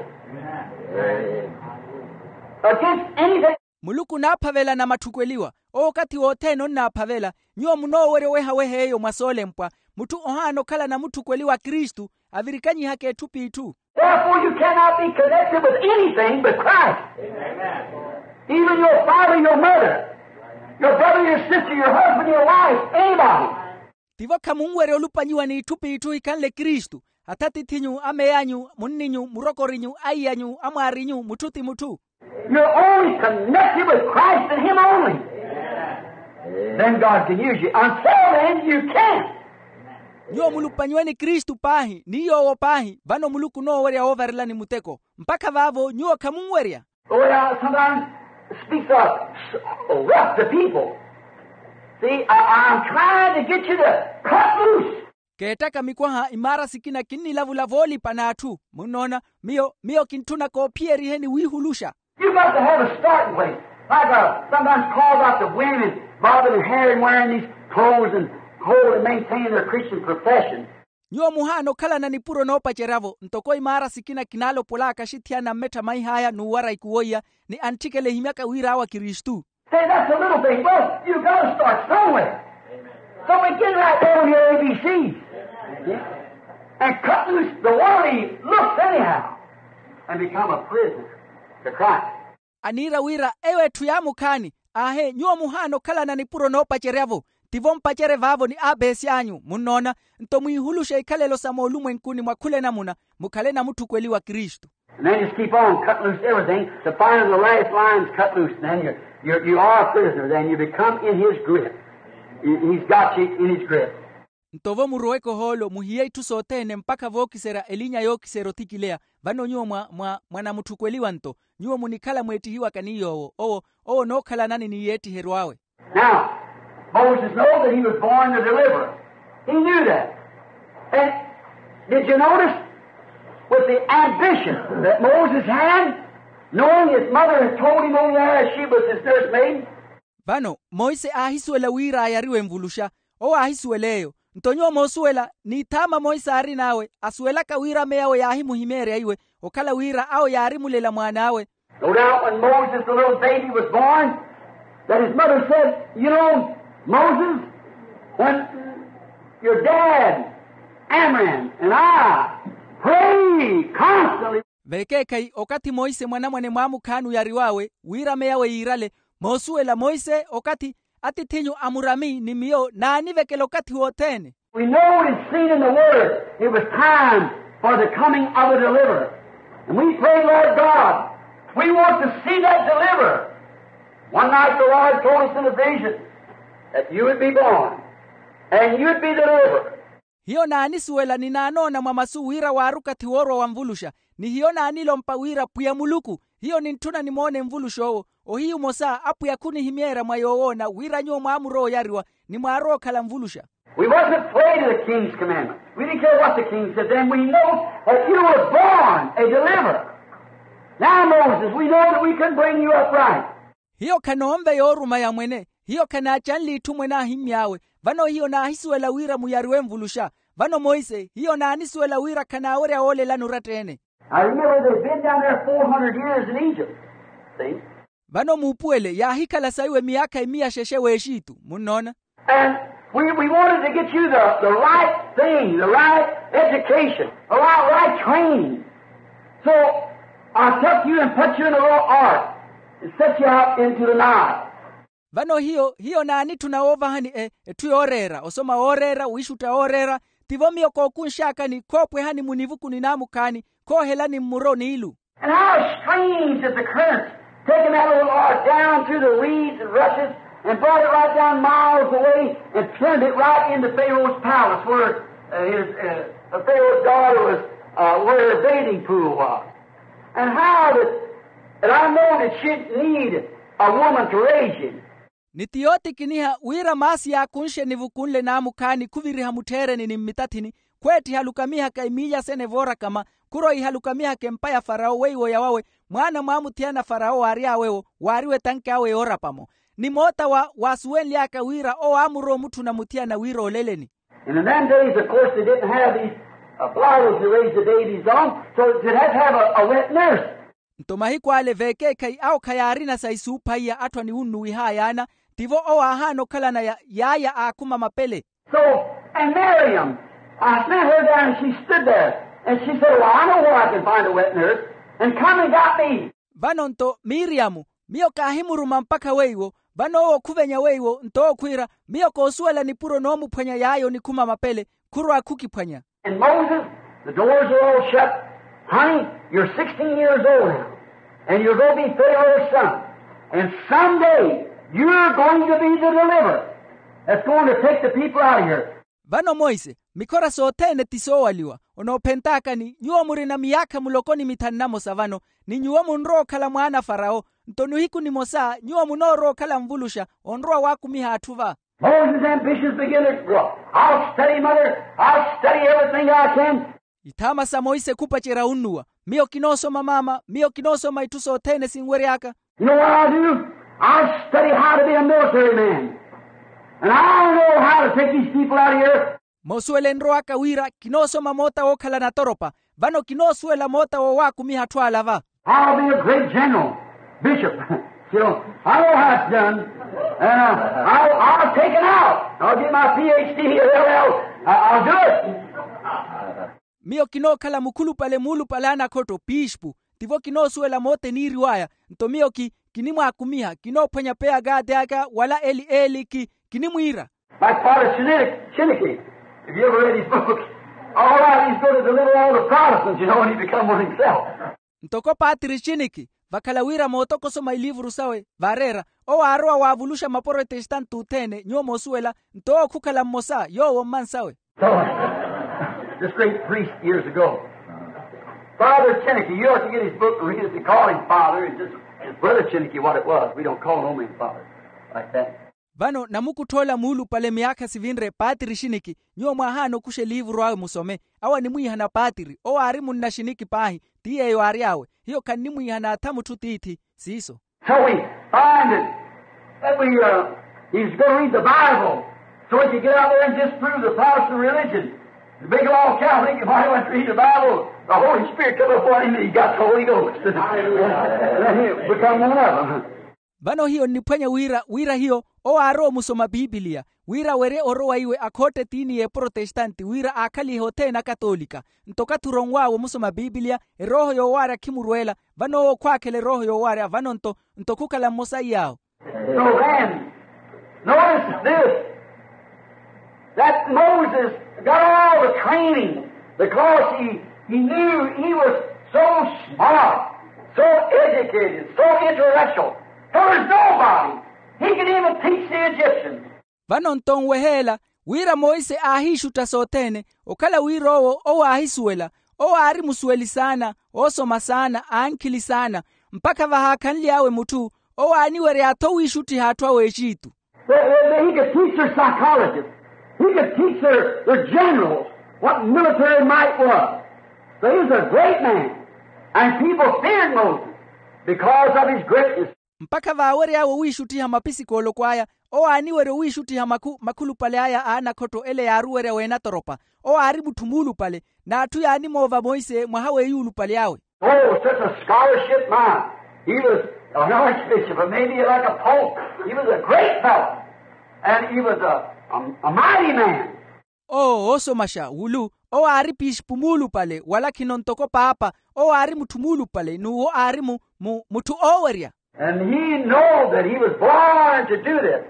Against anything. Muluku onaaphavela na matthukweliwa owo okathi wothene onnaaphavela. Nyuwo munoowerya owehaweha eyo mwa soolempwa. Mutthu ohaana okhala namutthukweliwa a kristu avirikanyihaka etthu p'itthu. Therefore, you cannot be connected with anything but Christ. Even your father, your mother, your brother, your sister, your husband, your wife, anybody. Tivo khamunwerya olupanyiwa n'itthu p'itthu hikhanle kristu. Athatith'inyu amey'anyu munni'nyu murokor'inyu aiy'anyu amwaar'inyu mutthu ti mutthu. You're only connected with Christ and Him only. Then God can use you. Until then, you can't. Nyuwo mulupanyiwe ni kristu paahi ni yoowo paahi vano muluku onoowerya woovarelani muteko. Mpakha vaavo nyuwo khamunwerya. Oh, yeah, sometimes speaks of rough to people. See, I, I'm trying to get you to cut loose. Keettaka mikwaha imaara sikina kinnilavula voolipa n'atthu. Munnoona, miyo miyo kintthuna koophiyeriheni wiihuluxa. You got to have a starting place. Like, uh, sometimes called out to women, bobbing their hair and wearing these clothes and hold and maintain their Christian profession. Nyuwo muhaana okhalana nipuro noopacerya-vo ntoko imaara sikina kinaalopol'aka axithiyana mmetthamaih'aya n'uwara ikuwo iya ni antthikela ehimyaka wira awo akristu. Say, that's a little thing. Well, you got to start somewhere. So we get right down here, A B Cs, and cut loose the worldly looks anyhow, and become a prisoner to Christ. Aniira wira eyo etthu yaamukhaani. Aahe nyuwo muhaana okhalana nipuro noopacerya-vo. Tivo mpacerye vaavo ni abeesy'anyu munnoona. Nto mwiihuluxe ikhalelo sa moolumwenkuni mwa khula enamuna mukhale namutthukweliwa kristu. And then just keep on cutting loose everything. The final, the last line's cut loose. Then you, you, you are a prisoner. Then you become in his grip. He, he's got you in his grip. Nto vo muroweke ohoolo muhiye itthu sothene mpakha vookiserya elinya yookiserya othikileya. Vano nyuwo mwa mwa mwa namutthukweliwa nto nyuwo munikhala mweettihiwaka ni yoowo owo owo onookhalanani ni yeettiheryo awe. Now, Moses know that he was born the deliverer. He knew that. And did you notice with the ambition that Moses had, knowing his mother had told him over there she was his nursemaid? Vano monse aahisuwela wira aayariwe nvuluxa. Owo aahisuwela eyo. Nto nyuwo moosuwela n'ithaama monse aarin'awe asuwelaka wira ameyawe yaahimuhimeerya iwe okhala wira awo yaarimulela mwaan'awe. No doubt when Moses, the little baby, was born, that his mother said, you know, Moses, When your dad, Amram, and I pray constantly. Vekeekhayi okathi monse mwanamwane mwaamukhaani oyariw'awe wira meyawe yiirale, moosuwela monse okathi atithinyu amurami ni miyo naanivekela okathi wothene. We know it's seen in the word it was time for the coming of a deliverer. And we pray, Lord God, we want to see that deliverer. One night the Lord told us in a vision that you would be born and you'd be the deliverer. Hiyo naanisuwela ni naanoona mwa masu wira waari okathi woorwa wa nvuluxa, ni hiyo naanilompa wira pwiya muluku, hiyo nintthuna nimoone nvulux'owo. Ohiyu omosa apwiya khunihimyeerya mwa yoowoona wira nyuwo mwaamurowa oyariwa ni mwaarowa okhala nvuluxa. We wasn't afraid of the king's commandment. We didn't care what the king said then. We know that you were born a deliverer. Now, Moses, we know that we can bring you up right. Hiyo khanoonve yooruma ya mwene, hiyo khanaacanle itthu mwene aahimmy'awe. Vano hiyo naahisuwela wira muyariwe nvuluxa. Vano monse hiyo naanisuwela wira khanaawerya woolelani oratta-ene. I remember they've been down there four hundred years in Egypt. See? Vano muupuwele yaahikhala saiwe miyaakha emiya xexe w'exitu munnoona. And we, we wanted to get you the, the right thing, the right education, the right, right training. So I took you and put you in a little ark and set you out into the Nile. Vano hiyo hiyo naanitthuna woovahani etthu yooreera osoma wooreera wiixutta wooreera. Tivo miyo kookunx'akani khoopwehani munivuku ni naamukhaani khoohelani mmuro n'ilu. And how strange that the currents taking that little ark down through the reeds and rushes and brought it right down miles away and turned it right into Pharaoh's palace where, uh, his, uh, Pharaoh's daughter was, uh, where her bathing pool was. And how that, that I know that she'd need a woman to raise him. Ni ti yootikiniha wira maasi yaakunxe nivuku nle naamukhaani khuviriha mutthereni ni mmitathini, khweettiha alukamihaka emiilya sene voorakama, khurwa iha alukamihaka empa ya farawo weiwo yawawe mwaana mwaamuthiyana farawo waary'awe-wo waariwe tanki awe yoorapa-mo. Ni moota wa waasuwenly'aka wira owo aamurowa omutthuna muthiyana wira oleleni. And in them days, of course, they didn't have these, uh, bottles to raise the babies on, so they'd have to have a, a wet nurse. Nto mahiku ale veekeekhayi awo khayaarina sa isuupha iya atthu aniwunnuwiha ayaana. Tivo owo aahaana okhalana ya yaaya aakhuma mapele. So, and Miriam, I sent her down and she stood there and she said, well, I know where I can find a wet nurse, and come and got me. Vano nto miriyamu, miyo kaahimuruma mpakha weiwo. Vano owo khuvenya weiwo nto owo khwiira, miyo koosuwela nipuro noomuphwanya yaaya onikhuma mapele, khurwa khukiphwanya. And Moses, the doors are all shut. Honey, you're sixteen years old now, and you're going to be Pharaoh's son. And someday, you're going to be the deliverer that's going to take the people out of here. Vano monse, mikhora sothene ti soowaliwa. Onoophentaakani nyuwo murina miyaakha muloko ni mithanu na mosa vano, ni nyuwo munrowa okhala mwaana a farawo. Nto nihiku nimosa nyuwo munoorowa okhala nvuluxa onrowa waakumiha atthu va. Moses' ambitions begin to grow. I'll study, mother. I'll study everything I can. Ithaama sa monse khupacerya wunnuwa. Miyo kinoosoma maama, miyo kinoosoma itthu sothene sinwery'aka. You know what I'll do? I'll study how to be a military man. And I'll know how to take these people out of here. Moosuwela enrow'aka wira kinoosoma moota wookhalana atoropa. Vano kinoosuwela moota wowaakumiha atthu ala va. I'll be a great general, bishop. You know, I know how it's done. And, uh, I'll, I'll take it out. I'll get my P H D or L L. I- I'll do it. Miyo kinookhala mukhulupale muulupale a anakhotto piixpu. Tivo kinoosuwela moota eniiriw'aya. Nto miyo ki- kinimwaakumiha kinoophwanya peya kaati aka wala eli eli ki- kinimwiira. Like Father Chiniki, Chiniki, if you ever read his book, all right, he's going to deliver all the Protestants, you know, when he become one himself. Ntoko paatiri chiniki, vakhala wira mootoko osoma iliivuru sawe vaareera. Owo aarowa waavuluxa maprotestante othene nyuwo moosuwela. Nto owo khukhala mmosa yoowo mmansawe. So, this great priest years ago, Father Chiniki, you ought to get his book and read it. They call him Father, and just, it's Brother Chiniki what it was. We don't call no man Father like that. Vano namukuttha ola muulupale miyaakha sivinre paatiri xiniki. Nyuwo mwaahaana okuxa eliivuru awe musome. Awo animwiihana paatiri owo aari munna xiniki paahi. Ti yeeyo aary'awe. Hiyo khannimwiihana atha mutthu tiithi. Siiso. So we find that, that we, uh, he's going to read the Bible. So if you get out there and disprove the Protestant religion, the big old Catholic, if I went to read the Bible, the Holy Spirit come upon him and he got the Holy Ghost. Then he become one of them. Vano hiyo nniphwanya wira wira hiyo owo aarowa omusoma pipiliya wira awerye orowa iwe akhootte etiini y'eprotestanti wira aakhalihe othene akatolika. Nto okathi oronw'awe omusoma pipiliya erooho yoowaarya khimurweela. Vano owo khwaakhela erooho yoowaarya vano nto nto khukhala mmosa iy'awo. So then, notice this, that Moses got all the training because he, he knew he was so smart, so educated, so intellectual. There was nobody he could even teach the Egyptians. Vano nto nweheela wira monse aahiixutta sothene okhala wira owo owo aahisuwela, owo aari musuweli saana, oosoma saana, ankhili saana, mpakha vahaakhanly'awe mutthu owo aaniwerya-tho wiixuttiha atthu a w'exitu. He could teach their psychologists. He could teach their, their generals what military might was. So he was a great man. And people feared Moses because of his greatness. Mpakha vaawery'awe owiixuttiha mapisikoloko aya, owo aaniwerya owiixuttiha makhu makhulupale aya a anakhotto ele yaaruwerya weenatoropa. Owo aari mutthu muulupale, n'atthu yaanimoova monse mwaha w'eyuulupale awe. Oh, such a scholarship, my. He was an archbishop, or maybe like a pope. He was a great fellow. And he was a, a, a mighty man. Owo oosomaxa wulu, owo aari pixipu muulupale wala khino ntoko paapa. Owo aari mutthu muulupale n'uwo aari mu mu mutthu oowerya. And he know that he was born to do this,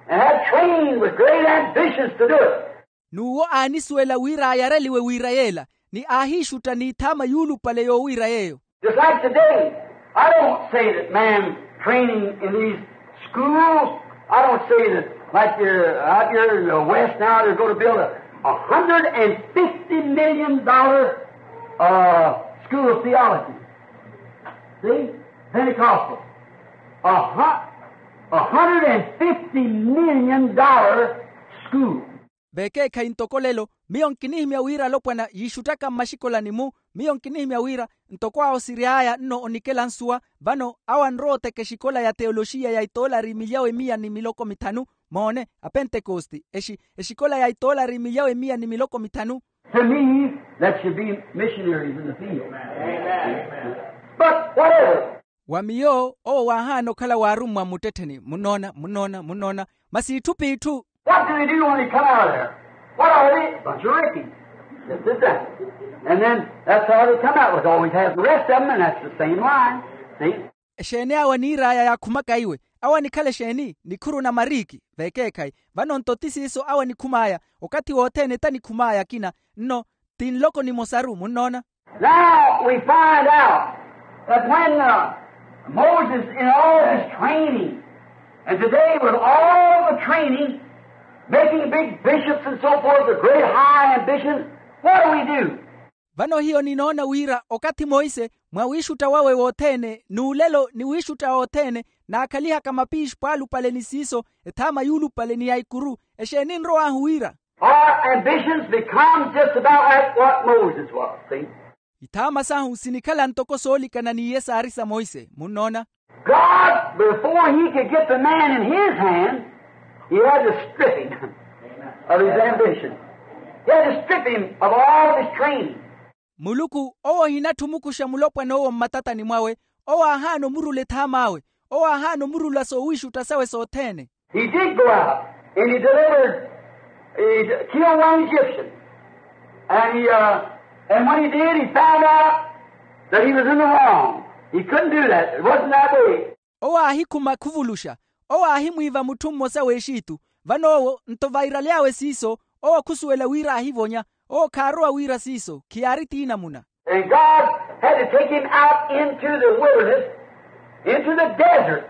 and had trained with great ambitions to do it. N'uwo aanisuwela wira ayareliwe wira yeela, ni aahiixutta n'ithaama yuulupale yoowiira yeeyo. Just like today, I don't say that man training in these schools, I don't say that, like, uh, out here in the West now, they're going to build a, a hundred and fifty million dollar, uh, school of theology. See? Pentecostal. A hu-, a hundred and fifty million dollar school. Vekeekhayi ntoko lelo, miyo nkinihimya wira alopwana yiixuttaka mmaxikolani-mu. Miyo nkinihimya wira ntoko awo siryaaya nno onikela nsuwa, vano awo anrowa oteka exikola ya teoloxiya ya itoolari milyawe miya ni miloko mithanu. Moone, apentekosti exi exikola ya itoolari milyawe miya ni miloko mithanu. To me, that should be missionaries in the field. But whatever. Wa miyo owo waahaana okhala waarummwa mmuttettheni munnoona munnoona munnoona. Masi itthu p'itthu. What do they do when they come out of there? What are they? Bunch of rickies. This is that. And then that's how they come out with. Always has the rest of them, and that's the same line. See? Exeeni awo aniir'aya yaakhumaka iwe? Awo anikhala exeeni? Nikhuru na mariiki. Vekeekhayi. Vano nto ti siiso awo anikhum'aya. Okathi wothene tanikhum'aya akina. Nno ti nloko nimosaru munnoona. Now we find out that when, uh, Moses, in all his training, and today with all the training, making big bishops and so forth, the great high ambitions, what do we do? Vano hiyo ninoona wira okathi monse mwa wiixutta wawe wothene n'ulelo ni wiixutta othene, naakhalihaka mapiixi pwaalupale ni siiso ethaama yuulupale ni ya ikuru. Exeeni nrow'ahu wira? Our ambitions become just about like what Moses was, see? Ithaama sahu sinikhala ntoko soolikana n'iye saari sa monse munnoona. God, before he could get the man in his hand, he had to strip him of his ambition. He had to strip him of all of his training. Muluku owo ohinatthi omukuxa mulopwana owo mmatatani mwawe. Owo aahaana omurula ethaam'awe. Owo aahaana omurula soowiixutta sawe sothene. He did go out and he delivered, he killed one Egyptian. And he, uh, and when he did, he found out that he was in the wrong. He couldn't do that. It wasn't that way. Owo aahikhuma khuvuluxa. Owo aahimwiiva mutthu mmosa w'exitu. Vano owo nto vairaly'awe siiso, owo khusuwela wira aahivonya. Owo khaarowa wira siiso khiyaari tiinamuna. And God had to take him out into the wilderness, into the desert,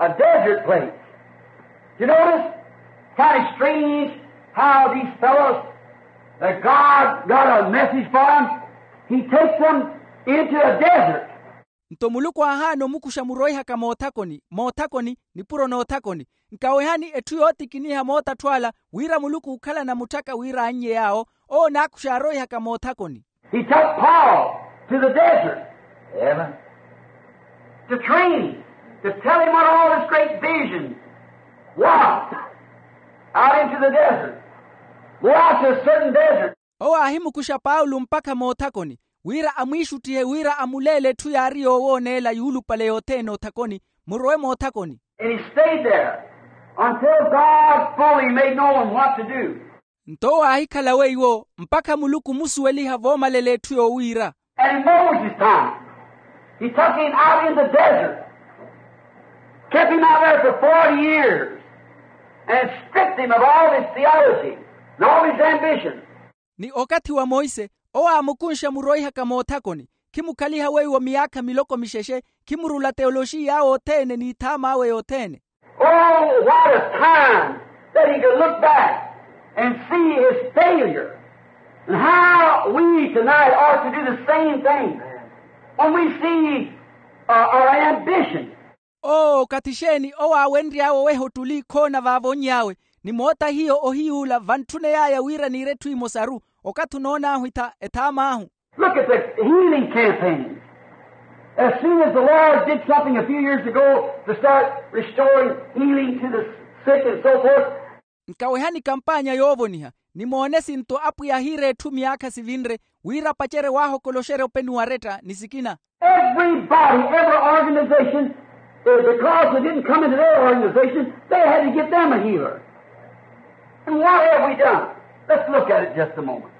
a desert place. You notice? Kind of strange how these fellows that God got a message for them, he takes them into a desert. Nto muluku aahaana omukuxa muroihaka moothakoni moothakoni nipuro noothakoni. Nkawehani etthu yootikiniha mootattho ala wira muluku ookhalana mutthaka wira annye yaawo. Owo naakuxa aaroihaka moothakoni. He took Paul to the desert. Amen. To train him, to tell him what all this great vision was. Out into the desert. Go out to a certain desert. Owo aahimukuxa paulo mpakha moothakoni wira amwiixuttihe wira amuleele etthu yaari yoowooneela yuulupale yothene othakoni. Murowe moothakoni. And he stayed there until God fully made known what to do. Nto owo aahikhala weiwo mpakha muluku omusuweliha voomalela etthu yoowiira. And in Moses' time, he took him out in the desert, kept him out there for forty years, and stripped him of all his theology and all his ambition. Ni okathi wa monse owo aamukunxa muroihaka moothakoni, khimukhaliha weiwo miyaakha miloko mixexe, khimurula teoloxiya awe othene n'ithaama awe yothene. Oh, what a time that he could look back and see his failure, and how we tonight ought to do the same thing when we see uh, our ambition. Oo okathi exeeni owo aawenry'awe oweha ottuli khoona vaavonny'awe, ni moota hiyo ohiy'ula vantthuney'aya wira niire etthu emosaru, okathi onoon'ahu ethaam'ahu. Look at the healing campaign. As soon as the Lord did something a few years ago to start restoring healing to the sick and so forth. Nkawehani kampaanya yoovoniha, nimoone sinto apwiya ahiira etthu myaakha sivinre, wira apacerye waahokoloxerya openi waretta ni sikina. Everybody, every organization, eh, because they didn't come into their organization, they had to get them a healer. And what have we done? Let's look at it just a moment.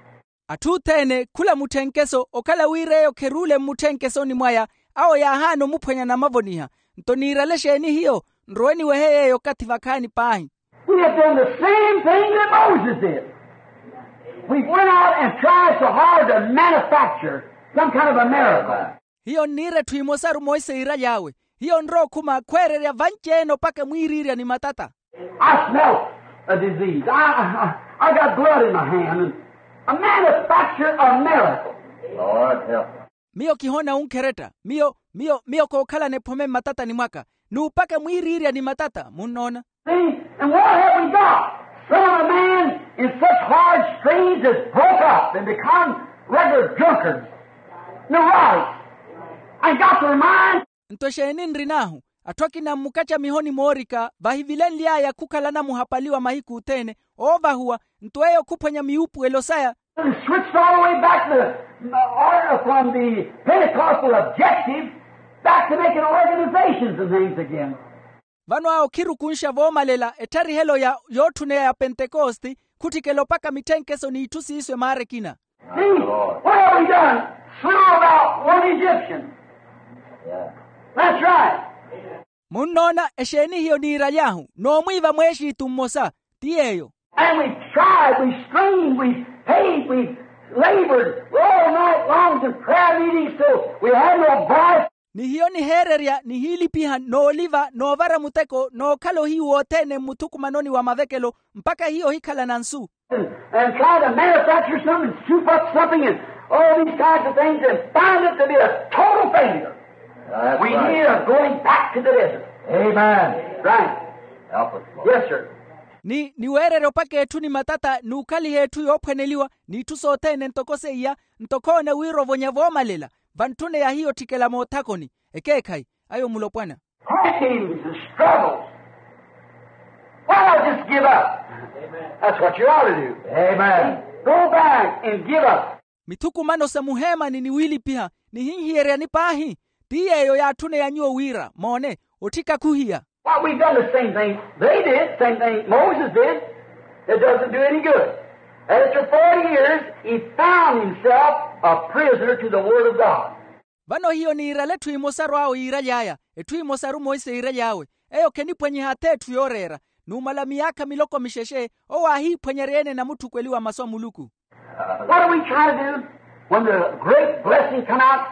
Atthu othene khula mutthenkeso okhala wira eyo kheruule mmutthenkeso ni mwaya, awo yaahaana omuphwanya namavoniha. Nto niirale exeeni hiyo? Nrowe niwehe yeeyo okathi vakhaani paahi. We have done the same thing that Moses did. We've went out and tried so hard to manufacture some kind of a miracle. Hiyo nniira etthu emosaru monse iiraly'awe. Hiyo nrowa okhuma khweererya vanci-ene opaka mwiiriirya ni matata. I smelt a disease. I, I, I got blood in my hand and I manufactured a miracle. Lord help us. Miyo kihoona wunkheretta. Miyo miyo miyo kookhalana ephome mmatatani mwaka, n'upaka mwiiriirya ni matata munnoona. See, and what have we got? Some of the men in such hard strains has broke up and become regular drunkards, neurotics, and got their mind. Nto exeeni nrin'ahu? Atthu akina mmukacamihoni moorika vahivilenly'aya khukhala anamuhapaliwa mahiku othene, oovahuwa. Nto eyo khuphwanya miwuupuwelo saya. Switched all the way back to the, uh, from the Pentecostal objective back to making organizations and things again. Vano awo khirukunxa voomalela ettarihelo ya yootthuneya ya pentekosti, khutthikela opaka mitthenkeso n'itthu siiso emaara ekina. See, what have we done? Slew about one Egyptian. That's right. Munnoona? Exeeni hiyo niiraly'ahu? Noomwiiva mweexiitu mmosa. Ti yeeyo. And we tried, we strained, we paid, we labored all night long to prayer meetings till we had no voice. Ni hiyo niheererya nihiilipiha nooliva noovara muteko nookhala ohiyu wothene mmuthukumanoni wa mavekelo, mpakha hiyo ohikhalana nsu. And, and try to manufacture something and soup up something and all these kinds of things and find it to be a total failure. We need a going back to the desert. Amen. Right. Help us, Lord. Yes, sir. Ni niweererya opaka etthu ni matata n'ukhaliha etthu yoophwaneliwa, n'itthu sothene ntoko seiya. Ntoko oona wira ovonya voomalela vantthune ya hiyo otthikela moothakoni. Ekeekhayi ayo mulopwana. Hard times and struggles. Why not just give up? That's what you ought to do. Amen. Go back and give up. Mithukumano sa muheemani ni wiilipiha nihinhiyeryani paahi. Ti yeeyo yaatthuneya nyuwo wira moone otthika khuhiya. Why, we've done the same thing they did, same thing Moses did. It doesn't do any good. After forty years, he found himself a prisoner to the word of God. Vano hiyo niirale etthu emosaru awo yiiraly'aya, etthu emosaru monse yiiraly'awe. Eyo khenipwanyiha ath'etthu yooreera. Numala miyaakha miloko mixexe owo aahiiphwanyerya-ene namutthukweliwa masu a muluku. What are we trying to do when the great blessing come out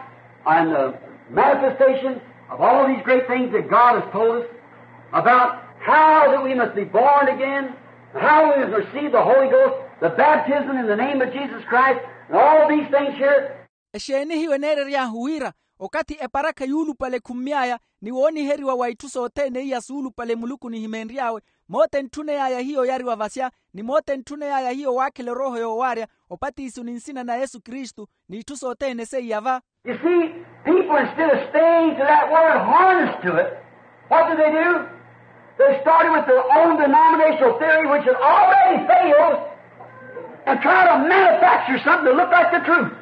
and the manifestation of all these great things that God has told us about how that we must be born again, how we must receive the Holy Ghost, the baptism in the name of Jesus Christ, and all these things here? Exeeni hiyo eneerery'ahu wira okathi eparakha yuulupale ekhummy'aya ni wooniheriwa wa itthu sothene iya suulupale muluku nihimeenry'awe, moothe entthuney'aya hiyo oyariwa vasya, ni moothe entthuney'aya hiyo waakhela erooho yoowaarya, opatiso ni nsina na yesu kristu, n'itthu sothene seiya va. You see, people, instead of staying to that word, harnessed to it, what do they do? They started with their own denominational theory, which had already failed, and try to manufacture something to look like the truth.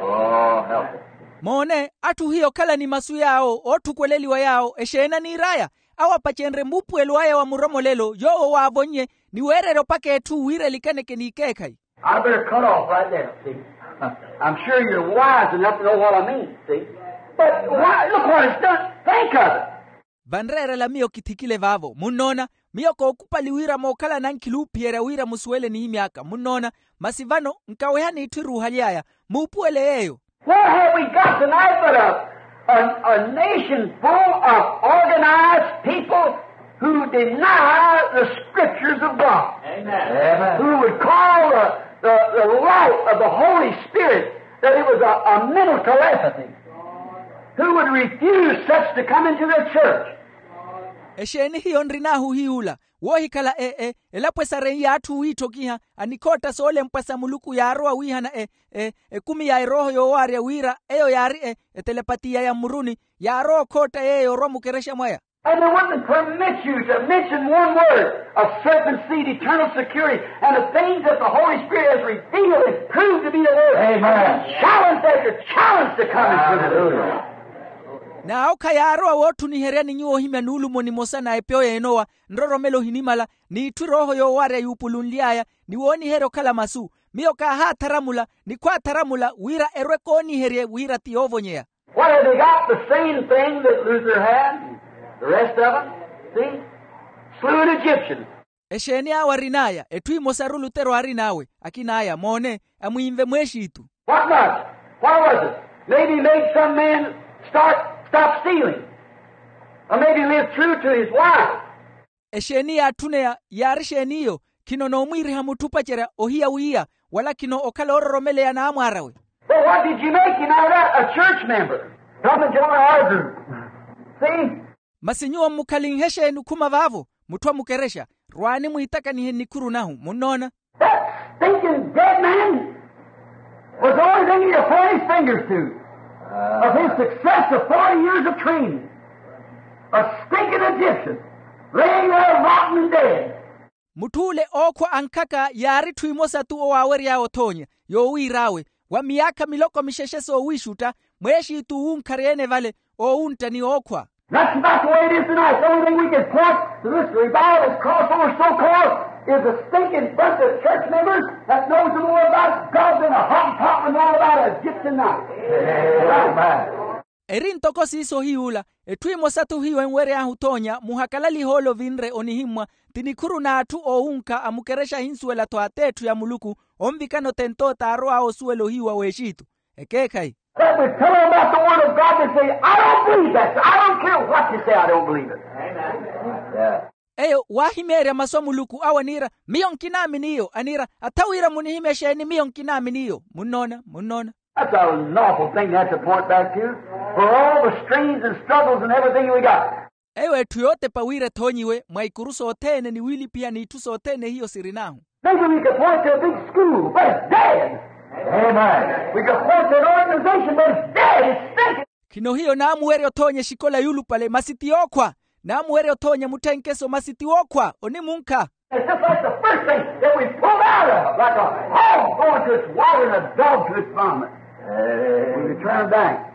Oh, help us. Moone, atthu hiyo okhala ni masu yaawo ootthukwelela yaawo exeeni aniir'aya. awo apacenrye muupuwelo aya wa muromolelo yoowo waavonnye, ni weererya opaka etthu wira elikaneke n'ikeekhayi. I better cut off right there, see. I'm sure you're wise enough to know what I mean, see. But why, look what it's done. Think of it. Vanreerela miyo kithikile vaavo munnoona, miyo kookupali wira mookhala nankhilu oophiyerya wira musuwele nihimy'aka munnoona. Masi vano, nkaweha n'itthu eruuhaly'aya. Muupuwele yeeyo. Where have we got tonight but a, a, a nation full of organized people who deny the scriptures of God? Amen. Who would call the, the, the light of the Holy Spirit that it was a, a mental telepathy, who would refuse such to come into their church. Exeeni hiyo nrin'ahu hiy'ula, woohikhala e, e, elapo esareiye atthu wiitthokiha, anikhootta soolempwa sa muluku yaarowa wiihana e, e, ekumi ya erooho yoowaarya wira eyo yaari e, etelepatiya ya mmuruni, yaarowa okhootta yeeyo orwa mukerexa mwaya. And they wouldn't permit you to mention one word of certain seed, eternal security, and the things that the Holy Spirit has revealed and proved to be the word. Amen. Challenge after challenge to come into the room. N'awo khayaarowa wootthuniheryani nyuwo ohimya nuulumo nimosa na epyo y'enowa, nroromelo ohinimala, n'itthu erooho yoowaarya yuupulunly'aya, ni wooniherya okhala masu. Miyo kaahaatharamula ni khwaatharamula wira erwe kooniherye wira ti yoovonyeya. What have they got? The same thing that Luther had, the rest of them. See? Slew an Egyptian. Exeeni awo arin'aya? Etthu emosaru lutero aarin'awe, akin'aya moone, amwiinve mweexitu. What was it? What was it? Maybe he made some man start, stop stealing. Or maybe live true to his wife. Exeeni yaatthuneya? Yaari exeeni iyo? Khino noomwiiriha mutthu opacerya ohiya wiiya, wala khino okhala oororomeleya n'amwaar'awe. But what did you make him out of that? A church member. Come and join our group. See? Masi nyuwo mmukhalinhe exeeni okhuma vaavo? Mutthu a mukerexa, rwaani mwiitakanihe nnikhuru nahu munnoona. That stinking dead man was the only thing he could point his fingers to of his success of forty years of training. A stinking Egyptian laying there rotten and dead. Mutth'ule ookhwa ankhaka yaari etthu emosa-tu owaawery'awe othoonya yoowiir'awe, wa miyaakha miloko mixexe soowiixutta, mweexitu owunkharya-ene vale, oowuntta ni ookhwa. That's about the way it is tonight. The only thing we can point to this revival that's crossed over so-called is a stinking bunch of church members that knows more about God than a Hottentot would know about an Egyptian knife. Amen. Eri ntoko siiso hiy'ula, etthu emosa-thu hiyo enwery'ahu othoonya muhakalalihe ole ovinre onihimmwa, ti nikhuru n'atthu oowunkha a mukerexa ahinsuwela-tho at'etthu ya muluku, onvikana othent'owo t'arow'awe osuwela ohiyu wa w'exitu. Ekeekhayi. But we tell them about the word of God, they say, I don't believe that. I don't care what you say, I don't believe it. Eyo waahimeerya masu a muluku awo aniira, miyo nkinaamini iyo, aniira, atha wira munihimye exeeni, miyo nkinaamini iyo. Munnoona, munnoona. That's an awful thing to have to point back to. For all the strains and struggles and everything we got. Eyo etthu yootepa wira ethoonyiwe mwa ikuru sothene ni wiilipiha n'itthu sothene hiyo sirin'ahu. Maybe we could point to a big school, but it's dead. Amen. We could point to an organization, but it's dead. It's sinking. Khino hiyo naamuwerya othoonya exikola yuulupale masi ti yookhwa. Naamuwerya othoonya mutthenkeso masi ti wookhwa onimunkha. It's just like the first thing that we pulled out of, like a hog going to its water and a dog to its vomit. When we turn back,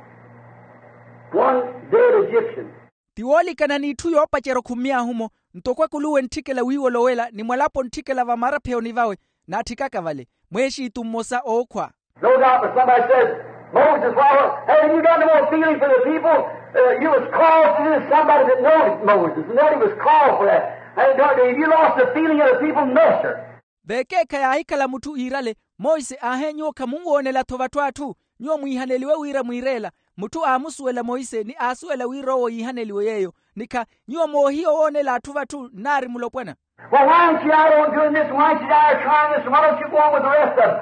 one dead Egyptian. Ti woolikana n'itthu yoopacerya okhummy'ahu-mo, ntoko akuluwe ntthikela wiiwolowela ni mwalapo ntthikela vamarapheoni vawe, naatthikaka vale, mweexitu mmosa ookhwa. No doubt, but somebody says, Moses, why, haven't you got no more feeling for the people? Uh, you was called to this, somebody that knows Moses, and nobody was called for that. And don't, have you lost the feeling of the people? No, sir. Vekeekha yaahikhala mutthu iirale, monse aahe nyuwo khamunwoonela-tho vatthu atthu? Nyuwo mwiihaneliwe wira mwiireela. Mutthu aamusuwela monse ni aasuwela wira owo yiihaneliwe yeeyo. Nikha nyuwo moohiya owoonela atthu vatthu nnaari mulopwana. Well, why ain't you out on doing this? Why ain't you out trying this? Why don't you go on with the rest of them?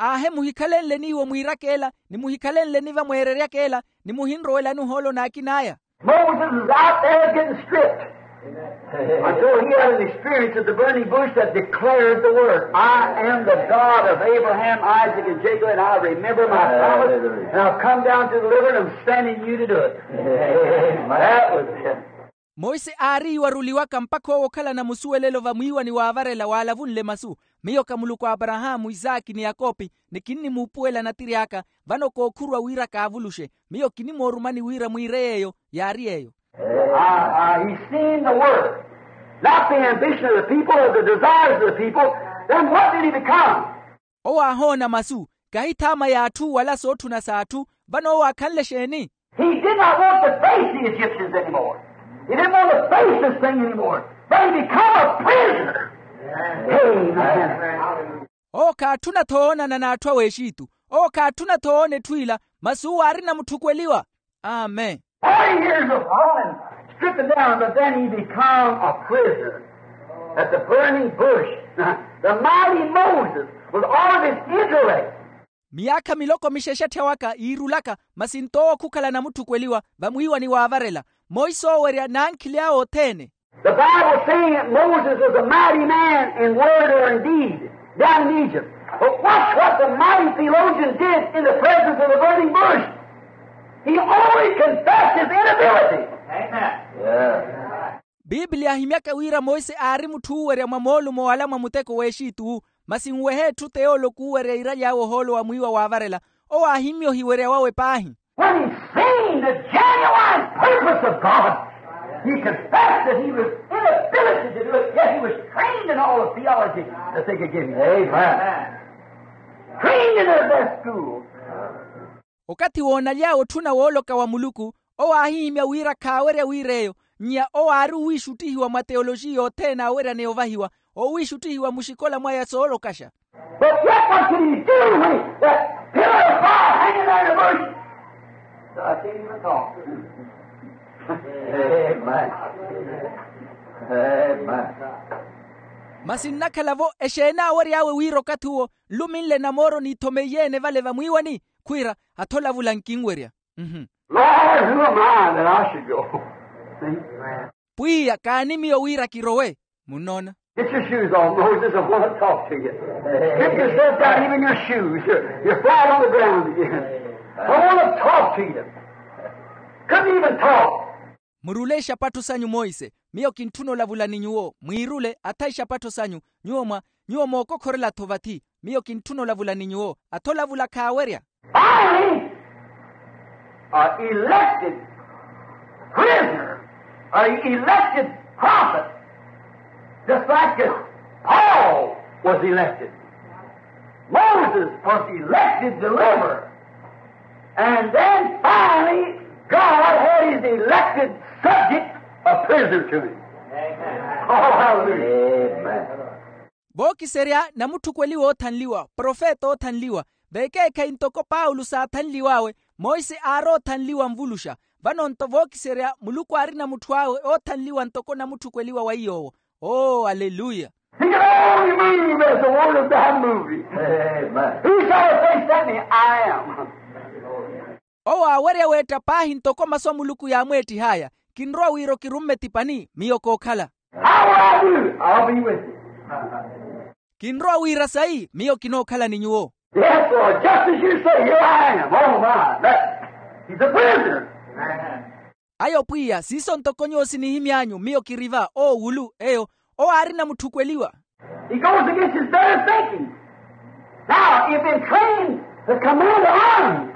Aahe muhikhalenle n'iwo mwiiraka ela, ni muhikhalenle ni vamweereryaka ela, ni muhinrowelani ohoolo n'akin'aya. Moses is out there getting stripped. Until he had an experience at the burning bush that declared the word, I am the God of Abraham, Isaac, and Jacob, and I remember my promise, and I've come down to deliver, and I'm sending you to do it. That was it. Monse aari iwaruliwaka mpakha owo okhalana musuwelelo vamwiiwani waavarela waalavunle masu, miyo ka muluku a aparahaamu isaaki ni yakopi, ni kinnimuupuwela natiri aka, vano kookhurwa wira kaavuluxe. Miyo kinimoorumani wira mwiire yeeyo. Yaari yeeyo. Ah, ah, he's seen the work, not the ambition of the people or the desires of the people. Then what did he become? Owo aahoona masu, kahi thaama y'atthu wala sootthuna s'atthu. Vano owo aakhanle exeeni? He did not want to face the Egyptians anymore. He didn't want to face this thing anymore. But he become a prisoner. Amen. Owo khaatthuna-tho oonana n'atthu a w'exitu. Owo khaatthuna-tho oona etthu ila. Masi uwo aarina mutthukweliwa. Amen. Forty years of falling, stricken down, but then he become a prisoner at the burning bush. The mighty Moses, with all of his intellect. Miyaakha miloko mixexe atthya waka yiirulaka, masi nto owo khukhala namutthukweliwa vamwiiwani waavarela. Monse oowerya n'ankhili awe othene. The Bible saying that Moses was a mighty man in word or in deed down in Egypt. But watch what the mighty theologian did in the presence of the burning bush. He only confessed his inability. Amen. Biiblia ahimyaka wira monse aari mutthu oowerya mwa moolumo wala mwa muteko w'exituwu. Masi nwehe etthu teyooloko oowerya iiraly'awe ohoolo wa mwiiwa waavarela. Owo aahimya ohiwerya wawe paahi. When he seen the genuine purpose of God, he confessed that he was inability to do it, yet he was trained in all of theology that they could give him. Amen. Trained in their best school. Okathi woonaly'awe otthuna wooloka wa muluku, owo aahihimya wira khaawerya wira eyo. Nnya owo aari owiixuttihiwa mwa teyoloxiya othene aaweryaneya ovahiwa, owiixuttihiwa muxikola mwaya soolokaxa. But yet what could he do when that pillar of fire hanging there in the bush? So I can't even talk. Amen. Amen. Masi nnakhala-vo exeeni aawery'awe wira okathi uwo nluminle namooro n'ithomeiye-ene vale vamwiiwani? Khwiira, atho olavula nkinwerya. Lord, who am I that I should go? See? Pwiya, kaani miyo wira kirowe? Munnoona? Get your shoes off, Moses. I want to talk to you. Get yourself down, even your shoes. You're, you're flat on the ground again. I want to talk to you. Couldn't even talk. Murule ixapattho sanyu, Monse, miyo kintthuna olavula ni nyuwo. Mwiirule, atha ixapattho sanyu. Nyuwo mwa, nyuwo mookokhorela-tho vathi. Miyo kintthuna olavula ni nyuwo. Atha olavula khaawerya. Finally, a elected prisoner, a elected prophet, just like as Paul was elected. Moses was elected deliverer. And then finally, God had his elected subject a prisoner to him. Amen. Oh, hallelujah. Amen. Vookiserya namutthukweliwa oothanliwa, profeta oothanliwa, vekeekhayi ntoko paulo saathanliw'awe. Monse aari oothanliwa nvuluxa. Vano-nto vookiserya muluku aarina mutthu awe oothanliwa ntoko namutthukweliwa wa iy'owo. Oo aleluya. He can only move as the word of God moves him. Amen. Whosoever thinks that me, I am. Owo aawerya weetta paahi ntoko masu a muluku yaamweettih'aya. Kinrowa wira okirumme tipani, miyo kookhala. How will I do? I'll be with you. Kinrowa wira sayi, miyo kinookhala ni nyuwo. Yes, Lord, just as you say, here I am. Oh, my. That, he's a prisoner. Ayo pwiya, siiso ntoko nyuwo sinihimy'anyu, miyo kiri va. Oowulu eyo, owo aarina mutthukweliwa. He goes against his better thinking. Now, you've been trained to command the army.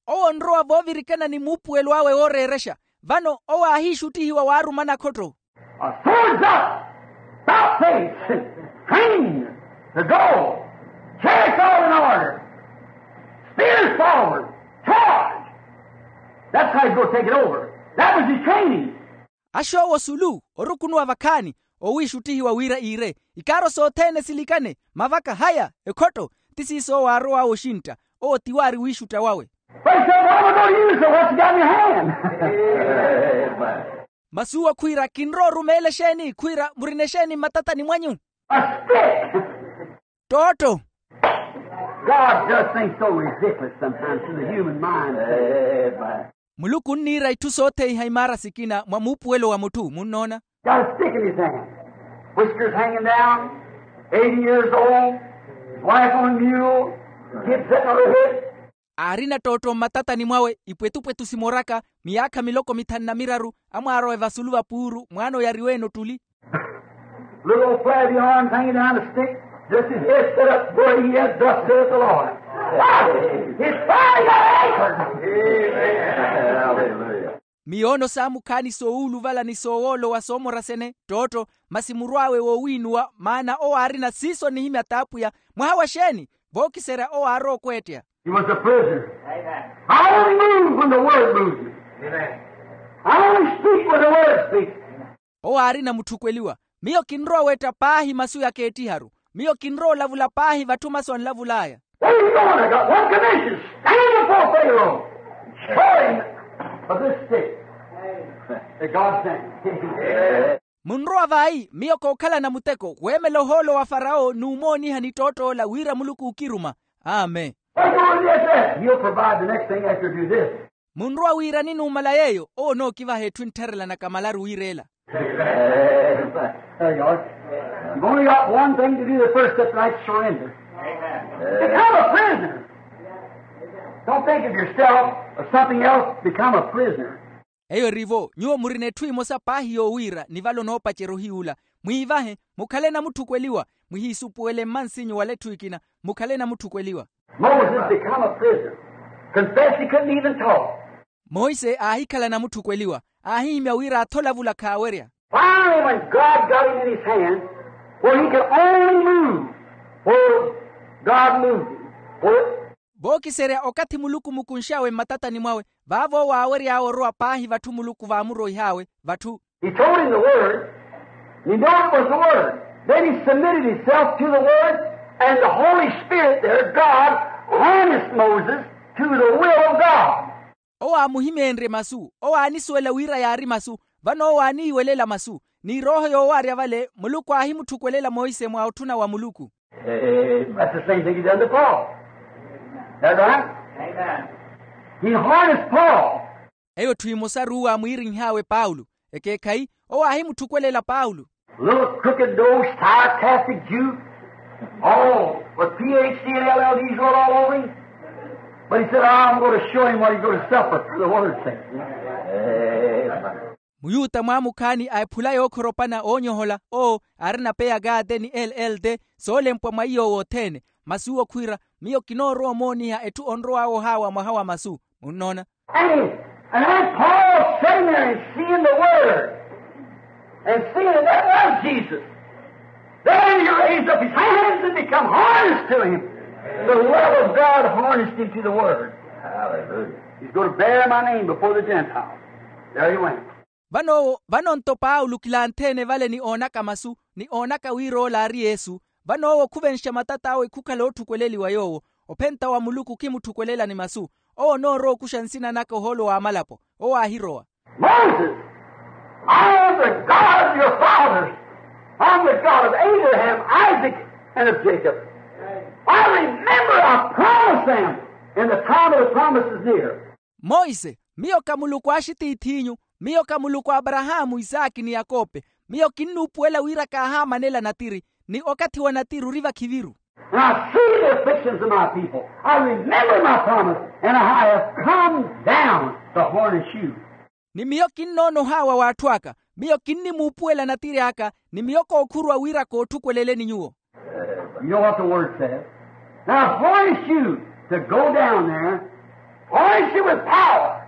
Owo onrowa voovirikana ni muupuwelo awe wooreerexa. Vano owo aahiixuttihiwa waaruma nakhotto. A swords up, about face, trained to go. Chariots all in order. Spears forward. Charge. That's how he's going to take it over. That was his training. Axoowo sulu, orukunuwa vakhaani, owiixuttihiwa wira iire. Ikaaro sothene silikane, mavaka haya, ekhotto. Ti siiso owo aarow'awe oxintta. Owo tiwo aari wiixutta wawe. But he said, what am I going to use? So what you got in your hand? Masi uwo khwiira, kinrowa orumeela exeeni? Khwiira, murina exeeni mmatatani mwanyu? A stick. Ttootto. God does things so ridiculous sometimes to the human mind. Muluku onniira itthu sotheiha imaara sikina mwa muupuwelo wa mutthu, munnoona. Got a stick in his hand. Whiskers hanging down. Eighty years old. His wife on a mule. Kid sitting on her hip. Aarina ttootto mmatatani mwawe, ipwetupwetu simoraka, miyaakha miloko mithanu na miraru. Amwaar'awe vasulu va puuru, mwaana oyariwe-ene ottuli. Little old flabby arms hanging down a stick. Just his head set up where he is, thus saith the Lord. Why? His body got anchored. Amen. Hallelujah. Miyoono saamukhaani soowuluvala ni soowoolowa soomorasene ttootto, masi murw'awe woowiinuwa maana owo aarina siiso onihimya t'apwiya. Mwaha wa xeeni? Vookiserya owo aarowa okweetteya. He was a prisoner. I only move when the word moves me. I only speak when the word speaks. Owo aarina mutthukweliwa. Miyo kinrowa oweetta paahi masu yakeettiharu. Miyo kinrowa olavula paahi vatthu masu anlavul'aya. Where are you going? I got one commission. Stand before Pharaoh. Show him of this stick that God sent. Munrowa vayi? Miyo kookhalana muteko weemela ohoolo wa farawo n'umooniha ni ttootto ola wira muluku ookiruma. Amen. What are you going to do? He'll provide the next thing after you do this. Munrowa wiirani numala yeeyo owo onookivaha etthu enttharela nakamalaru wiireela. There you are. You've only got one thing to do, the first step, right? Surrender. Become a prisoner. Don't think of yourself or something else. Become a prisoner. Eyo erivo nyuwo murina etthu emosa paahi yoowiira ni vale onoopacerya ohiy'ula. Mwiivahe, mukhale namutthukweliwa. Mwihiisupuwele mmansinyu wala etthu ekina. Mukhale namutthukweliwa. Moses become a prisoner. Confess he couldn't even talk. Monse aahikhala namutthukweliwa. Aahihimya wira atholavula khaawerya. Finally, when God got him in his hand, where he could only move where God moved him. Where vookiserya okathi muluku mukunx'awe mmatatani mwawe, vaavo owo aawery'awe orowa paahi vatthu muluku vaamuroih'awe vatthu. He told him the word. He knew it was the word. Then he submitted himself to the word, and the Holy Spirit there, God, harnessed Moses to the will of God. Owo aamuhimeenrye masu, owo aanisuwela wira yaari masu. Vano owo aaniiwelela masu, ni erooho yoowaarya vale muluku aahimutthukuwelela monse mwa otthuna wa muluku. That's the same thing he done to Paul. That right? He harnessed Paul. Eyo etthu emosaru owo aamwiirinh'awe paulo. Ekeekhayi, owo aahimutthukuwelela paulo. Little crooked nose sarcastic jew, all with phd and llds wrote all over him. But he said, I'm going to show him what he's going to suffer for the word's sake. Muyuta mwaamukhaani a ephula yookhoropana oonyohola owo aarina peyakaate ni llde, soolempwa mwa iy'owo othene. Masi uwo khwiira, miyo kinoorowa omooniha etthu onrow'awe ohaawa mwaha wa masu. Munnoona? And, and then Paul sitting there and seeing the word and seeing that was Jesus. Then he raised up his hands and become harnessed to him. The love of God harnessed him to the word. Hallelujah. He's going to bear my name before the Gentiles. There he went. Vano owo vano nto paulo kilantheene vale ni oonaka masu, ni oonaka wira ola aari yesu. Vano owo khuvenxa matat'awe khukhala otthukweleliwa yoowo. Ophenta wa muluku khimutthukwelelani masu. Owo onoorowa okuxa nsina naka ohoolo w'amalapo. Owo aahirowa. Moses, I am the God of your fathers. I'm the God of Abraham, Isaac, and of Jacob. I remember I promised them, and the time of the promise is near. Monse, miyo ka muluku a axitiith'inyu. Miyo ka muluku a aparahaamu, isaaki ni yakope. Miyo kinnuupuwela wira kaahaamanela natiri, ni okathi wa natiri ori vakhiviru. And I see the afflictions of my people. I remember my promise, and I have come down to harness you. Ni miyo kinnoona ohaawa w'atthu aka. Miyo kinnimuupuwela natiri aka, ni miyo kookhuruwa wira kootthukweleleni nyuwo. You know what the word says. Now, harness you to go down there, harness you with power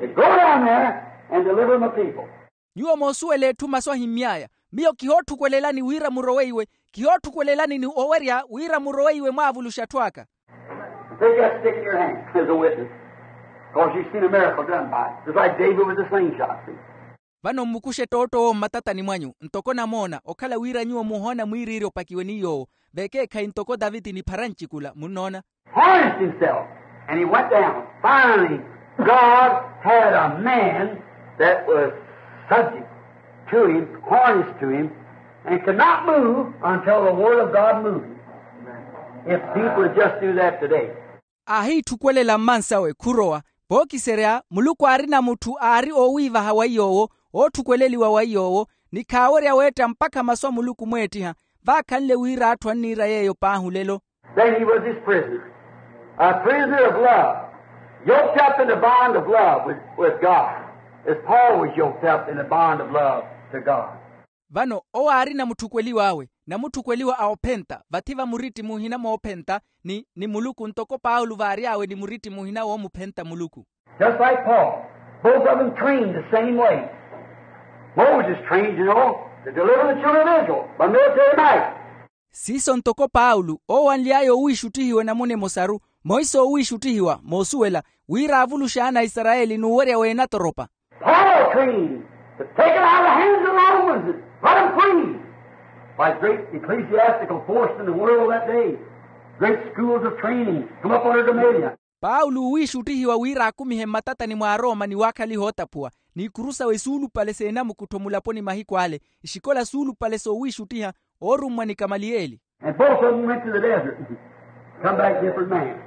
to go down there and deliver my people. Nyuwo moosuwela etthu masu ahimmy'aya. Miyo kihootthukwelelani wira murowe iwe. Kihootthukwelelani ni owerya wira murowe iwe mwaavuluxe atthu aka. Take that stick in your hand as a witness, because you've seen a miracle done by it. Just like David with the slingshot, see? Vano mmukuxe ttootto owo mmatatani mwanyu ntoko namoona, okhala wira nyuwo muhoona mwiiriiri opakiwe ni yoowo. Vekeekhayi ntoko taviti ni pharancikula, munnoona. Harnessed himself, and he went down. Finally, God had a man that was subject to him, harnessed to him, and could not move until the word of God moved him. If people would just do that today. Aahiitthukuwelela mmansawe khurowa. Vookiserya muluku aarina mutthu aari oowiivaha wa iy'owo, ootthukweleliwa wa iy'owo, ni khaawerya weetta mpakha masu a muluku mweettiha. Vaakhanle wira atthu anniira yeeyo paahi olelo. Then he was his prisoner, a prisoner of love, yoked up in the bond of love with, with God, as Paul was yoked up in the bond of love to God. Vano owo aari namutthukweliw'awe, namutthukweliwa a ophenta vathi va muritti muhina moophenta ni ni muluku ntoko paulo vaary'awe ni muritti muhina woomuphenta muluku. Just like Paul, Both of them trained the same way. Moses trained, you know, to deliver the children of Israel by military might. Siiso ntoko paulo owanly'aya owiixuttihiwa enamuna emosaru, monse owiixuttihiwa moosuwela wira aavuluxe ana a isarayeli n'uwerya w'enatoropa. Paul trained to take them out of the hands of the Romans and let them free. By great ecclesiastical force in the world that day, great schools of training come up under Gamaliel. Paulo wiixuttihiwa wira akumihe mmatatani mwa arooma ni waakhaliha ootaphuwa, n'ikuru sawe suulupale seenamukuttho mulaponi mahiku ale, ixikola suulupale soowiixuttiha oorummwa ni kamaliyeli. And both of them went to the desert. Come back different man.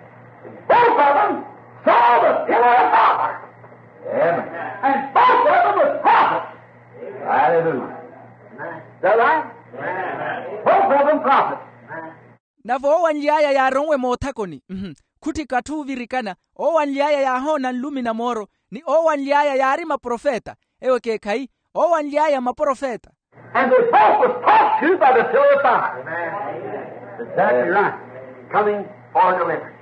Both of them saw the pillar of fire. Amen. And both of them was prophets. Hallelujah. Is that right? Both of them prophets. Nave owanly'aya yaaronwe moothakoni, mhm, khutthika atthu oovirikana. Owanly'aya yaahoona nlumi na mooro, ni owanly'aya yaari maprofeta. Ewo ekeekhayi, owanly'aya maprofeta. And they both was talked to by the pillar of fire. Exactly right. Coming for deliverance.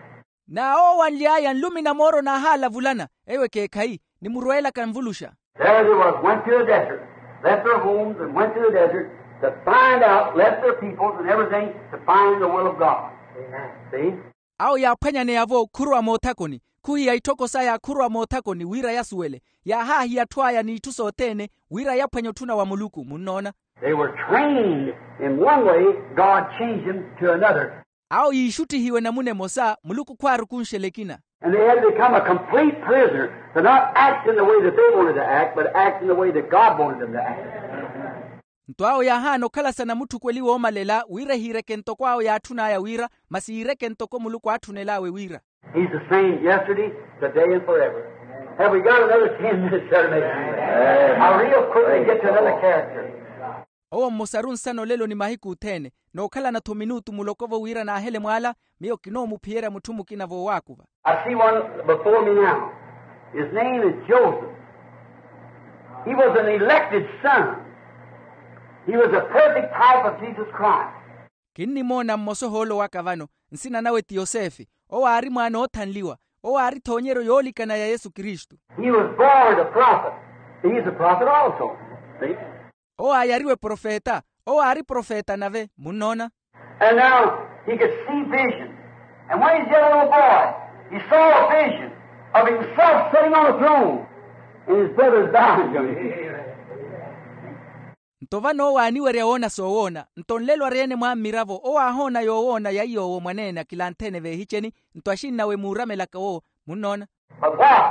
Na owanly'aya nlumi na mooro naahaalavulana, ewo ekeekhayi, ni murweelaka nvuluxa. There they was, went to the desert, left their homes and went to the desert to find out, left their peoples and everything to find the will of God. Amen. See? Awo yaaphwanyaneya-vo khurowa moothakoni, khuhiya itthoko saya khurowa moothakoni wira yasuwele, yaahaahiya atthu aya n'itthu sothene wira yaphwanye otthuna wa muluku. Munnoona? They were trained in one way, God changed them to another. Awo yiixuttihiwe namuna emosa, muluku khwaarukunxela ekina. And they had become a complete prisoner to not act in the way that they wanted to act, but act in the way that God wanted them to act. Nto awo yaahaana okhala sanamutthukweli woomalela wira ehiireke ntoko awo yaatthun'aya wira, masi yiireke ntoko muluku aatthunel'awe wira. He's the same yesterday, today, and forever. Have we got another ten minutes there to make? I real quickly get to another character. Owo mmosaru nsana olelo ni mahiku othene, nookhalana-tho minutu muloko-vo wira naahele mwaala, miyo kinoomuphiyerya mutthu mukina voowaakuva. I see one before me now. His name is Joseph. He was an elected son. He was a perfect type of Jesus Christ. Kinnimoona mmosa ohoolo waka vano, nsina nawe ti yosefe. Owo aari mwaana oothanliwa. Owo aari thoonyeryo yoolikana ya yesu kristu. He was born a prophet. He's a prophet also. See? Owo aayariwe profeta. Owo aari profeta nave. Munnoona? And now he could see vision. And when he's yet a little boy, he saw a vision of himself sitting on a throne and his brothers bowing to him. Nto vano owo aaniwerya woona soowoona. Nto nlelo ari-ene mwa mmiravo owo aahoona yoowoona ya iy'owo mwaneene akilanthene veehiceni. Nto axinnawe muuramelaka wowo. Munnoona? But what?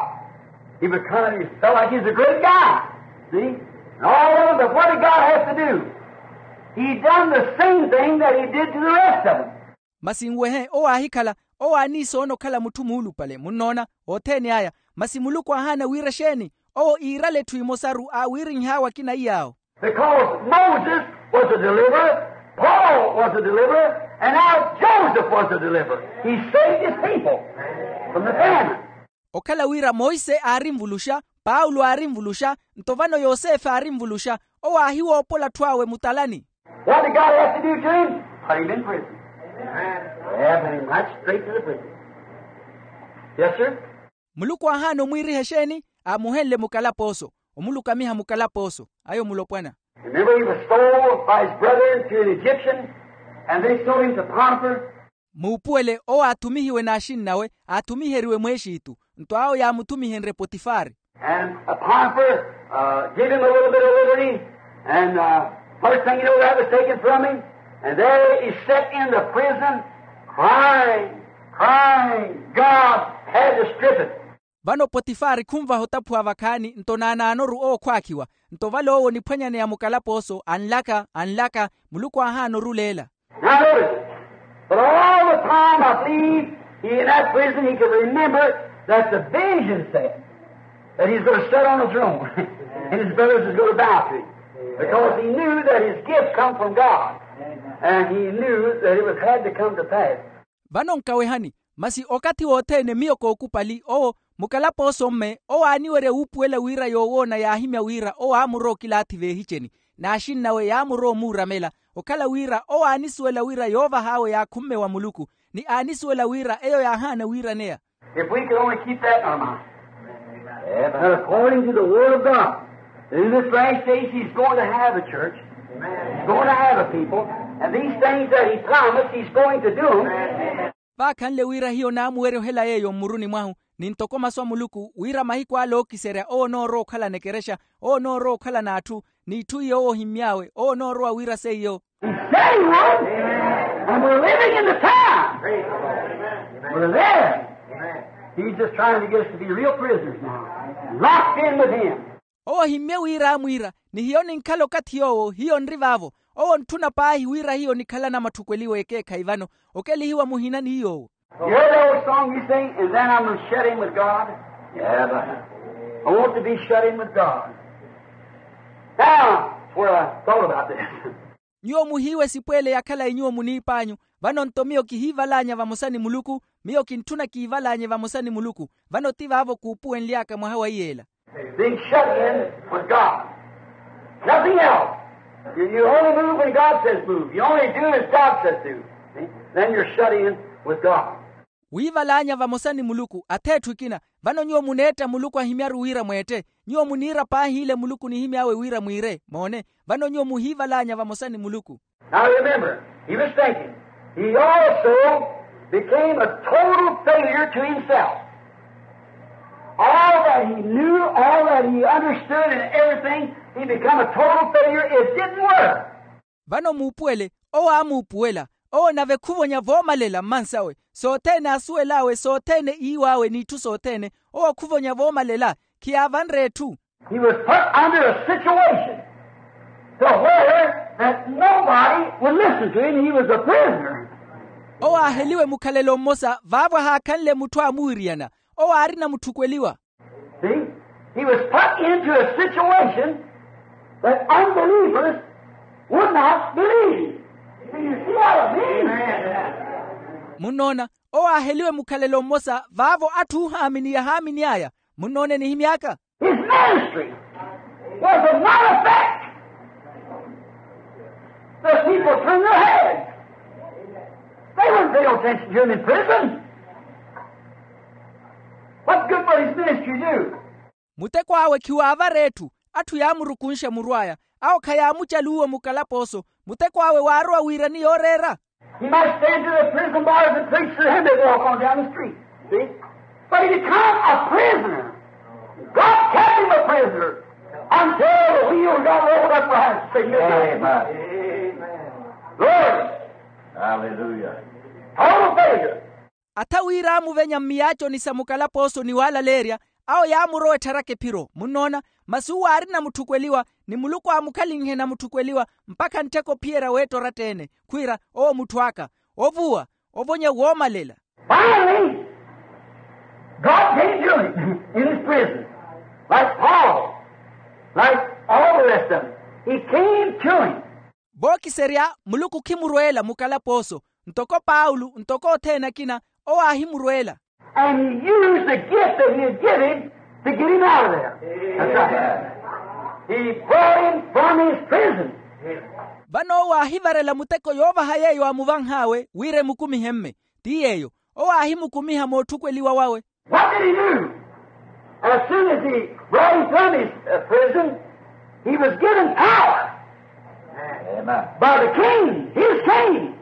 He was kind of, he felt like he was a great guy. See? And all of them, but what did God have to do? He done the same thing that he did to the rest of them. Masi nwehe owo aahikhala, owo aaniisoona okhala mutthu muulupale. Munnoona? Othene aya. Masi muluku aahaana wira exeeni? Owo iirale etthu imosaru aawiirinh'awe akina iy'awo. Because Moses was a deliverer, Paul was a deliverer, and now Joseph was a deliverer. He saved his people from the famine. Okhala wira monse aari nvuluxa, paulo aari nvuluxa, nto vano yosefe aari nvuluxa. Owo aahiwoopola atthu awe mutalani. What did God have to do to him? Put him in prison. Amen. Yeah, put him right straight to the prison. Yes, sir. Muluku aahaana omwiiriha exeeni? Aamuhenle mukalapooso. Omulukamiha mukalapooso. Ayo mulopwana. Remember, he was sold by his brethren to an Egyptian, and they sold him to Potiphar. Muupuwele owo aathumihiwe n'axinnawe, aathumiheriwe mwexitu. Nto awo yaamuthumihenrye potifari. And Potiphar, uh, gave him a little bit of liberty, and, uh, first thing you know, that was taken from him, and there he sat in the prison, crying, crying, God had to strip it. Vano potifari khunvaha otaphuwa vakhaani nto naanaanoru owo khwaakhiwa. Nto vale owo oniphwanyaneya mukalapooso anlaka anlaka, muluku aahaana oruleela. Now notice, but all the time I believe he in that prison he could remember that the vision said that he's going to sit on the throne and his brothers is going to bow to him, because he knew that his gift come from God, and he knew that it was had to come to pass. Vano nkawehani, masi okathi wothene miyo kookupali owo, mukalapooso mme owo aaniwerya wuupuwela wira yoowoona yaahimya wira owo aamurowa okilaathi veehiceni, n'axinnawe yaamurowa omuuramela, okhala wira owo aanisuwela wira yoovah'awe yaakhumme wa muluku, ni aanisuwela wira eyo yaahaana wiiraneya. If we could only keep that in our mind. That according to the word of God, in this last days he's going to have a church. He's going to have a people. And these things that he promised, he's going to do them. Vaakhanle wira hiyo naamuwerya ohela yeeyo mmuruni mwahu, ni ntoko masu a muluku wira mahiku ale ookiserya owo onoorowa okhalana ekerexa, owo onoorowa okhalana atthu, n'itthu iyo owo ohimmy'awe owo onoorowa wira seiyo. He said he would. And we're living in the time. We're there. He's just trying to get us to be real prisoners now, locked in with him. Owo ohimmye wira aamwiira, ni hiyo ninkhala okathi yoowo hiyo nri vaavo. Owo ontthuna paahi wira hiyo nikhalana matthukweliwa ekeekhayi vano, okelihiwa muhina ni yoowo. You heard that old song you sing, and then I'm going to shut in with God. I want to be shut in with God. Now, where I thought about this. Nyuwo muhiiwa esipu ele ya khalayi nyuwo muniip'anyu. Vano nto miyo kihiivalaanya vamosa ni muluku. Miyo kintthuna kiivalaanye vamosa ni muluku. Vano ti vaavo kuupuwenly'aka mwaha wa iyeela. Being shut in with God. Nothing else. You, you only move when God says move. You only do as God says do. See? Then you're shut in with God. Wiivalaanya vamosa ni muluku ath'etthu ekina. Vano nyuwo muneetta muluku ahimyaru wira mweette. Nyuwo muniira paahi ile muluku nihimy'awe wira mwiire moone. Vano nyuwo muhiivalaanya vamosa ni muluku. Now remember, he was thinking, he also became a total failure to himself. All that he knew, all that he understood and everything, he become a total failure. It didn't work. Vano muupuwele, owo aamuupuwela. Owo nave khuvonya voomalela mmansawe, sothene aasuwel'awe sothene iiw'awe n'itthu sothene. Owo khuvonya voomalela, khiyaavanre etthu. He was put under a situation to where that nobody would listen to him. He was a prisoner. Owo aaheliwe mukhalelo mmosa vaavo ahaakhanle mutthu aamuwiriyana. Owo aarina mutthukweliwa. See, he was put into a situation that unbelievers would not believe. Do you see what I mean? Munnoona, owo aaheliwe mukhalelo mmosa vaavo atthu oohaamini yahaaminy'aya. Munnoona enihimy'aka. His ministry was of none effect. The people turned their heads. They wouldn't pay no attention to him in prison. What good would his ministry do? Muteko awe khiwaavara etthu. Atthu yaamurukunxa muru aya. Awo khayaamucaluwa mukalapooso. Muteko awe waarowa wiirani yooreera. He might stand to the prison bars and preach to them that walk on down the street. See? But he become a prisoner. God kept him a prisoner until the wheel got rolled up behind him. Amen. Glory. Hallelujah. Total failure. Atha wira aamuvenya mmiyaaconi sa mukalapooso ni waalaleerya, awo yaamurowa ettharaka ephiro. Munnoona, masi uwo aarina mutthukweliwa, ni muluku aamukhalinhe na mutthukweliwa mpakha nttheko ophiyerya weetta oratta-ene. Khwiira, owo mutthu aka, ovuwa, ovonya woomalela. Finally, God came to him in his prison, like Paul, like all the rest of them. He came to him. Vookiserya muluku khimurweela mukalapooso, ntoko paulo ntoko othene akina, owo aahimurweela. And he used the gift that he had given to get him out of there. That's right. He brought him from his prison. Vano owo aahivarela muteko yoovaha yeeyo aamuvanh'awe wira emukumihe mme. Ti yeeyo, owo aahimukumiha mootthukweliwa wawe. What did he do? As soon as he brought him from his uh, prison, he was given power. Amen. By the king, his king,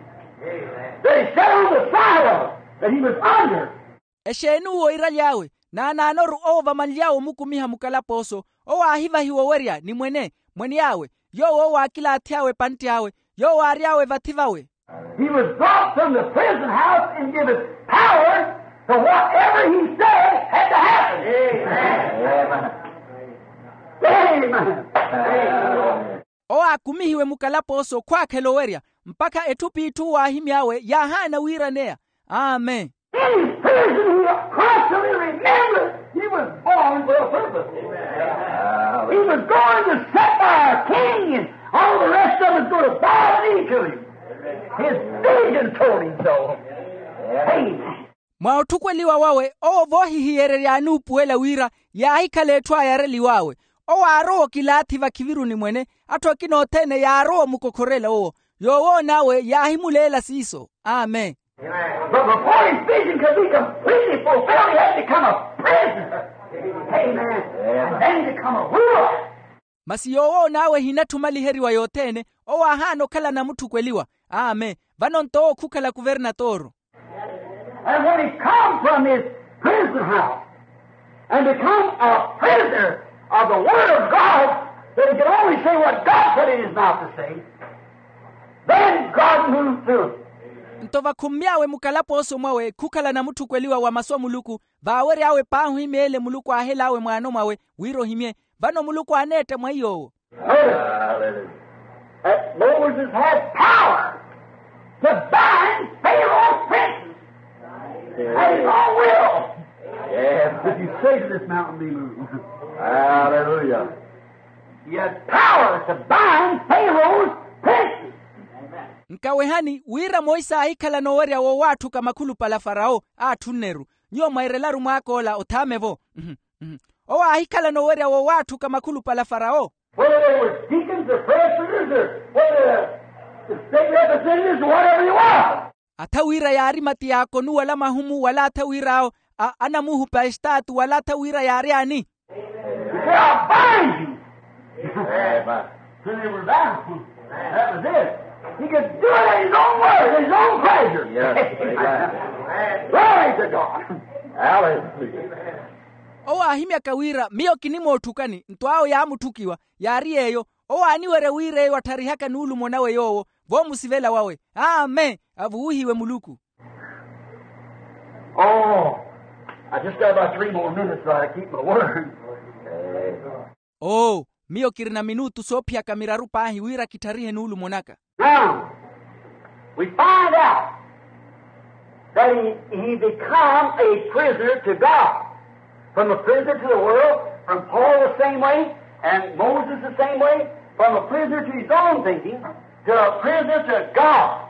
that he sat on the side of, that he was under. Exeeni uwo iraly'awe? Naanaanoru owo vamanly'awe omukumiha mukalapooso, owo aahivahiwa owerya ni mwene, mwen'awe, yoowo owo aakilaathy'awe epantt'awe, yoowo aary'awe vathi vawe. He was brought from the prison house and given power to whatever he said had to happen. Amen. Amen. Owo aakumihiwe mukalapooso khwaakhela owerya, mpakha etthu p'itthu waahimy'awe yaahaana wiiraneya. Amen. In his prison, he constantly remembered he was born for a purpose. He was going to sit by a king, and all the rest of us going to bow the knee to him. His vision told him so. Amen. Mwa otthukweliwa wawe owo voohihiyereryaani upuwela wira yaahikhala etthu ayareliw'awe. Owo aarowa okilaathi vakhiviruni mwene, atthu akina othene yaarowa omukokhorela owo. Yoowoon'awe yaahimuleela siiso. Amen. But before his vision could be completely fulfilled, he had to become a prisoner. Amen. And then to come a ruler. Masi yoowo n'awe ehinatthuma aliheriwa yothene. Owo aahaana okhala namutthukweliwa. Amen. Vano nto owo khukhala kuvernatooro. And when he come from his prison house and become a prisoner of the word of God, that he could only say what God put in his mouth to say, then God moved through him. Nto vakhummy'awe mukalapooso mwawe khukhala namutthukweliwa wa masu a muluku, vaawery'awe paahi ohimya ele muluku aahel'awe mwaano mwawe wira ohimye. Vano muluku aaneetta mwa iy'owo. Notice that Moses had power to bind Pharaoh's princes at his own will. Yes. If you say to this mountain, be moved. Hallelujah. He had power to bind Pharaoh's princes. Nkawehani wira monse aahikhala noowerya woowatthuka makhulupale a farao aatthunneru. Nyuwo mwairelaru mwaak'ola othaame-vo. Owo aahikhala noowerya woowatthuka makhulupale a farao. Whether they were deacons or presbyters or whether the state representatives or whatever you are. Atha wira yaari matiyaakonu wala mahumu wala atha wir'awo anamuhupa estaatu wala atha wira yaari ani. They are binding. Amen. So they were bound. That was it. He could do it at his own word, at his own pleasure. Yes, amen. Glory to God. Hallelujah. Owo aahimyaka wira miyo kinimootthukani nto awo yaamutthukiwa. Yaari yeeyo owo aaniwerya wira eyo attharihaka nuulumo nawe yoowo voomusivela wawe. Amen. Avuwihiwe muluku. Oh, I just got about three more minutes so I keep my word. Oo, miyo kirina minutu soophiyaka miraru paahi wira kittharihe nuulumo naka. Now, we find out that he, he become a prisoner to God. From a prisoner to the world, from Paul the same way, and Moses the same way, from a prisoner to his own thinking, to a prisoner to God.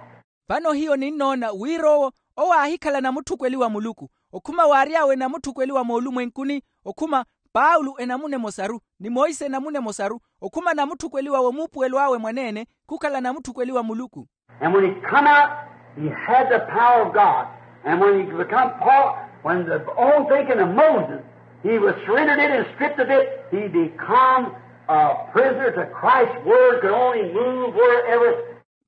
Vano hiyo ninnoona wira owo owo aahikhala namutthukweliwa muluku. Okhuma waary'awe namutthukweliwa moolumwenkuni. Okhuma paulo enamuna emosaru ni monse enamuna emosaru. Okhuma namutthukweliwa woomuupuwelo awe mwaneene khukhala namutthukweliwa muluku. And when he come out, he had the power of God. And when he become Paul, when the own thinking of Moses, he was surrendered it and stripped of it, he become a prisoner to Christ's word, could only move wherever.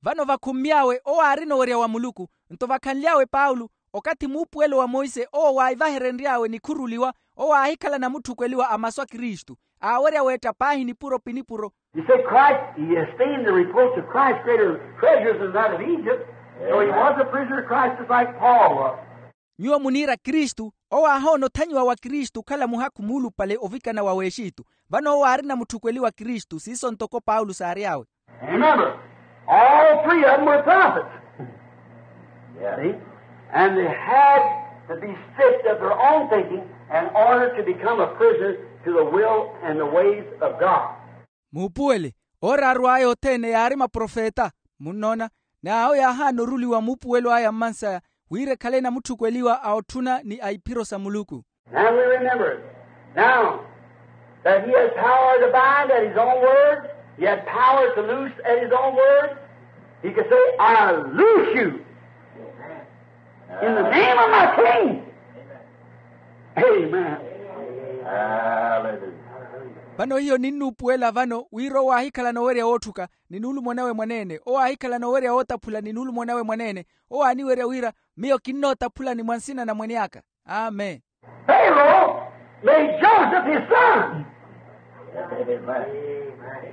Vano vakhummy'awe owo aarina owerya wa muluku. Nto vakhanly'awe paulo, okathi muupuwelo wa monse owo waahivaherenry'awe nikhuruliwa, owo aahikhala namutthukweliwa a masu a kristu, aawerya weetta paahi nipuro pi nipuro. You say Christ, he esteemed the reproach of Christ greater treasures than that of Egypt. So he was a prisoner of Christ just like Paul was. Nyuwo muniira kristu, owo aahoona othanyiwa wa kristu okhala muhakhu muulupale ovikana wa w'exitu. Vano owo aarina mutthukweliwa kristu siiso ntoko paulo saary'awe. And remember, all three of them were prophets. See? And they had to be stripped of their own thinking in order to become a prisoner to the will and the ways of God. Muupuwele, ooraaru aya othene yaari maprofeta. Munnoona? N'awo yaahaana oruliwa muupuwelo aya mmansaya wira ekhale namutthukweliwa a otthuna ni a iphiro sa muluku. And we remember now that he had power to bind at his own word. He had power to loose at his own word. He could say, I loose you in the name of my king. Amen. Hallelujah. Vano hiyo ninnuupuwela vano wira owo aahikhala noowerya wootthuka ni nuulumo nawe mwaneene, owo aahikhala noowerya wootaphula ni nuulumo nawe mwaneene. Owo aaniwerya wira miyo kinnootaphulani mwa nsina na mwene aka. Amen. Pharaoh made Joseph his son.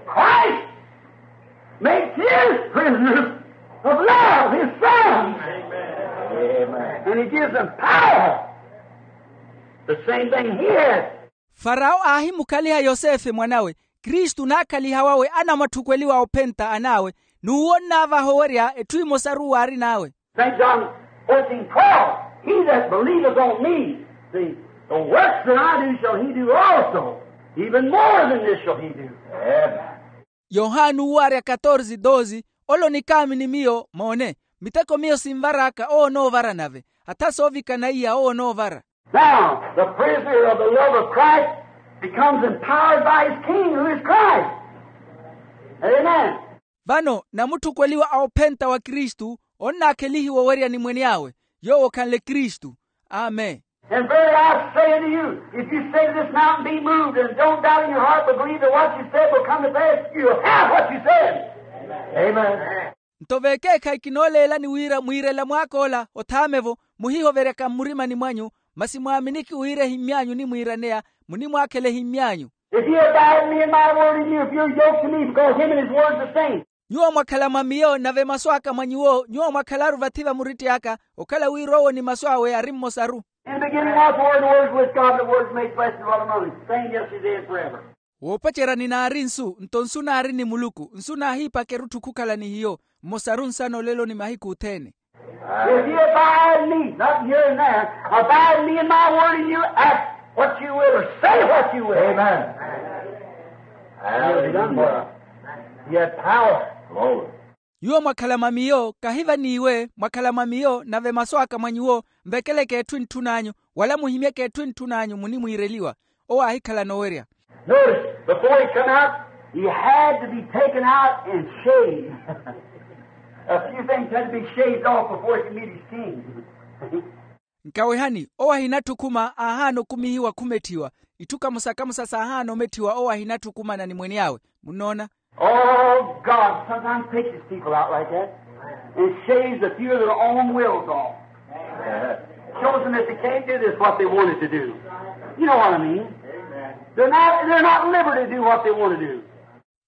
Christ makes his prisoners of love his sons. Amen. And he gives them power. The same thing he has. Farao aahimukhaliha yosefe mwanawe. Kristu naakhaliha wawe anamwatthukweliwa ophenta an'awe. N'uwo nnaavaha owerya etthu emosaru waarin'awe. St. John fourteen twelve, he that believeth on me, see, the works that I do shall he do also, even more than this shall he do. Amen. Yohani owarya katorze doze, ole onikaamini miyo moone, miteko miyo sinvar'aka owo onoovara nave. Atha soovikana iya owo onoovara. Now the prisoner of the love of Christ becomes empowered by his king who is Christ. Amen. Vano namutthukweliwa a ophenta wa kristu onnaakhelihiwa owerya ni mwene awe, yoowo okhanle kristu. Amen. And verily I say unto you, if you say to this mountain, be moved, and don't doubt in your heart, but believe that what you said will come to pass, you'll have what you said. Amen. Nto vekeekhayi kinooleelani wira mwiirela mwaak'ola othaamevo, muhihoveryaka mmurimani mwanyu, masi mwaaminiki wira ehimmy'anyu onimwiiraneya, munimwaakhela ehimmy'anyu. If you abide in me and my word in you, if you're yoked to me, because him and his word's the same. Nyuwo mwakhala mwa miyo nave masu aka mwa nyuwo, nyuwo mwakhalaru vathi va muritti aka, okhala wira owo ni masu awe ari mmosaru. In the beginning was the word, the word was with God, the word was made flesh and dwelt among us. Same yesterday and forever. Woopacerya ninaari nsu, nto nsu naari ni muluku, nsu naahiipaka erutthu khukhala ni hiyo, mmosaru nsana olelo ni mahiku othene. If you abide in me, not here and there, abide in me and my word in you, ask what you will or say what you will. Amen. Hallelujah. He had power. Glory. Nyuwo mwakhala mwa miyo, kahi vaniiwe, mwakhala mwa miyo nave masu aka mwa nyuwo, mvekeleke etthu entthun'anyu, wala muhimyeke etthu entthun'anyu munimwiireliwa. Owo aahikhalana owerya. Notice, before he come out, he had to be taken out and shaved. A few things had to be shaved off before he could meet his king. Nkawehani, owo ahinatthi okhuma aahaana okumihiwa khumetthiwa. Itthu kamosa kamosa saahaana ometthiwa owo ahinatthi okhumana ni mwen'awe. Munnoona? Oh, God sometimes takes his people out like that and shaves a few of their own wills off. Shows them that they can't do this what they wanted to do. You know what I mean? They're not, they're not at liberty to do what they want to do.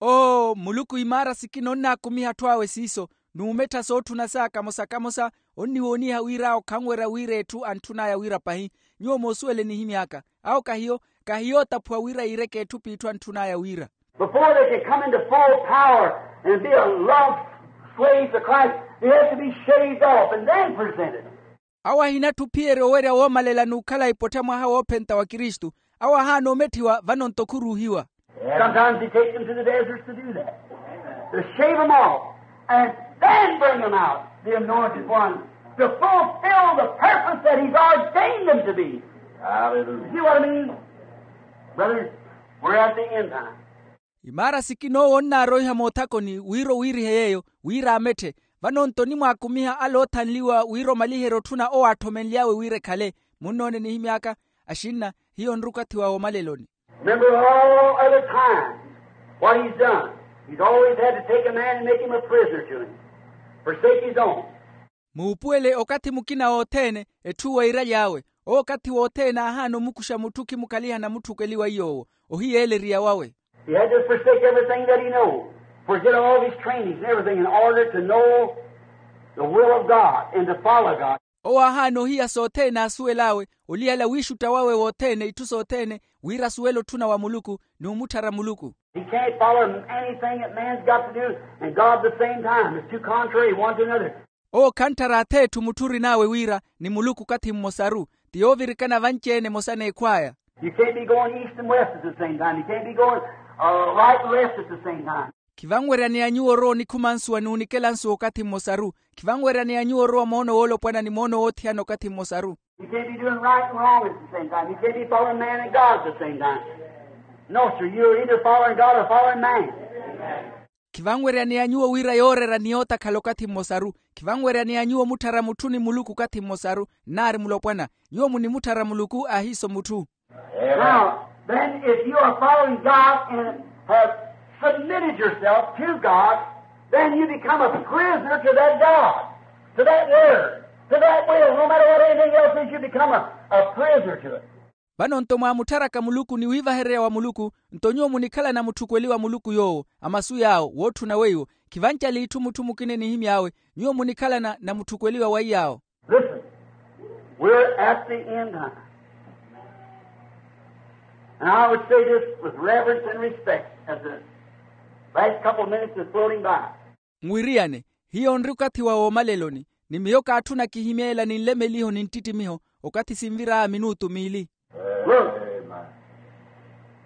Oo, muluku imaara sikina onnaakumiha atthu awe siiso, n'umettha sootthuna saka kamosa kamosa, onniwooniha wira awo khanwerya wira etthu antthun'aya wira pahi. Nyuwo moosuwele nihimy'aka. Awo kahiyo, kahiyo ootaphuwa wira yiireke etthu p'itthu antthun'aya wira. Before they can come into full power and be a love slave to Christ, they have to be shaved off and then presented. Awo ahinatthi ophiyerya owerya woomalela n'ukhala ipottha mwaha woophenta wa kristu. Awo ahaana ometthiwa vano nto khuruuhiwa. Sometimes he takes them to the deserts to do that, to shave them off and then bring them out, the anointed one, to fulfill the purpose that he's ordained them to be. Hallelujah. You see what I mean? Brothers, we're at the end time. Imaara sikina owo onnaaroiha moothakoni wira owiirihe yeeyo, wira ametthe. Vano nto onimwaakumiha ale oothanliwa wira omaliherye otthuna owo aatthomenly'awe wira ekhale. Munnoone nihimy'aka, axinna, hiyo onri okathi wa woomaleloni. Remember all other times what he's done. He's always had to take a man and make him a prisoner to him, forsake his own. Muupuwele okathi mukina wothene, etthu weiiraly'awe. Owo okathi wothene aahaana omukuxa mutthu okhimukhaliha namutthukweliwa iy'owo, ohiyeeleriya wawe. He had to forsake everything that he knows, forget all of his trainings and everything in order to know the will of God and to follow God. Owo aahaana ohiya sothene aasuwel'awe, oliyala wiixutta wawe wothene itthu sothene, wira asuwele otthuna wa muluku, n'umutthara muluku. He can't follow anything that man's got to do and God at the same time. It's too contrary one to another. Owo khantthara ath'etthu mutthu orin'awe wira ni muluku okathi mmosaru, ti yoovirikana vanci-ene emosa n'ekhw'aya. You can't be going east and west at the same time. You can't be going uh, right and left at the same time. Khivanweryaneya nyuwo orowa onikhuma nsuwa n'unikela nsuwa okathi mmosaru. Khivanweryaneya nyuwo orowa moono woolopwana ni moono woothiyana okathi mmosaru. You can't be doing right and wrong at the same time. You can't be following man and God at the same time. No, sir. You're either following God or following man. Khivanweryaneya nyuwo wira yoorera ni yootakhala okathi mmosaru. Khivanweryaneya nyuwo omutthara mutthu ni muluku okathi mmosaru. Nnaari mulopwana, nyuwo munimutthara muluku ahiiso mutthu. Now, then, if you are following God and have submitted yourself to God, then you become a prisoner to that God, to that word, to that will. No matter what anything else is, you become a, a prisoner to it. Vano nto mwaamutharaka muluku ni wiivahererya wa muluku, nto nyuwo munikhalana mutthukweliwa muluku yoowo, a masu yaawo wootthuna weiwo. Khivancali itthu mutthu mukina enihimy'awe, nyuwo munikhalana na mutthukweliwa wa iyaawo. Listen, we're at the end time. And I would say this with reverence and respect as the last couple of minutes is floating by. Nwiriyane, hiyo onri okathi wa woomaleloni, ni miyo kaatthuna kihimye ela ni nlemeliho ni nttittimiho, okathi sinvir'aya minutu miili. Look,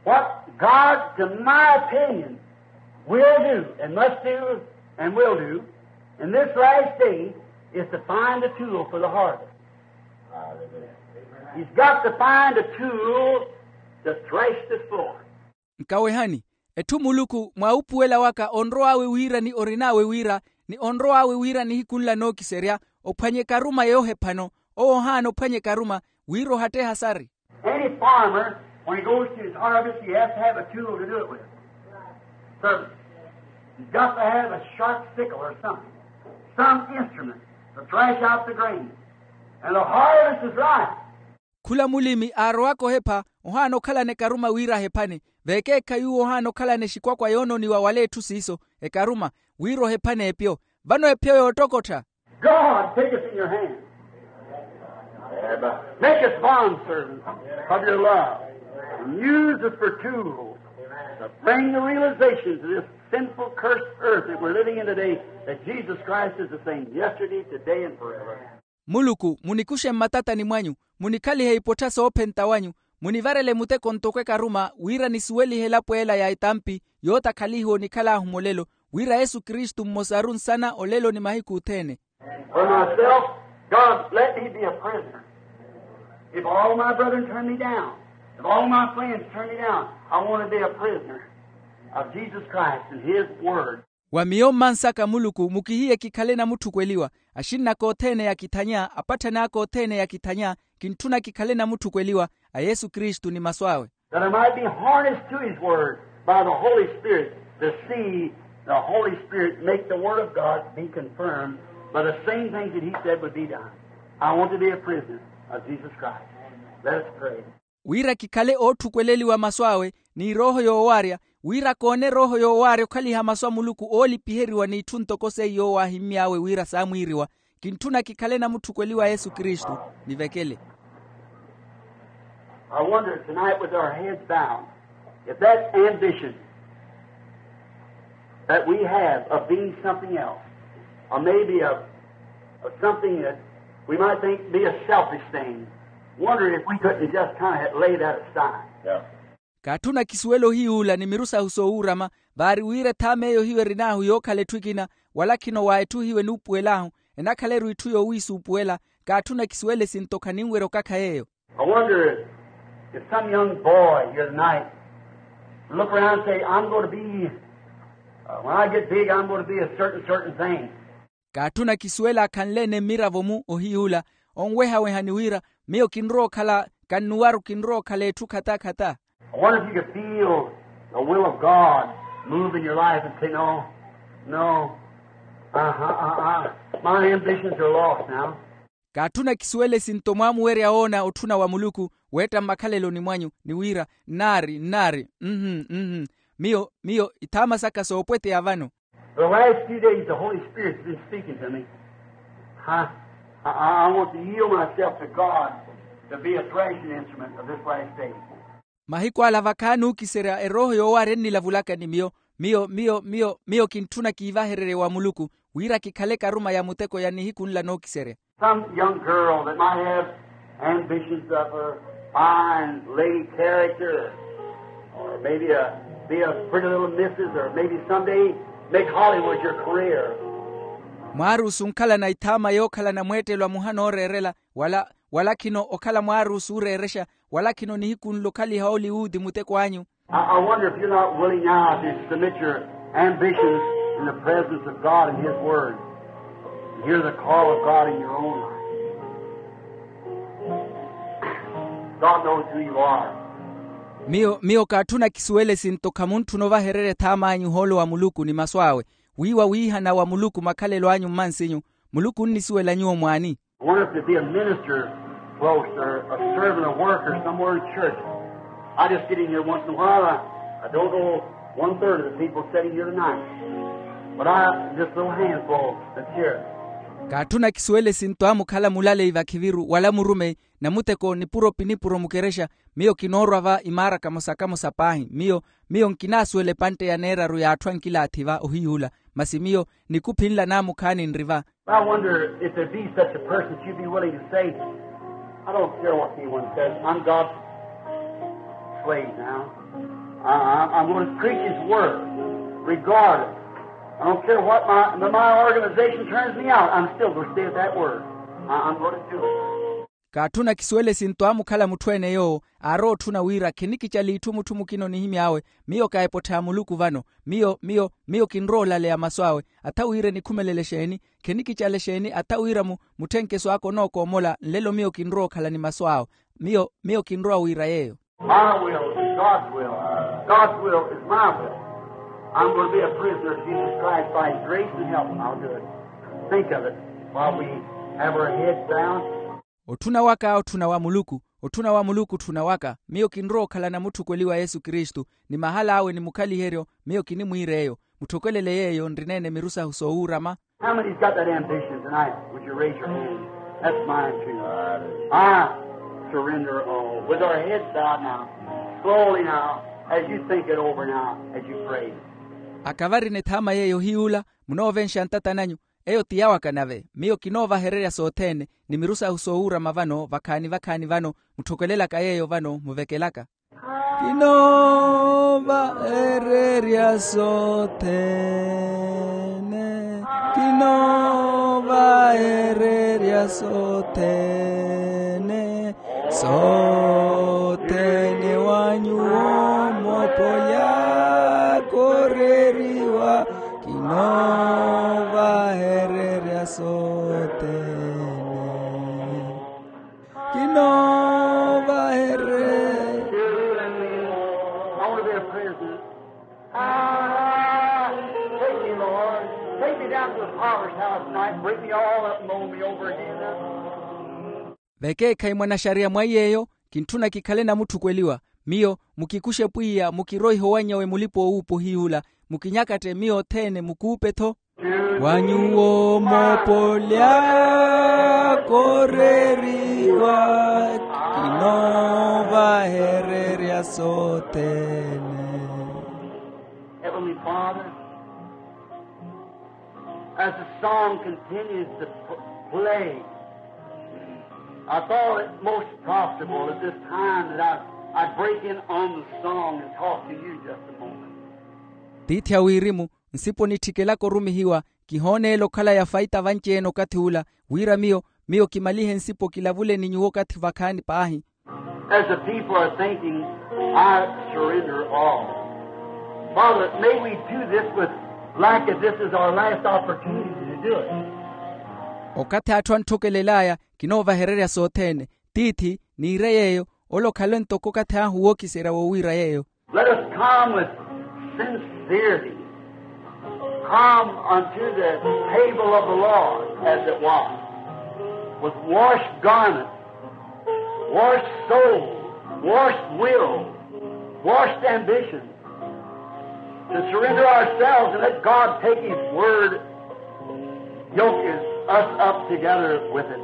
what God, to my opinion, will do and must do and will do in this last day is to find a tool for the harvest. He's got to find a tool to thresh the floor. Nkawehani, etthu muluku mwa upuwela waka onrow'awe wira ni orin'awe wira, ni onrow'awe wira nihiku nla nookiserya, ophwanye ekaruma yoohephano. Owo ohaana ophwanya ekaruma, wira ohatteha sari. Any farmer, when he goes to his harvest, he has to have a tool to do it with. So, he's got to have a sharp sickle or something, some instrument to thrash out the grain. And the harvest is ripe. Khula mulimi aarowaka ohepha, ohaana okhalana ekaruma wira ahephane. Vekeekhayi uwo ohaana okhalana exikwakwa yoonooniwa wala etthu siiso, ekaruma, wira ohephane epyo. Vano epyo yoottokottha. God, take us in your hand. Make us bondservants of your love. And use us for tools to bring the realization to this sinful, cursed earth that we're living in today, that Jesus Christ is the same yesterday, today, and forever. Muluku, munikuxe mmatatani mwanyu, munikhalihe ipottha soophenta wanyu, munivarele muteko ntoko ekaruma wira nisuwelihe elapo ela ya etampi yootakhalihiwa onikhal'ahu mulelo, wira yesu kristu mmosaru nsana olelo ni mahiku othene. For myself, God, let me be a prisoner. If all my brethren turn me down, if all my friends turn me down, I want to be a prisoner of Jesus Christ and His Word. Wa miyo mmansaka muluku mukihiye kikhale namutthukweliwa, axinn'aka othene yakithanya apatthani aka othene yakithanya, kintthuna kikhale namutthukweliwa a yesu kristu ni masu awe. That I might be harnessed to His Word by the Holy Spirit, to see the Holy Spirit make the Word of God be confirmed by the same things that He said would be done. I want to be a prisoner of Jesus Christ. Let us pray. Wira kikhale ootthukweleiwa masu awe ni erooho yoowaarya, wira koone erooho yoowaarya okhaliha masu a muluku oolipiheriwa n'itthu ntoko seiyo waahimmy'awe wira saamwiiriwa. Kintthuna kikhale namutthukweliwa yesu kristu. Nivekele. I wonder tonight, with our heads bowed, if that ambition that we have of being something else, or maybe of, of something that we might think be a selfish thing, wonder if we couldn't just kind of lay that aside. Yeah. Kaatthuna kisuwela ohiyuula ni miru sahu soowuurama, vaari wira ethaama eyo hiyo erin'ahu yookhala etthu ekina, wala khino wa etthu hiyo enuupuwel'ahu, enakhala-ru itthu yoowiisuupuwela. Kaatthuna kisuwela esinto khaninwerya okakha yeeyo. I wonder if, if some young boy here tonight look around and say, I'm going to be, uh, when I get big, I'm going to be a certain, certain thing. Kaatthuna kisuwela akhanle-ene mmiravo-mu ohiyuula, onwehaweha ni wira, miyo kinrowa okhala, kannuwaru kinrowa okhala etthu khata khata. I wonder if you could feel the will of God move in your life and say, no, no, uh-huh, uh-uh, my ambitions are lost now. Kaatthuna kisuwela esinto mwaamuwerya woona otthuna wa muluku, weetta mmakhaleloni mwanyu ni wira, nnaari nnaari, mhm mhm, miyo miyo ithaama saka soopweteya vano. The last few days the Holy Spirit's been speaking to me. I, I, I want to yield myself to God to be a threshing instrument of this last day. Mahiku ala vakhaani ookiserya erooho yoowaarya ennilavulaka ni miyo, miyo miyo miyo miyo kintthuna kiivahererye wa muluku, wira kikhale ekaruma ya muteko ya nihiku nla nookiserya. Some young girl that might have ambitions of a fine lady character, or maybe a, be a pretty little missus, or maybe someday make Hollywood your career. Mwaaruusu onkhalana ithaama yookhalana mweettelo a muhana ooreerela, wala wala khino okhala mwaaruusu ooreerexa, wala khino nihiku nla okhaliha oliwuudi muteko anyu. I, I wonder if you're not willing now to submit your ambitions in the presence of God and His Word. And hear the call of God in your own life. God knows who you are. Miyo miyo kaatthuna kisuwela esinto khamutthuna ovahererya ethaama anyu ohoolo wa muluku ni masu awe, wiiwa wiihana wa muluku makhalelo anyu mmansinyu. Muluku onnisuwela nyuwo mwaani? I wonder if there'd be a minister close, or a servant, a worker somewhere in church. I just get in here once in a while. I, I don't know one third of the people sitting here tonight. But I, just a little handful that's here. Kaatthuna kisuwela esinto amukhala mulaleyi vakhiviru wala murumeyi, namuteko nipuro pi nipuro mukerexa. Miyo kinoorwa va imaara kamosa kamosa paahi. Miyo miyo nkinaasuwela epantte ya neeraru y'atthu ankilaathi va ohiyuula. Masi miyo nikuphi nla naamukhaani nri va. I wonder if there be such a person that you'd be willing to say, I don't care what anyone says, I'm God's slave now. I, I, I'm going to preach His Word, regardless. I don't care what my, my organization turns me out, I'm still going to stay at that Word. I, I'm going to do it. Kaatthuna kisuwele sinto aamukhala mutthu-ene yoowo aarowa otthuna wira khinikicala itthu mutthu mukina onihimy'awe. Miyo ka epottha ya muluku vano. Miyo miyo miyo kinrowa olaleya masu awe. Atha wira enikhumelele exeeni? Khinikicala exeeni atha wira mu mutthenkeso aka onookoomola nlelo miyo kinrowa okhala ni masu awe. Miyo miyo kinrowa wira yeeyo. Our will is God's will. God's will is my will. I'm going to be a prisoner of Jesus Christ by His grace and help, and I'll do it. Think of it while we have our heads down. Otthuna waka otthuna wa muluku. Otthuna wa muluku otthuna waka. Miyo kinrowa okhalana mutthukweliwa yesu kristu. Ni mahala awe ni mukhaliheryo. Miyo kinimwiira eyo. Mutthokwelele yeeyo nrineene miru sahu soowuurama. How many's got that ambition tonight? Would you raise your hand? That's mine too. I surrender all. With our heads bowed now, slowly now, as you think it over now, as you pray. Akavarina ethaama yeeyo ohiyuula. Munoovenxa ntata nanyu. Eyo ti yawaka nave. Miyo kinoovahererya sothene. Ni miru sahu soowuurama vano vakhaani vakhaani vano. Mutthokwelelaka yeeyo vano muvekelaka. Kinoovahererya sothene. Kinoovahererya sothene. Sothene wa nyuwo moopolya kooreriwa. Kinoovahererya sothene. Kinoovahererya. I want to be a prisoner. Ah, take me, Lord. Take me down to the potter's house tonight. Break me all up and mold me over again. Vekeekhayi mwanaxariya mwa iy'eyo. Kintthuna kikhale namutthukweliwa. Miyo mukikuxe pwiya mukiroihe owanny'awe mulipa-oowuupa ohiyuula. Mukinyakatte miyo othene mukuupe-tho. Wa nyuwo moopolya kooreriwa. Kinoovahererya sothene. Heavenly Father, as the song continues to p- play, I thought it most profitable at this time that I, I break in on the song and talk to you just a moment. Tiithi a wirimu, nsipo nittikelaka orumihiwa. Kihooneela okhala ya faita vanci-ene okathi ula, wira miyo miyo kimalihe nsipo kilavule ni nyuwo okathi vakhaani paahi. As the people are thinking, I surrender all. Father, may we do this with, like, if this is our last opportunity to do it. Okathi atthu antthokelel'aya, kinoovahererya sothene. Tiithi, niire yeeyo. Ole okhale ntoko okathi ahu wookiserya wowiira yeeyo. Let us come with sincerity. Come unto the table of the Lord as it was, with washed garments, washed soul, washed will, washed ambition, to surrender ourselves and let God take His Word, yoke us up together with it.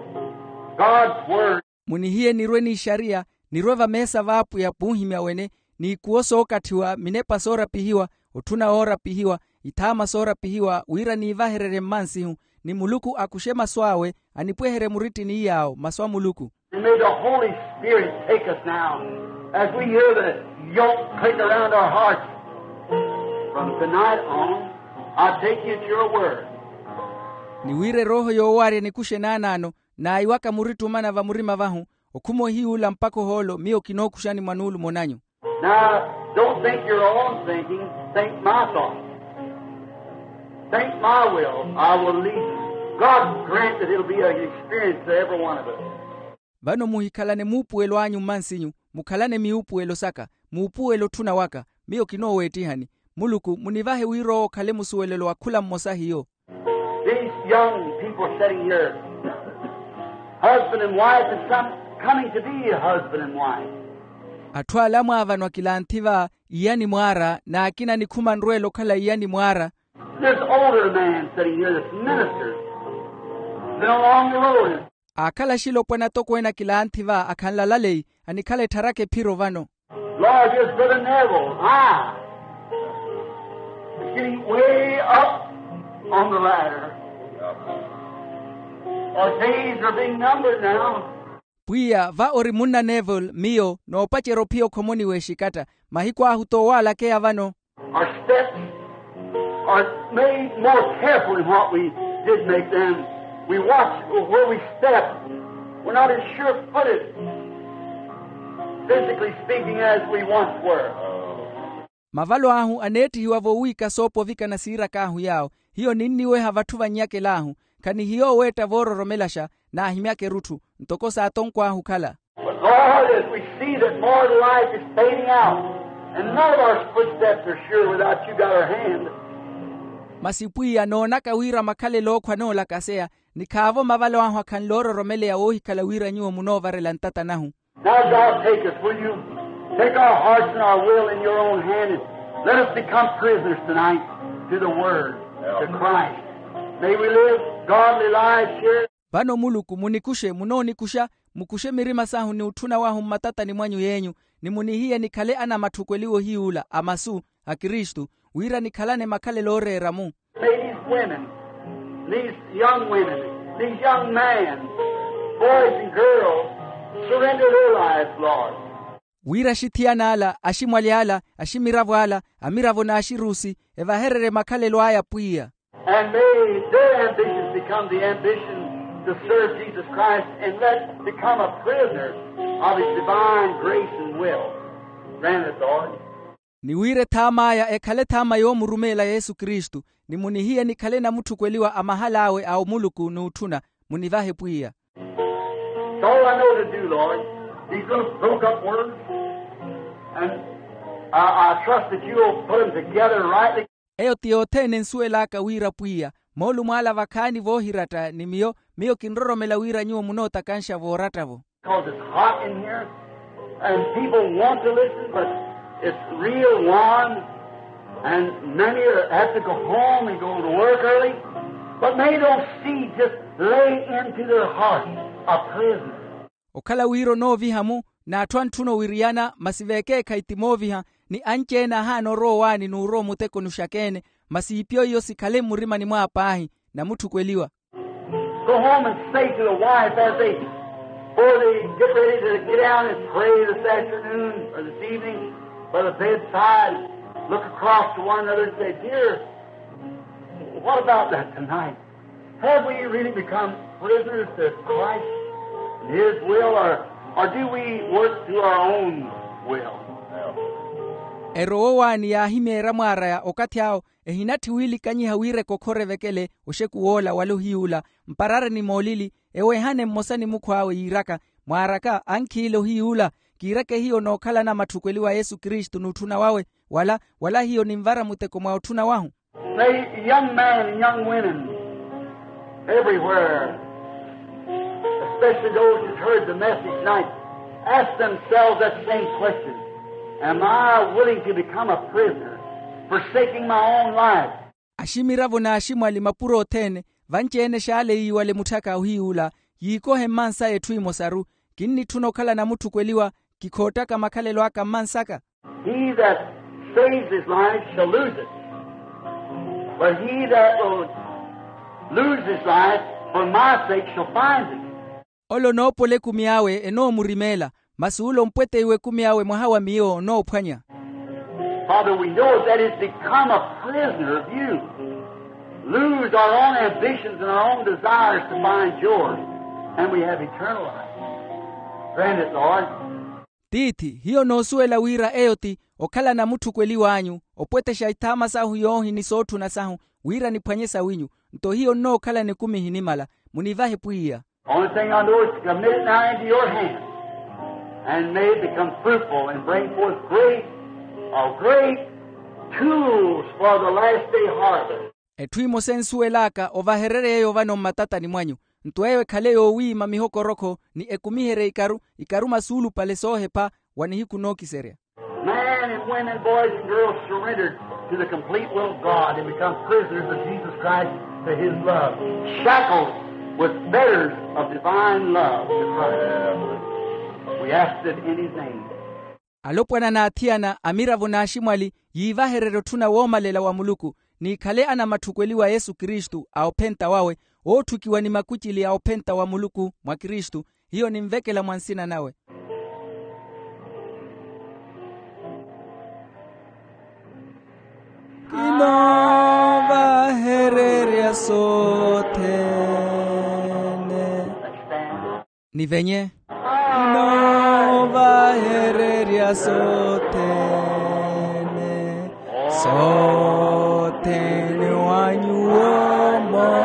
God's Word. Munihiye nirwe n'ixariya, nirwe vameesa v'apwiya p'uhimya wene, n'ikuwo sookatthiwa, minepa soorapihiwa, otthuna woorapihiwa, ithaama soorapihiwa wira niivahererye mmansihu, ni muluku akuxe masu awe, anipweherye murittini iy'awo masu a muluku. And may the Holy Spirit take us now as we hear the yoke click around our hearts. From tonight on, I take you at your word. Ni wira erooho yoowarya enikuxe naanaano, naayiwaka muritti omana vamurima vahu, okhuma ohiyuula mpakha ohoolo miyo kinookuxani mwa nuulumo nanyu. Now, don't think your own thinking, think my thought. Think my will, I will lead you. God grant that it'll be an experience to every one of us. Vano muhikhalane muupuwelo anyu mmansinyu, mukhalane miupuwelo saka. Muupuwelo otthuna waka, miyo kinooweettihani. Muluku munivahe wira owo okhale musuwelelo wa khula mmosa hiyo. These young people sitting here, husband and wife, and some coming to be husband and wife. Atthu ala amwaavanwa kilanthi va iya ni mwaara, n'akina anikhuma anrweela okhala iya ni mwaara. This older man sitting here, this minister, been along the road. Aakhala axilopwana atokweene a kilanthi va akhanlala leyi, anikhala ettharaka ephiro vano. Lord, here's Brother Neville. Ah, he's getting way up on the ladder. Our days are being numbered now. Pwiya, va ori munna Neville, miyo noopacerya ophiya okhomoni w'exikatta. Mahiku ahu t'owalakeya vano. Our steps are made more careful than what we did make them. We watch where we step. We're not as sure-footed, physically speaking, as we once were. Mavalo ahu aneettihiwa-vo wiika soopovikana siirak'ahu yaawo. Hiyo ninniweha vatthu vannyakela ahu. Khanihiyo oweetta voororomelaxa, naahimyaka erutthu ntoko saatonkw'ahu okhala. But Lord, as we see that mortal life is fading out, and none of our footsteps are sure without you got our hand. Masi pwiya noonaka wira makhalelo ookhwa anoolakaseya, ni khaavo mavalo ahu akhanle ororomeleya woohikhala wira nyuwo munoovarela ntata nahu. Now, God, take us, will you? Take our hearts and our will in your own hand, and let us become prisoners tonight to the word, to Christ. May we live godly lives here. Vano muluku munikuxe munoonikuxa, mukuxe mirima sahu ni utthuna wahu mmatatani mwanyu yeenyu, ni munihiye nikhale anamatthukweliwa ohiyuula a masu a kristu, wira nikhalane makhalelo ooreera-mu. May these women, these young women, these young men, boys and girls, surrender their lives, Lord. Wira axithiyana ala, aximwali ala, aximiravo ala, amiravo n'axiruusi, evahererye makhalelo aya pwiya. And may their ambitions become the ambition to serve Jesus Christ and let become a prisoner of his divine grace and will. Grant it, Lord. Ni wira ethaam'aya ekhale ethaama yoomurumeela yesu kristu, ni munihiye nikhale namutthukweliwa a mahal'awe a omuluku n'utthuna. Munivahe pwiya. It's all I know to do, Lord. These little broke up words, and I, I trust that you'll put them together rightly. Eyo ti yothene ensuwel'aka wira pwiya, moolumo ala vakhaani voohiratta ni miyo, miyo kinroromela wira nyuwo munootakanxa vooratta-vo. Because it's hot in here, and people want to listen, but it's real warm, and many are, have to go home and go to work early, but many don't see, just lay into their heart a prisoner. Okhala wira onooviha-mu, n'atthu antthuna owiriyana masi veekeekhayi ti mooviha, ni anci-ene ahaana orowa owaani n'urowa omutekoni oxaka-ene, masi iipyo iyo sikhale mmurimani mw'awe paahi, namutthukweliwa. Go home and say to the wife as they, before they get ready to get down and pray this afternoon or this evening by the bedside, look across to one another and say, dear, what about that tonight? Have we really become prisoners to Christ and his will, or, or do we work through our own will? Erowa owaani yaahimyeerya mwaaraya okathi awo, ehinatthi wiilikanyiha wira ekokhore evekele oxeku woola wala ohiyuula, mparareni moolili, eweehane mmosa ni mukhw'awe yiiraka, mwaaraka ankhiile ohiyuula, kiireke hiyo nookhalana matthukweliwa a yesu kristu n'utthuna wawe, wala wala hiyo ninvara muteko mwa otthuna wahu. May young men and young women everywhere, especially those who've heard the message tonight, ask themselves that same question. Am I willing to become a prisoner, forsaking my own life? Aximiravo n'aximwali mapuro othene, vanci-ene xaale yiiwale mutthaka ohiyuula, yiikohe mmansaya etthu emosaru, kinnitthuna okhala namutthukweliwa, kikhoottaka makhalelo aka mmansaka. He that saves his life shall lose it, but he that will lose his life for my sake shall find it. Ole onoopola ekumi awe enoomurimeela, masi ole ompweteiwa ekumi awe mwaha wa miyo onoophwanya. Father, we know that it's become a prisoner of you. Lose our own ambitions and our own desires to find yours, and we have eternal life. Grant it, Lord. Tiithi, hiyo noosuwela wira eyo ti okhala namutthukweliw'anyu, opwetexa ithaama sahu yoohi ni sootthuna sahu, wira niphwanye sawinyu. Nto hiyo nnookhala nikumi ehinimala. Munivahe pwiya. Only thing I know is to commit it now into your hand, and may it become fruitful and bring forth great, a great tools for the last day harvest. Etthu emosa ensuwel'aka ovahererye eyo vano mmatatani mwanyu, nto eyo ekhale yoowiima mihokorokho ni ekumiherye ikaru, ikaru masuulupale soohepha wa nihiku nookiserya. Men and women, boys and girls, surrendered to the complete will of God and become prisoners of Jesus Christ to his love, shackled with fetters of divine love to Christ. We ask it in his name. Alopwana n'athiyana, amiravo n'aximwali, yiivahererye otthuna woomalela wa muluku, n'ikhale anamatthukweliwa a yesu kristu a ophenta wawe, ootthukiwa ni makucili a ophenta wa muluku mwa kristu. Hiyo ninvekela mwa nsina nawe. Kinoovahererya sothene. Nivenye. Kinoovahererya sothene, sothene wa nyuwomo.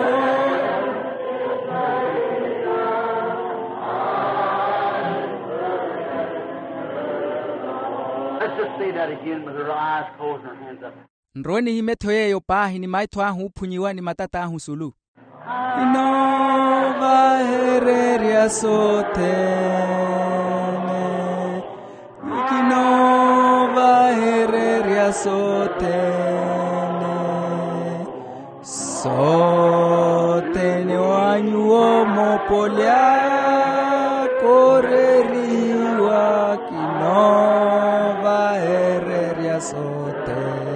Let's just say that again with our eyes closed and our hands up. Nrowe nihime ettho yeeyo paahi ni maitho ahu oophunyiwa ni matat'ahu sulu. Kinoovahererya sothene, kinoovahererya sothene, sothene wa nyuwo moopoli aka oorerihiwa, kinoovahererya sothene.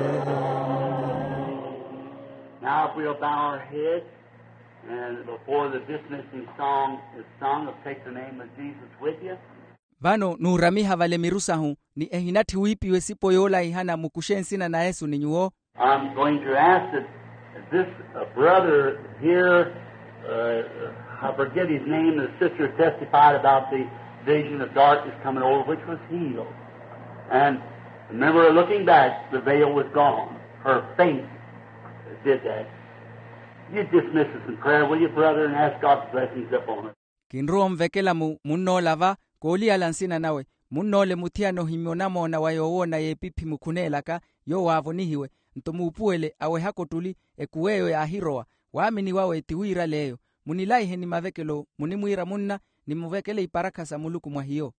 Now, if we'll bow our heads, and before the dismissing song is sung, of Take the Name of Jesus with you. Vano nuuramiha vale miru sahu, ni ehinatthi wiipiwa esipo yoolahihana mukuxe nsina na yesu ni nyuwo. I'm going to ask that this uh, brother here, uh, I forget his name, the sister testified about the vision of darkness coming over, which was healed. And remember, looking back, the veil was gone. Her faith did that. You dismiss us in prayer, will you, brother, and ask God's blessings upon us. Kinrowa onvekela mu munn'ola va, kooliyala nsina nawe. Munn'ole muthiyana ohimya onamoona wa yoowoona y'epiphi mukhuneelaka, yoowo aavonihiwe. Nto muupuwele awehaka ottuli, ekuw'eyo yaahirowa. Waamini wawe ti wiirale eyo. Munilaihe ni mavekelo, munimwiira munna, nimuvekele iparakha sa muluku mwa hiyo.